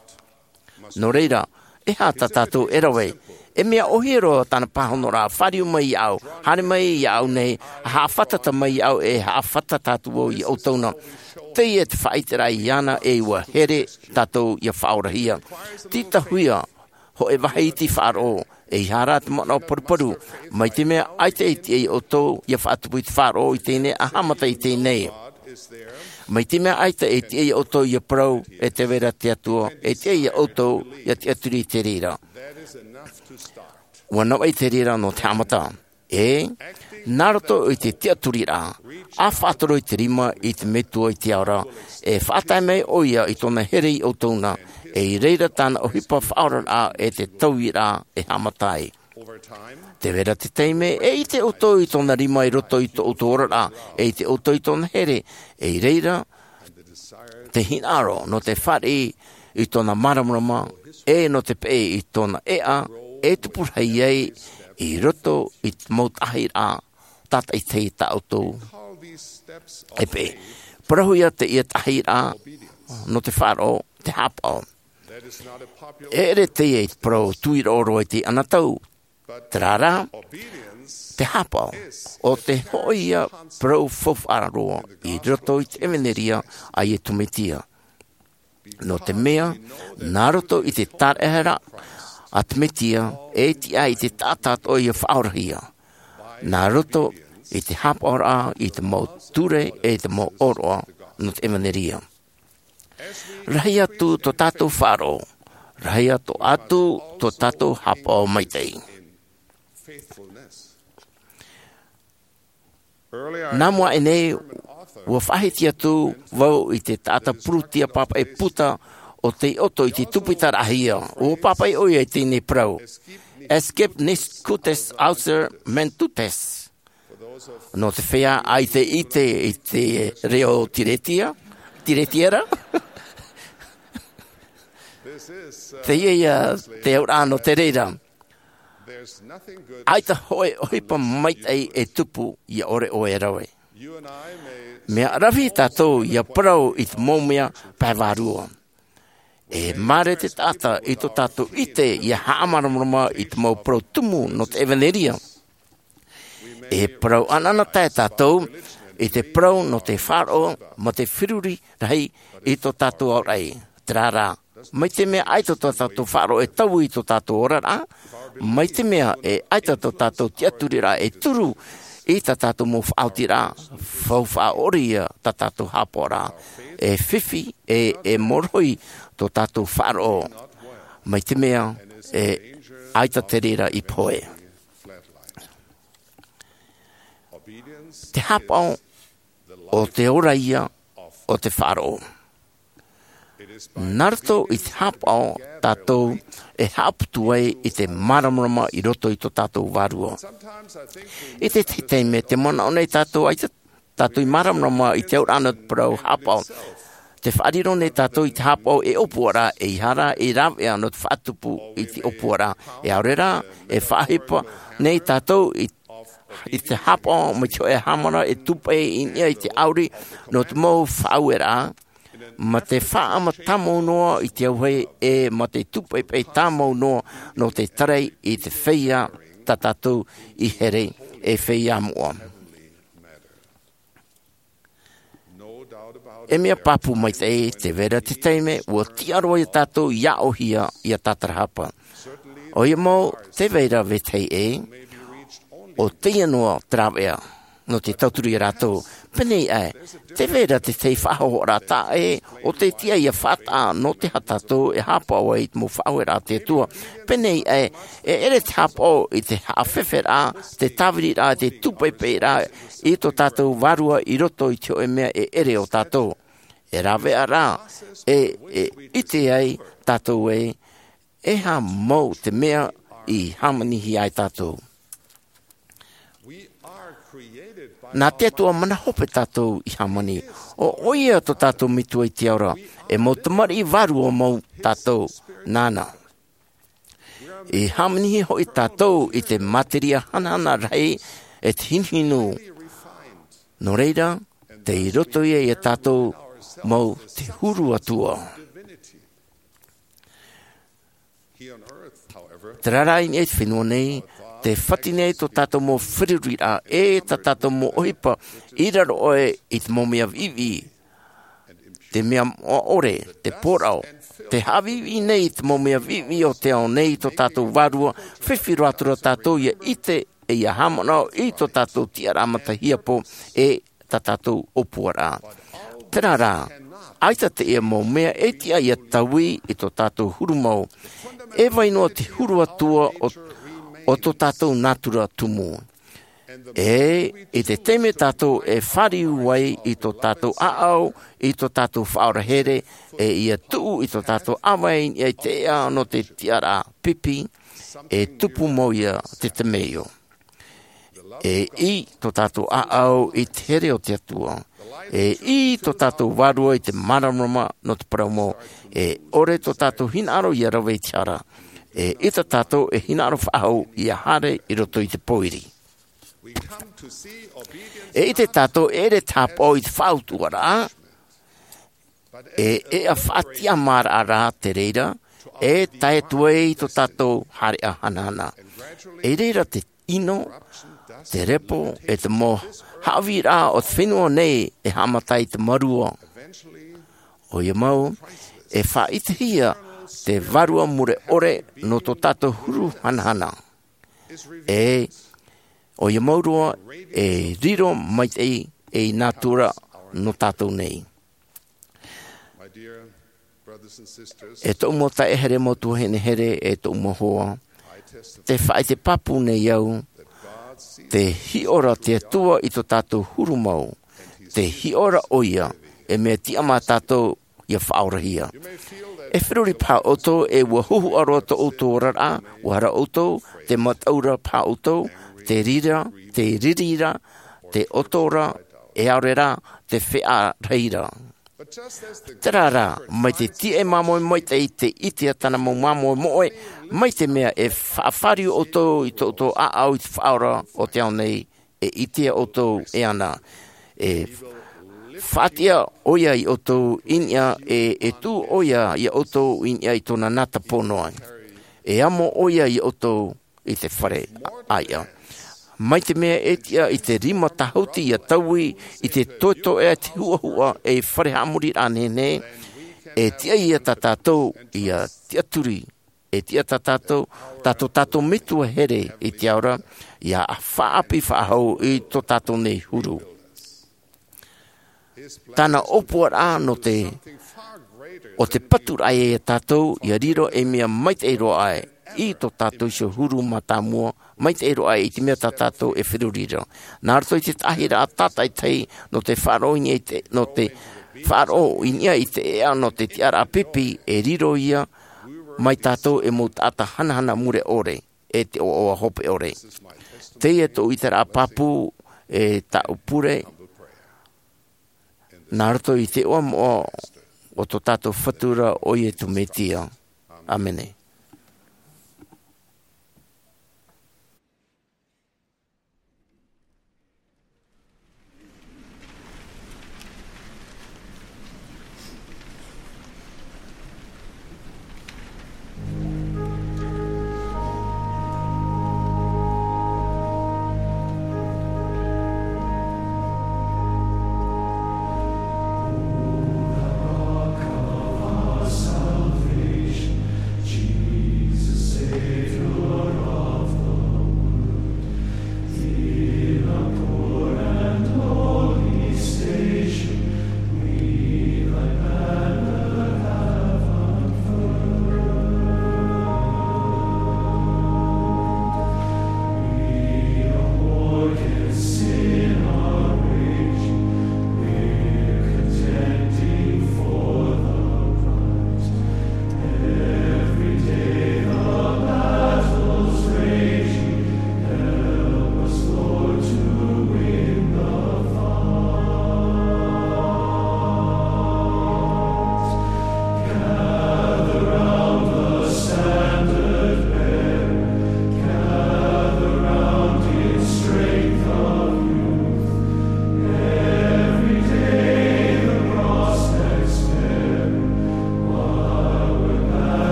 Nō reira, e aha tā tātou e rave? E mea ʻōhie roa tāna pāhonoraʻa, fāriu mai iāʻu, haere mai iāʻu nei, haʻafātata mai iāʻu, e haʻafātata atu vau iā ʻoutou na. Teie te faʻaʻiteraʻa iāna, e ʻua here tātou ʻia faʻaorahia. Tītauhia, hōʻē vāhi iti faʻaroʻo, eiaha rā te manaʻo paruparu, mai te mea ʻaita e tiʻa iā ʻoutou, ʻia faʻatupu i te faʻaroʻo i teie nei, ʻa haʻamata i teie nei. Mai te mea ʻaita e tiʻa iā ʻoutou ʻia parau, e te vai ra te Atua, e tiʻa iā ʻoutou, ʻia tiʻaturi i te reira. ʻUa navaʻi te reira nō te haʻamata. E, nā roto i te tiʻaturiraʻa, ʻa faʻatoro i te rima i te Metua i te ao ra, e faʻatae mai ʻoia i tōna here iā ʻoutou na, e i reira tāna ʻohipa faʻaoraraʻa e te tauiraʻa e haʻamata ai. Te vai ra te taime, e ʻite ʻoutou i tōna rima i roto i tō ʻoutou oraraʻa, e ʻite ʻoutou i tōna here, e i reira, te hinaʻaro nō te fāriʻi i tōna māramarama, e nō te peʻe i tōna ʻēʻa, e tupu rahi ai i roto i te mau taʻahiraʻa, tātaʻitahi tā ʻoutou e peʻe. Parauhia teie taʻahiraʻa nō te faʻaroʻo, te haʻapaʻo. E ʻere teie i te parau tuiroʻo roa i teie anotau, terā rā, te haʻapaʻo, ʻo te hōʻē parau faufaʻa roa i roto i te ʻevaneria a Iesu Mesia. Nō te mea, nā roto i te tāraʻehara a te Mesia, e tiʻa ai te taʻata atoʻa ʻia faʻaorahia. Nā roto i te haʻapaʻoraʻa i te mau ture e te mau ʻōroʻa nō te ʻevaneria. Rahi atu tō tātou faʻaroʻo, rahi atu, atu tō tātou haʻapaʻo maitaʻi. Nā mua aʻe nei, ʻua faʻahiti atu vau i te taʻata pūrūtia pāpaʻi puta o tei ʻoto i te tupitaraʻahia, ʻua pāpaʻi ʻoia i teie nei parau. Escape nis cutes auser mentutes. Nō te feiā ʻaita e ʻite i te reo Tiretia, Tiretiera. Teie ia te auraʻa nō te reira. ʻAita hōʻē ʻohipa maitaʻi e tupu ʻia ʻore ʻoe e rave. Mea ʻaravihi tātou ʻia parau i te mau mea pae vārua. E māere te taʻata i tō tātou ʻite ʻia haʻamāramarama i te mau parau tumu nō te ʻevaneria. E parau ʻanaʻanatae tātou i te parau nō te faʻaroʻo mā te feruri rahi i tō tātou aoraʻi. Terā rā, mai te mea ʻaita tō tātou faʻaroʻo e taui i tō tātou oraraʻa, mai te mea e ʻaita tō tātou tiʻaturiraʻa e turu i tā tātou mau faʻaotiraʻa, faufaʻa ʻore ia tā tātou haʻapaʻoraʻa. E fifi, e, e morohi tō tātou faʻaroʻo. Mai te mea, e ʻaita te reira i pohe. Te haʻapaʻo, ʻo te ora ia o te faʻaroʻo. Nā roto i te haʻapaʻo tātou e haʻaputu ai i te māramarama i roto i tō tātou vārua. I te tahi taime, tē manaʻo nei tātou ʻaita tātou i māramarama i te auraʻa nō te parau haʻapaʻo. Tē faʻariro nei tātou i te haʻapaʻo ei ʻōpuaraʻa, ʻeiaha rā ei rāveʻa nō te faʻatupu i te ʻōpuaraʻa. E ʻaore rā, e faʻaʻohipa nei tātou i, i te haʻapaʻo mai te hōʻē hāmani e tūpaʻi i niʻa i te ʻauri nō te mau faʻaueraʻa, mā te faʻaʻama tāmau noa i te auahi, e mā te tūpaʻipaʻi tāmau noa nō te tarai i te feiā tā tātou i here, e feiā moʻa. E mea pāpū maitaʻi, tē vai ra te taime, ʻua tiʻa roa ia tātou ʻia aʻohia, ʻia tātarahapa. ʻOia mau, tē vai ra vetahi ʻē, ʻo teie noa te rāveʻa, nō te tauturu ia rātou. Pēnei aʻe, tē vai ra te tahi faʻahohoʻaraʻa taʻa ʻē, ʻo tē tiʻa ʻia faʻataʻa nō te aha tātou e haʻapaʻo ai i te mau faʻaueraʻa a te Atua. Pēnei aʻe, e ʻere te haʻapaʻo i te haʻafeferaʻa, te tāviriraʻa, te tūpaipairaʻa, i tō tātou vārua i roto i te hōʻē mea e ʻere o tātou. E rāveʻa ra, e, e ʻite ai tātou ē, e aha mau te mea i hāmanihia ai tātou. Nā te Atua mana hope tātou i hāmani. ʻO, ʻoia tō tātou Metua i te ao ra, e mau tamariʻi vārua mau tātou nāna. I hāmanihia hoʻi tātou i te materia hanahana rahi e te hinuhinu. Nō reira, tei roto ia ia tātou mau te huru Atua. Terā rā i niʻa i te fenua nei, tē fati nei tō tātou mau feruriraʻa, e tā tātou mau ʻohipa, i raro aʻe i te mau mea viʻiviʻi, te mea moʻa ʻore, te pōraʻo, tē haʻaviʻiviʻi nei i te mau mea viʻiviʻi o te ao nei tō tātou vārua, fifi roa atu ra tātou ʻia ʻite, e ʻia haʻamanaʻo i tō tātou tiʻaraʻa matahiapo, e tā tātou ʻōpuaraʻa. Terā rā, ʻaita teie mau mea e tiʻa ʻia taui i tō tātou huru mau. E vai noa te huru Atua ʻo, ʻo tō tātou nātura tumu. E, i te taime tātou e fāriu ai i tō tātou ʻāʻau, i tō tātou Faʻaora here, e ʻia tuʻu i tō tātou ʻāvae i niʻa i te ʻēʻa nō te tiʻaraʻa pipi, e tupu mau ia te temeio. E ʻī tō tātou ʻāʻau i te here o te Atua. E ʻī tō tātou vārua i te māramarama nō te parau mau. E ʻore tō tātou hinaʻaro ʻia rave i te hara. E ʻita tātou e hinaʻaro faʻahou ʻia haere i roto i te pōiri. E ʻite tātou e ʻere te haʻapaʻo i te faʻautuʻaraʻa, e, e ʻēʻa faʻatiʻamāraʻa rā te reira, e tae atu ai tō tātou haereʻa hanahana. I reira te ʻino, te repo, e te mau haʻavīraʻa o te fenua nei e haʻamata i te mārua. ʻOia mau, e faʻaʻitehia te Vārua Mure ʻore nō tō tātou huru hanahana. E, ʻoia mau roa, e riro maitaʻi ei nātura nō tātou nei. E tōʻu mau taeaʻe here, mau tuahine here, e tōʻu mau hoa, tē faʻaʻite pāpū nei au, tē hiʻo ra te Atua i tō tātou huru mau, tē hiʻo ra ʻoia, e mea tiʻa mā tātou ʻia faʻaorahia. E feruri paha ʻoutou, e ʻua huhuʻa roa tō ʻoutou oraraʻa, ʻua hara ʻoutou, tē mataʻu ra paha ʻoutou, tē rira, tē riri ra, tē ʻoto ra, e ʻaore rā, tē feʻa rahi ra. Terā rā, mai te tiaʻi māmoe maitaʻi tē ʻitea tāna mau māmoe moʻe, mai te mea e faʻafāriu ʻoutou i tō ʻoutou ʻāʻau i te Faʻaora o te ao nei, e ʻitea ʻoutou e ana. E faʻatiʻa ʻoia ia ʻoutou i niʻa, e, e tuʻu ʻoia ia ʻoutou i niʻa i tōna nātapō noa. E amo ʻoia ia ʻoutou i te fare ʻāiʻa. Mai te mea e tiʻa i te rima tāhuti ʻia taui i te toetoeʻa, te huʻahuʻa, e fare haʻamoriraʻa nehenehe, e tiʻa ia tā tātou ʻia tiʻaturi, e tiʻa tā tātou, tā tō tātou Metua here i te ao ra, ʻia faʻaʻapi faʻahou i tō tātou nei huru. Tāna ʻōpuaraʻa nō te, ʻo te paturaʻa ia tātou, ʻia riro ei mea maitaʻi roa aʻe i tō tātou iho huru mātāmua, maitaʻi roa aʻe i te mea tā tātou e feruri ra. Nā roto i te taʻahiraʻa tātaʻitahi, nō te faʻaroʻo i niʻa i te, nō te faʻaroʻo i niʻa i te ʻēʻa nō te tiʻaraʻa pipi, e riro ia mai tātou ei mau taʻata hanahana mure ʻore, e te ʻoaʻoa hope ʻore. Teie tōʻu ʻiteraʻa pāpū, e tāʻu pure, nā roto i te iʻoa moʻa o tō tātou Fatu ra ʻo Iesu Mesia. ʻĀmene.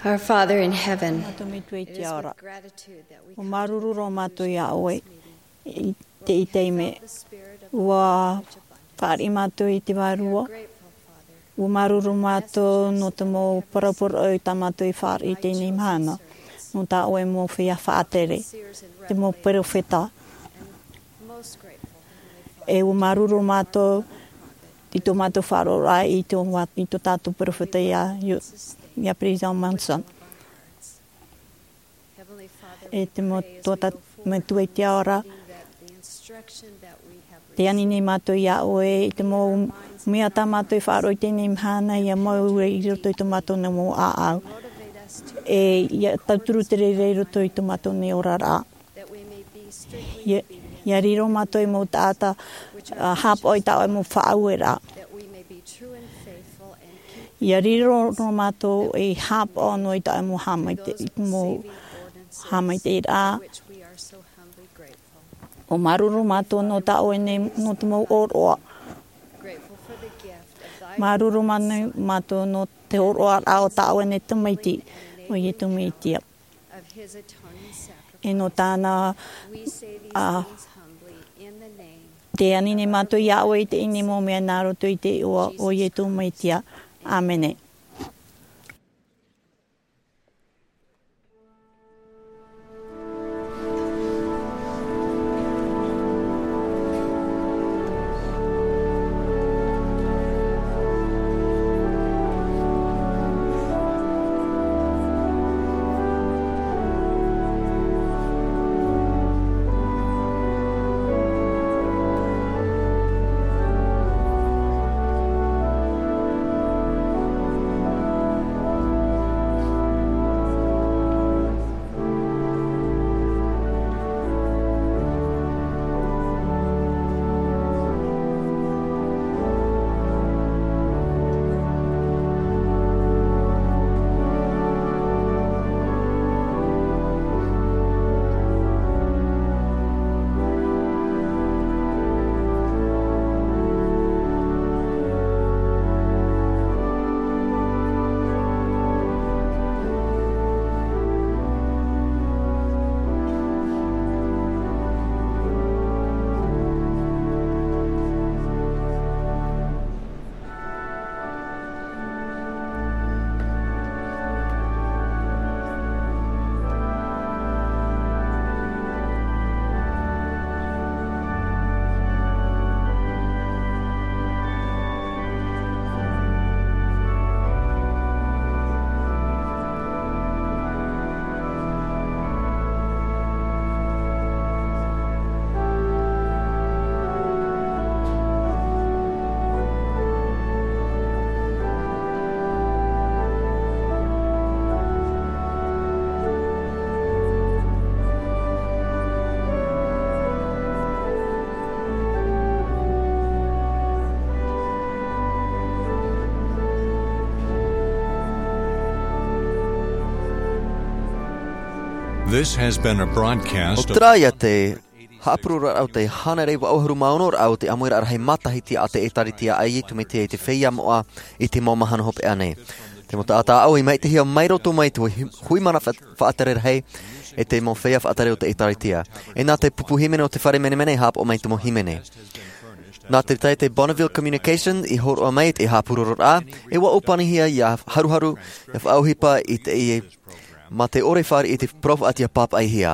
Our Father in heaven, Tō mātou Metua i te ao ra. Ua māuruuru roa mātou iā ʻoe i teie taime. Ua fāriʻi mātou i te Vārua. Ua māuruuru mātou nō te mau parau parau tā mātou i fāriʻi i teie nei mahana. Nō tā ʻoe mau feiā faʻatere, te mau perofeta. E ua māuruuru mātou i tō mātou faʻaroʻo i tō, i tō tātou perofeta iā, iā President Monson. E te mau, tō tā, Metua i te ao ra, tē ani nei mātou iā ʻoe i te mau mea tā mātou i faʻaroʻo i teie nei mahana, ʻia mau i roto i tō mātou nei mau ʻāʻau. E ʻia tauturu te reira i roto i tō mātou nei oraraʻa. ʻIa, ʻia riro mātou ei mau taʻata, ā, haʻapaʻo i tā ʻoe mau faʻaueraʻa. ʻIa riro roa mātou ei haʻapaʻo noa i tā ʻoe mau haʻamaitaʻi, i te mau haʻamaitaʻiraʻa. ʻUa māuruuru mātou nō tā ʻoe nei, nō te mau ʻōroʻa. Māuruuru mā-, mātou nō te hōroʻaraʻa o tā ʻoe nei Tamaiti, ʻo Iesu Mesia. E nō tāna, ā, tē ani nei mātou iā ʻoe i teie nei mau mea nā roto i te iʻoa o Iesu Mesia. ʻĀmene. This has been a broadcast of ʻO terā ia te haʻapuroroʻraʻa o te hānere iva ʻahuru mā ono ra o te ʻāmuiraʻa rahi matahiti a te ʻĒtārētia a Iesu Mesia i te feiā moʻa i te mau mahana hopeʻa nei. Te mau taʻata ʻāʻau i maitaʻihia mai roto mai te hui, hui mana fa-, faʻatere rahi e te mau feiā faʻatere o te ʻĒtārētia. E nā te pupu hīmene o te fare menemene e haʻapaʻo mai te mau hīmene. Nā te taʻata Bonneville Communications i hōroʻa mai te haʻapuroroʻraʻa, e ʻua ʻōpanihia ʻia haruharu, ʻia faʻaʻohipa i te, mā te ʻore fāriʻi i te parau faʻaʻite ʻia pāpaʻihia.